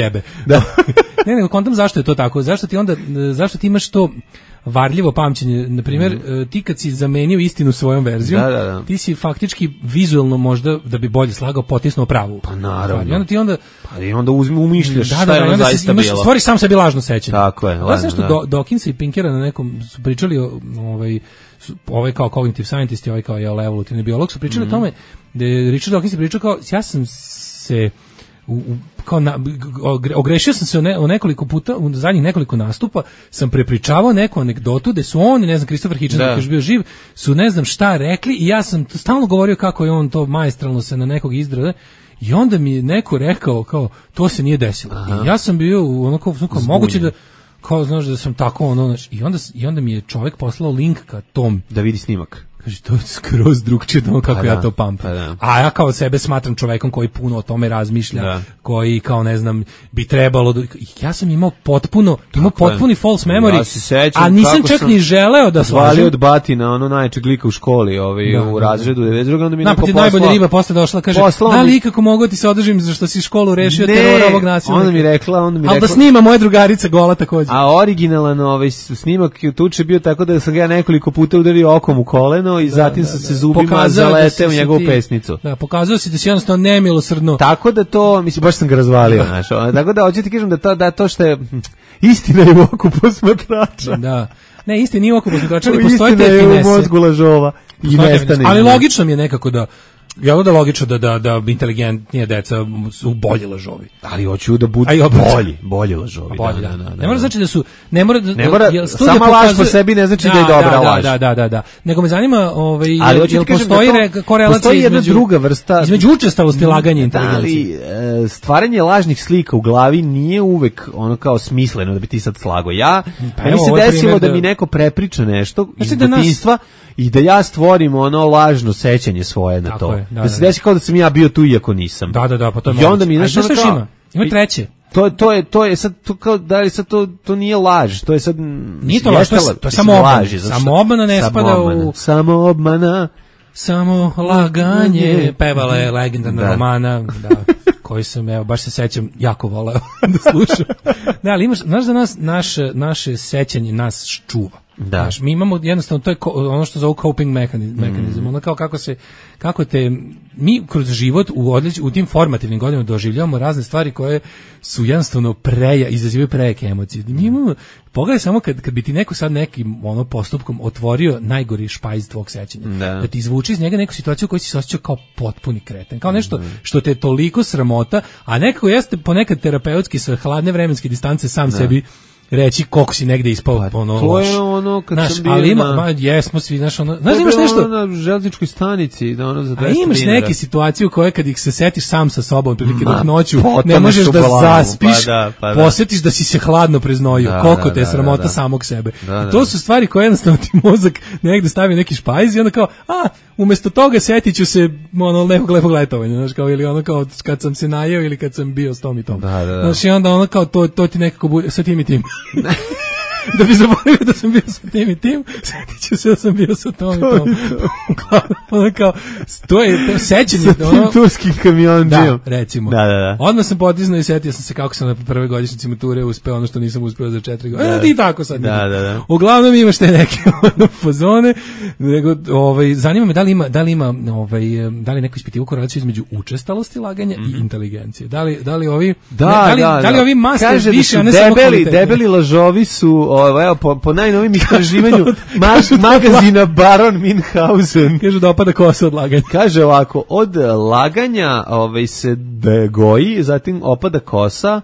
Ne, nego kontam zašto je to tako? Zašto ti imaš to varljivo pamćenje? Na primjer, ti kad si zamenio istinu svojom verzijom, ti si faktički vizualno možda, da bi bolje slagao, potisnuo pravu. Pa naravno. I onda umišljaš šta je ono zaista bilo. Stvoriš sam sebi lažno sećanje. Tako je. Da, nešto Dawkins i Pinkera na nekom su pričali ovaj kao cognitive scientist i ovaj kao evolutivni biolog su pričali o tome da je Richard Dawkins pričao kao, ja sam se ogrešio sam se o nekoliko puta, u zadnjih nekoliko nastupa sam prepričavao neku anegdotu gde su oni, ne znam, Christopher Hitchens koji je još bio živ, su ne znam šta rekli i ja sam stalno govorio kako je on to maestralno se na nekog izdrada i onda mi je neko rekao kao, to se nije desilo. I ja sam bio onako moguće da kao, znaš, da sam tako i onda mi je čovjek poslao link ka tom da vidi snimak. Kaže, to je skroz drugčije od kako ja to pamtim. A ja kao sebe smatram čovekom koji puno o tome razmišlja, koji kao ne znam, bi trebalo ja sam imao potpuni false memory, ja se sećam, a nisam čak ni želeo da slažem. Od batina, ono najčeg lika u školi, u razredu 92. Onda mi neko poslao. Najbolja riba posle došla, kaže, da li ikako mogu ti se održim za što si školu rešio terora ovog nasilnika? Onda mi rekla. Ali da snima moja drugarica gola takođe. A originalan snimak tuče bio tako da sam ga nekoliko puta udario okom u koleno i zatim sam se zubima zaleteo u njegovu pesnicu. Da, pokazao si da si jednostavno nemilosrdno. Tako da to, mislim, baš sam ga razvalio, znaš. Tako da, hoću ti kažem da to što je istina je u oku posmatrača. Da. Ne, istina nije u oku posmatrača, ali postoje te finese. Istina je u mozgu lažova i nestane. Ali logično mi je nekako da logično da inteligentnije deca su bolji lažovi. Ali hoću da budu bolji lažovi. Ne mora znači da su sama laž po sebi ne znači da je dobra laž. Da. Nego me zanima jel postoji korelacija između učestalosti laganja i inteligencije. Ali stvaranje lažnih slika u glavi nije uvek ono kao smisleno da bi ti sad slago. Meni se desilo da mi neko prepriča nešto iz detinjstva i da ja stvorim ono lažno sećanje svoje na to. Da se desi kao da sam ja bio tu iako nisam. Da, pa to je i onda mi nešto ima treće. To je sad to kao da li sad to nije laž, to je sad nije to laž, to je samo obmana ne spada u samo laganje. Pevala je legendarna Romana, koji sam, baš se sećam, jako voleo da slušam. Da, ali znaš da naše sećanje nas čuva. Znaš, mi imamo jednostavno, to je ono što zove coping mehanizam, ono kao kako te mi kroz život u tim formativnim godinama doživljavamo razne stvari koje su jednostavno izazivaju prejake emocije. Mi imamo, pogledaj samo kad bi ti neko sad nekim postupkom otvorio najgori špajz tvog sećanja, da ti izvuči iz njega neku situaciju u kojoj si se osjećao kao potpuni kreten, kao nešto što te toliko sramota, a nekako jeste ponekad terapeutski sa hladne vremenske distance sam sebi reći koliko si negde ispao ono To loš. je ono kad Znaš, sam bio ali jesmo svi, znaš, ono, znaš, imaš nešto na železničkoj stanici, da ono za 200 dinara. A imaš neke situacije u koje kad ih se setiš sam sa sobom, prilike dok noću potoneš ne možeš u da glavu, zaspiš, pa da. posjetiš da si se hladno preznojio, koliko te je sramota samog sebe. I to su stvari koje jednostavno ti mozak negde stavi neki špajz i onda kao, umesto toga setit ću se ono nekog lepog letovanja, znaš, kao, ili ono kao kad sam se najeo ili kad sam bio s tom i tom. Znaš, i onda ono kao to ti nekako bude sa tim i tim. Da bi zaboravio da sam bio sa tim i tim, setit ću se da sam bio sa tom i tom. Ono kao, to je sećanje. Sa tim turskim kamionđijom. Da, recimo. Da. Odmah sam potisnuo i setio sam se kako sam na prvoj godišnjici mature uspeo ono što nisam uspeo za 4 godine. I tako sad. Da. Uglavnom imaš te neke fazone. Zanima me da li neko ispitivo korelaciju između učestalosti laganja i inteligencije. Da li ovi ovi master više, a ne samo kvalitetni. Debeli lažovi su po najnovim istraživanju magazina Baron Minhausen. Kažu da opada kosa od laganja. Kaže ovako, od laganja se goji, zatim opada kosa,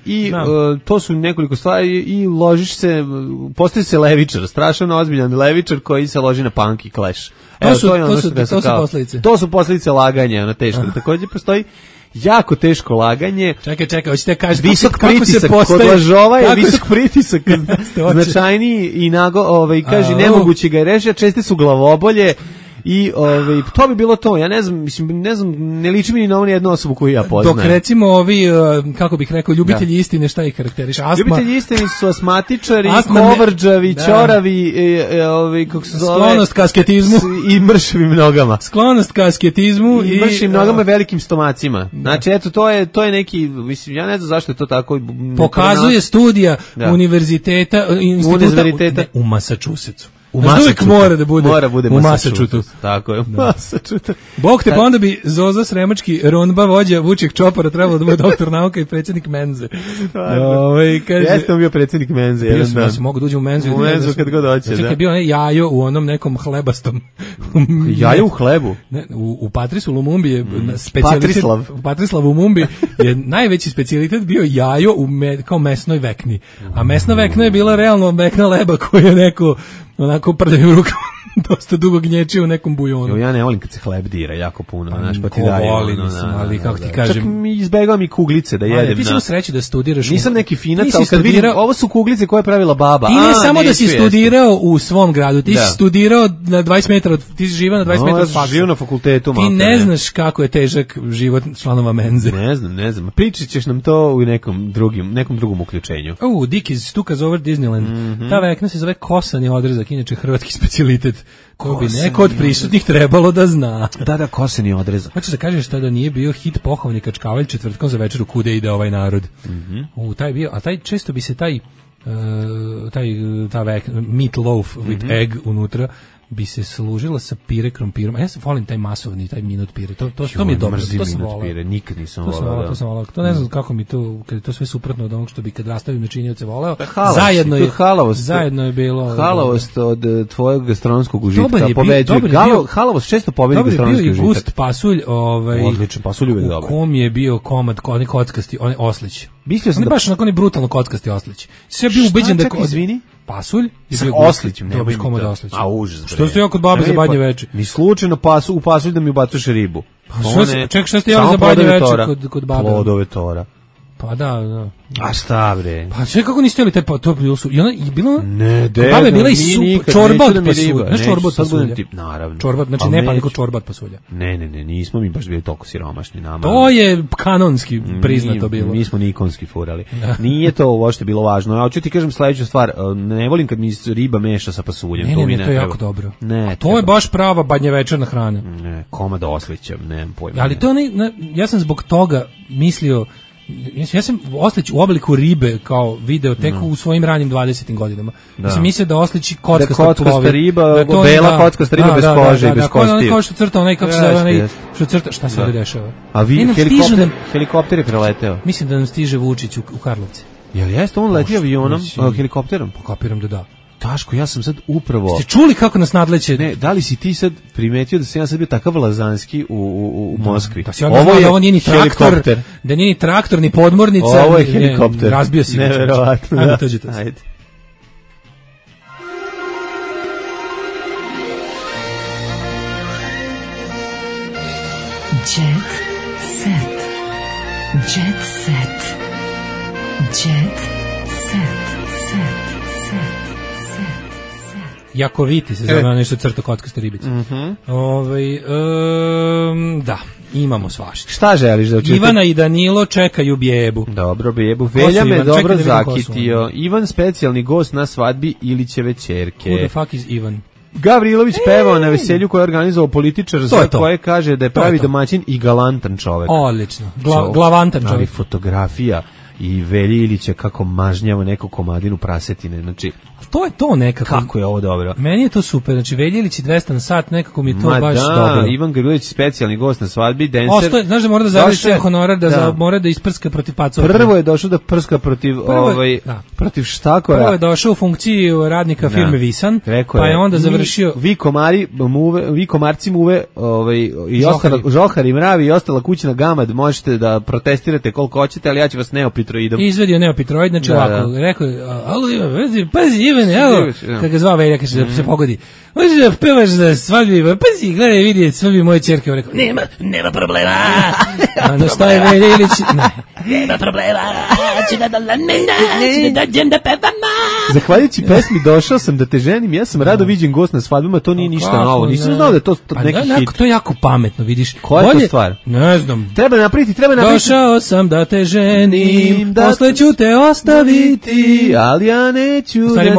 i to su nekoliko stvari i ložiš se, postoji se levičar, strašno ozbiljan levičar koji se loži na punk i Clash. To su posljedice. To su posljedice laganja, ono teško. Također postoji jako teško laganje. Čekaj, hoćete kažete visok pritisak kod lažova je visok pritisak, značajniji i kaže nemoguće ga je reći, a česte su glavobolje. I to bi bilo to. Ja ne znam, ne liči mi ni na jednu osobu koju ja poznajem. Dok recimo ovi, kako bih rekao, ljubitelji istine, šta ih karakteriše? Ljubitelji istine su asmatičari, kovrđavi, ćoravi, kako se zove? Sklonost ka asketizmu. I mršavim nogama. Sklonost ka asketizmu. I mršavim nogama i velikim stomacima. Znači, eto, to je neki, mislim, ja ne znam zašto je to tako. Pokazuje studija univerziteta u Massachusettsu. Uvijek mora da bude u Massachusettsu. Tako je, u Massachusettsu. Bog te, pa onda bi Zoza Sremački, Ronba, vođa Vuček Čopara, trebalo da bude doktor nauka i predsjednik Menze. Jeste on bio predsjednik Menze. Ja sam mogu da uđem u Menzu. U Menzu kad god hoće. Znači, je bio jajo u onom nekom hlebastom. Jajo u hlebu? U Patrisu Lumumbi je Patrislav u Lumumbi je najveći specijalitet bio jajo kao mesnoj vekni. A mesna vekna je bila realno vekna leba koju je neko onako prdavim rukama dosta dugo gnječio u nekom bujonu. Ja ne volim kad se hleb dira jako puno, znaš, pa ti daje. Ali kako ti kažem. Čak mi izbegavam i kuglice da jedem. Ti si mu sreći da studiraš. Nisam neki finac, ali kad vidim, ovo su kuglice koje je pravila baba. I ne samo da si studirao u svom gradu, ti si studirao na 20 metara, ti si živao na 20 metara od faksa. Živio na fakultetu. Ti ne znaš kako je težak život članova Menze. Ne znam. Pričat ćeš nam to u nekom drugom uključenju. Dick iz Stukas over Disneyland. Ta vekna se zove kosani odrezak, inače hrvatski specijalitet. Ko bi neko od prisutnih trebalo da zna. Da, koseni odrezak. Hoćeš da kažeš da nije bio hit Pohovni kačkavalj četvrtkom za večeru kude ide ovaj narod. Taj bio, a taj često bi se ta meat loaf with egg unutra bi se služila sa pire krompirom. A ja se volim taj masovni, taj minut pire. To mi je dobro. To sam volao. Nikad nisam volao. To sam volao. To ne znam kako mi to, kad je to sve suprotno od onog što bi kad rastavim načinioce voleo. Zajedno je bilo. Halavost od tvojeg gastronomskog užitka pobeđuje. Halavost često pobedi gastronomski užitak. Bio je gust pasulj. Odličan, pasulj uvijek dobro. U kom je bio komad, onaj kockasti, onaj oslić. Mislio sam da baš onako brutalno kockasti oslić. Sve bio ubeđen da izvini. Pasulj je bio oslićem, ne biš komad oslić. A užas. Što ste ja kod babe za badnje veče? Ni slučajno u pasulj da mi ubacuješ ribu. Čekaj, što ste ja za badnje veče kod babe? Plodove tora. Pa da. A šta bre? Pa sve kako niste jeli taj to bilo su. I ona je bilo ne, babe bila i čorba od pasulja. Ne čorba od pasulja. Naravno. Čorba, znači ne pa nego čorba od pasulja. Ne, nismo mi baš bili toliko siromašni nama. To je kanonski priznato bilo. Mi smo nikonski furali. Nije to uopšte bilo važno. Ja hoću ti kažem sledeću stvar, ne volim kad mi riba meša sa pasuljem, to mi ne. To je jako dobro. Ne. To je baš prava badnjevečerna hrana. Ne, komad oslića, nemam pojma. Ali to ja sam zbog toga mislio. Ja sam oslić u obliku ribe kao video tek u svojim ranim 20. godinama. Ja sam mislio da osliči kockasta riba, bela kockasta riba bez kože i bez kosti. Kao što crta onaj, kako se zove onaj, što crta, šta se dešava? A vi, helikopter je preleteo. Mislim da nam stiže Vučić u Karlovce. Jel jeste on letio avionom, helikopterom? Kapiram da da. Daško, ja sam sad upravo... Ste čuli kako nas nadleće? Ne, da li si ti sad primetio da sam ja sad bio takav lazanski u Moskvi? Da si onda znao da ovo nije ni traktor, da nije ni traktor, ni podmornica. Ovo je helikopter. Razbio si. Neverovatno. Ajde, tođite se. Ajde. Jet set. Jet set. Jet set. Jakoviti se zove nešto crta kockaste ribice. Da, imamo svašta. Šta želiš da učite? Ivana i Danilo čekaju bebu. Dobro, bebu. Velja me dobro zakitio. Ivan specijalni gost na svadbi Ilićeve ćerke. Who the fuck is Ivan? Gavrilović pevao na veselju koje je organizovao političar za koje kaže da je pravi domaćin i galantan čovek. Odlično. Glavantan čovek. Ali fotografija i Velje Ilića kako mažnjava neku komadinu prasetine. Znači, to je to nekako. Kako je ovo dobro. Meni je to super. Znači, Velje Ilić 200 na sat, nekako mi je to baš dobro. Ivan Gavrilović specijalni gost na svadbi, dancer. Znaš da mora da završi honorar, mora da isprska protiv pacova. Prvo je došao da prska protiv protiv štakora. Prvo je došao u funkciji radnika firme Visan, rekao pa je onda završio... Vi komarci muve i žohar i mravi i ostala kućna gamad, možete da protestirate koliko hoćete, ali ja ću vas neopitroidom. Izvedio neopitroid, znači ovako, rekao je, alo Ivan, pazi Ivan, evo, kad ga zvao Velja, kaže da se pogodi, možeš da pevaš za svadbi, pazi, gledaj, vidi, svadbi moje ćerke, rekao, nema problema, onda šta je Velja Ilić, nema problema, ću da dođem da pevama. Zahvaljujući pesmi Došao sam da te ženim, ja sam rado viđen gost na svadbama, to nije ništa novo, nisam znao da je to neki hit. To je jako pametno, vidiš. Koja je to stvar? Ne znam. Treba napraviti. Došao sam da te ženim, posle ću te ostaviti, ali ja neću da te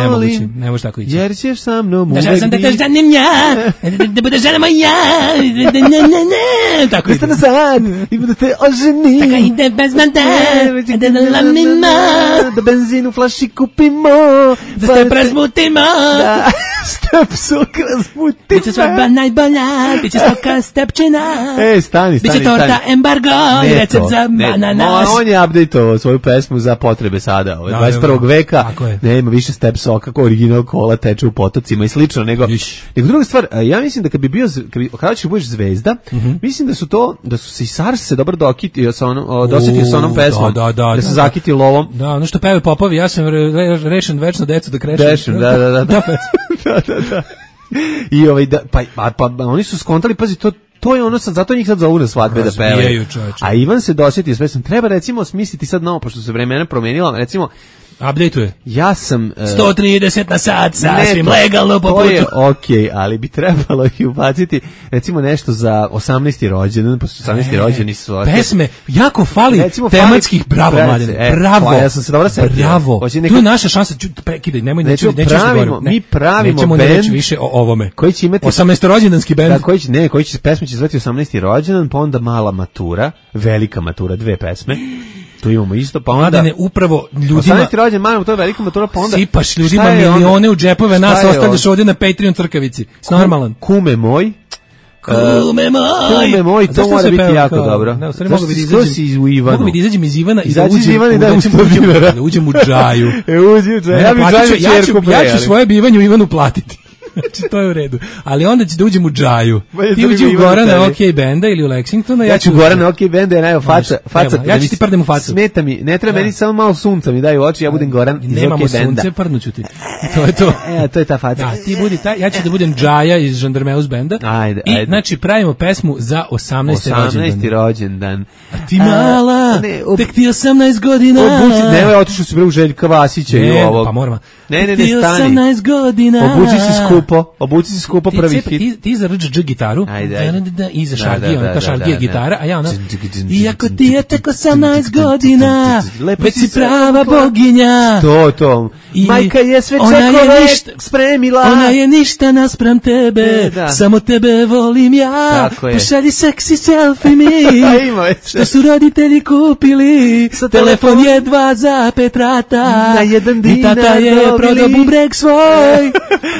volim. Ne možeš tako ići. Jer ćeš sa mnom uvek biti. Došao sam da te ženim ja, da bude žena moja, tako ide. Nazad, i da te oženim. Taka ide bez mande, da lamima, da benzin u flaši kupimo, da se presmutimo, da stepsok razmutimo. Biće svadba najbolja, biće stoka stepčina. Stani. Biće torta embargo i recept za ananas. On je updateovao svoju pesmu za potrebe sada, 21. veka. Nema više step soka, kao original kola teče u potocima i slično, nego druga stvar, ja mislim da kad bi bio, kada ćeš budeš zvezda, mislim da su se i SARS se dobro dosjetio sa onom pesmom, da se zakitio lovom. Da, ono što peve popovi, ja sam rešen večno decu da krešem. Rešen, da. I pa oni su skontali, pazi, to je ono sad, zato njih sad zovu na svadbe da pevaju. A Ivan se dosjetio s pesmom. Treba recimo smisliti sad novo, pošto se vremena promenila, recimo update-uje. Ja sam 130 na sat, sasvim legalno po putu. To je okej, ali bi trebalo i ubaciti recimo nešto za 18. rođendan, pošto 18. rođeni su pesme, jako fali recimo, tematskih, bravo mladine, bravo. Ja sam se dobro setio. Bravo. Tu je naša šansa, prekidaj, nemoj neću mi pravimo nećemo bend više o ovome. Koji će imati 18. rođendanski bend. Koji će pesma će zvati 18. rođendan, pa onda mala matura, velika matura, 2 pesme. Tu imamo isto, pa onda Mladene, upravo ljudima 18. rođendan, malo to je velika matura, pa onda sipaš ljudima milione u džepove, nas ostavljaš ovdje na Patreon crkavici. Normalan. Kume moj, to mora biti jako dobro. Mogu bi da izađem iz Ivana i da uđem u džaju. Ja ću svoje bivanje u Ivanu platiti. Znači, to je u redu. Ali onda će da uđem u džaju. Ti uđi u Gorana OK Benda ili u Lexingtona. Ja ću u Gorana OK Benda, jer faca. Ja ću ti prdem u facu. Smeta mi, ne treba meni samo malo sunca mi daju u oči, ja budem Goran iz OK Benda. Nemamo sunce, prdnuću ti. To je to. To je ta faca. Da, ti budi taj, ja ću da budem džaja iz Žandarmeus Benda. Ajde. I, znači, pravimo pesmu za 18. rođendan. A ti mala, tek ti 18 godina. Nemoj, otišao si bre u Željka Vasića i ovo. Pa moramo. Ne, ti 18 godina. Obuci si skupo prvi hit. Ti za RDŽ gitaru, i za šargija, ta šargija gitara, a ja ona, iako ti je tek 18 godina, već si prava boginja. To. Majka je sve čekove spremila. Ona je ništa naspram tebe, samo tebe volim ja. Pošalji seksi selfie mi, što su roditelji kupili. Telefon je 2 za 5 rata, na 1 dinar i tata je prodao bubreg svoj.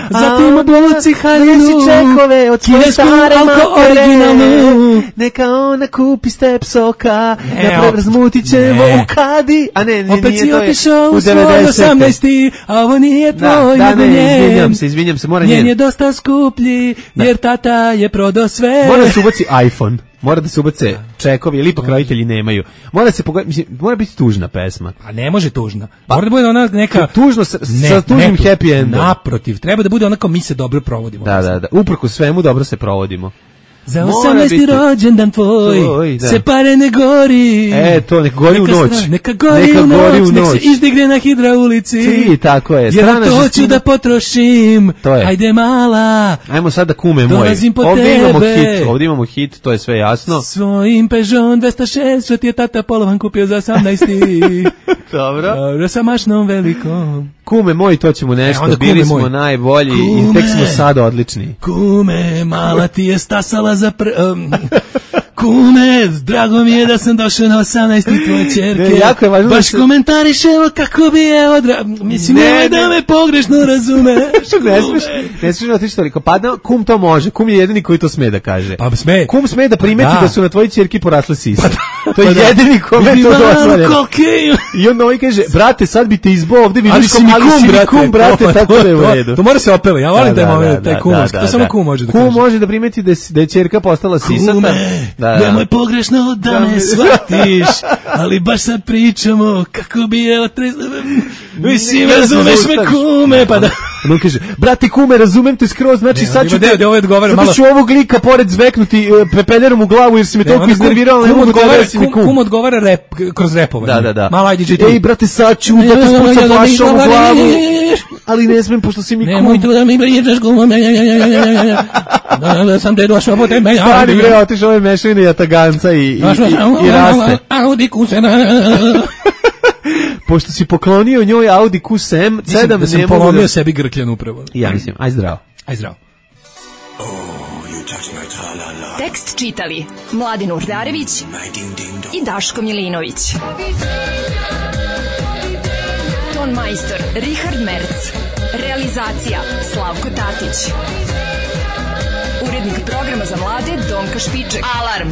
Zatim Idemo buci haljinu, čekove od svoje kinesku stare alko matere. originalnu. Neka ona kupi step soka, razmutit ćemo u kadi. A ne, opet nije si to je otišao u u svoj 18. A ovo nije tvoj, nego njen. Izvinjam se, mora Njen njen. je dosta skuplji, jer tata je prodao sve. Mora da se ubaci iPhone. Mora da se ubace čekovi, ili ipak roditelji nemaju. Mora se mora biti tužna pesma. A ne može tužna. Mora da bude ona neka tužno sa tužnim happy endom. Naprotiv, treba da bude onako mi se dobro provodimo. Da. Uprkos svemu dobro se provodimo. Za 18. rođendan tvoj, se pare ne gori. To neka gori u noć. Neka gori u noć, nek se izdigne na hidraulici. Tako je. Jer to ću da potrošim. Ajde mala. Ajmo sada kume moj. Dolazim po tebe. Ovdje imamo hit, to je sve jasno. Svojim Peugeot 206, što ti je tata polovan kupio za 18. Dobro. Sa mašnom velikom. Kume moj, to ćemo nešto, bili smo najbolji i tek smo sad odlični. Kume, mala ti je stasala za Kume, drago mi je da sam došao na 18. tvoje čerke. Jako je važno. Baš komentarišemo kako bi je Mislim, nemoj da me pogrešno razumeš. Ne smiješ otići toliko. Pa kum to može. Kum je jedini koji to sme da kaže. Pa sme. Kum sme da primeti da su na tvojoj čerki porasle sise. To je jedini kome to dozvoljeno. I on ovaj kaže, brate, sad bi te izbao ovde, vidiš kom, ali si mi kum, brate, tako da je u redu. To mora se opeva, ja volim taj kumovski, to samo kum može da kaže. Kum može da primeti da je čerka postala sisata. Kume, nemoj pogrešno da me shvatiš, ali baš sad pričamo kako bi je mislim, razumeš me kume, pa da... On kaže, brate kume, razumem te skroz, znači sad ću ovog lika pored zveknuti pepeljerom u glavu jer si me toliko iznervirao, ne mogu da resim mi kum. Kum odgovara kroz repovanje. Da. Malo ajde čiti. Ej, brate, sad ću da te spucam flašom u glavu, ali ne smem, pošto si mi kum. Nemoj tu da mi pričaš kume, da sam te došao po tebe. Stari bre, otiš ove mešavine jataganca i raste. Audi Q7. Pošto si poklonio njoj Audi Q7, mislim da sam polomio sebi grkljan upravo. Ja mislim, aj zdravo. Aj zdravo. Tekst čitali Mladin Urdarević i Daško Milinović. Ton majstor Richard Merc. Realizacija Slavko Tatić. Urednik programa za mlade Donka Špiček. Alarm!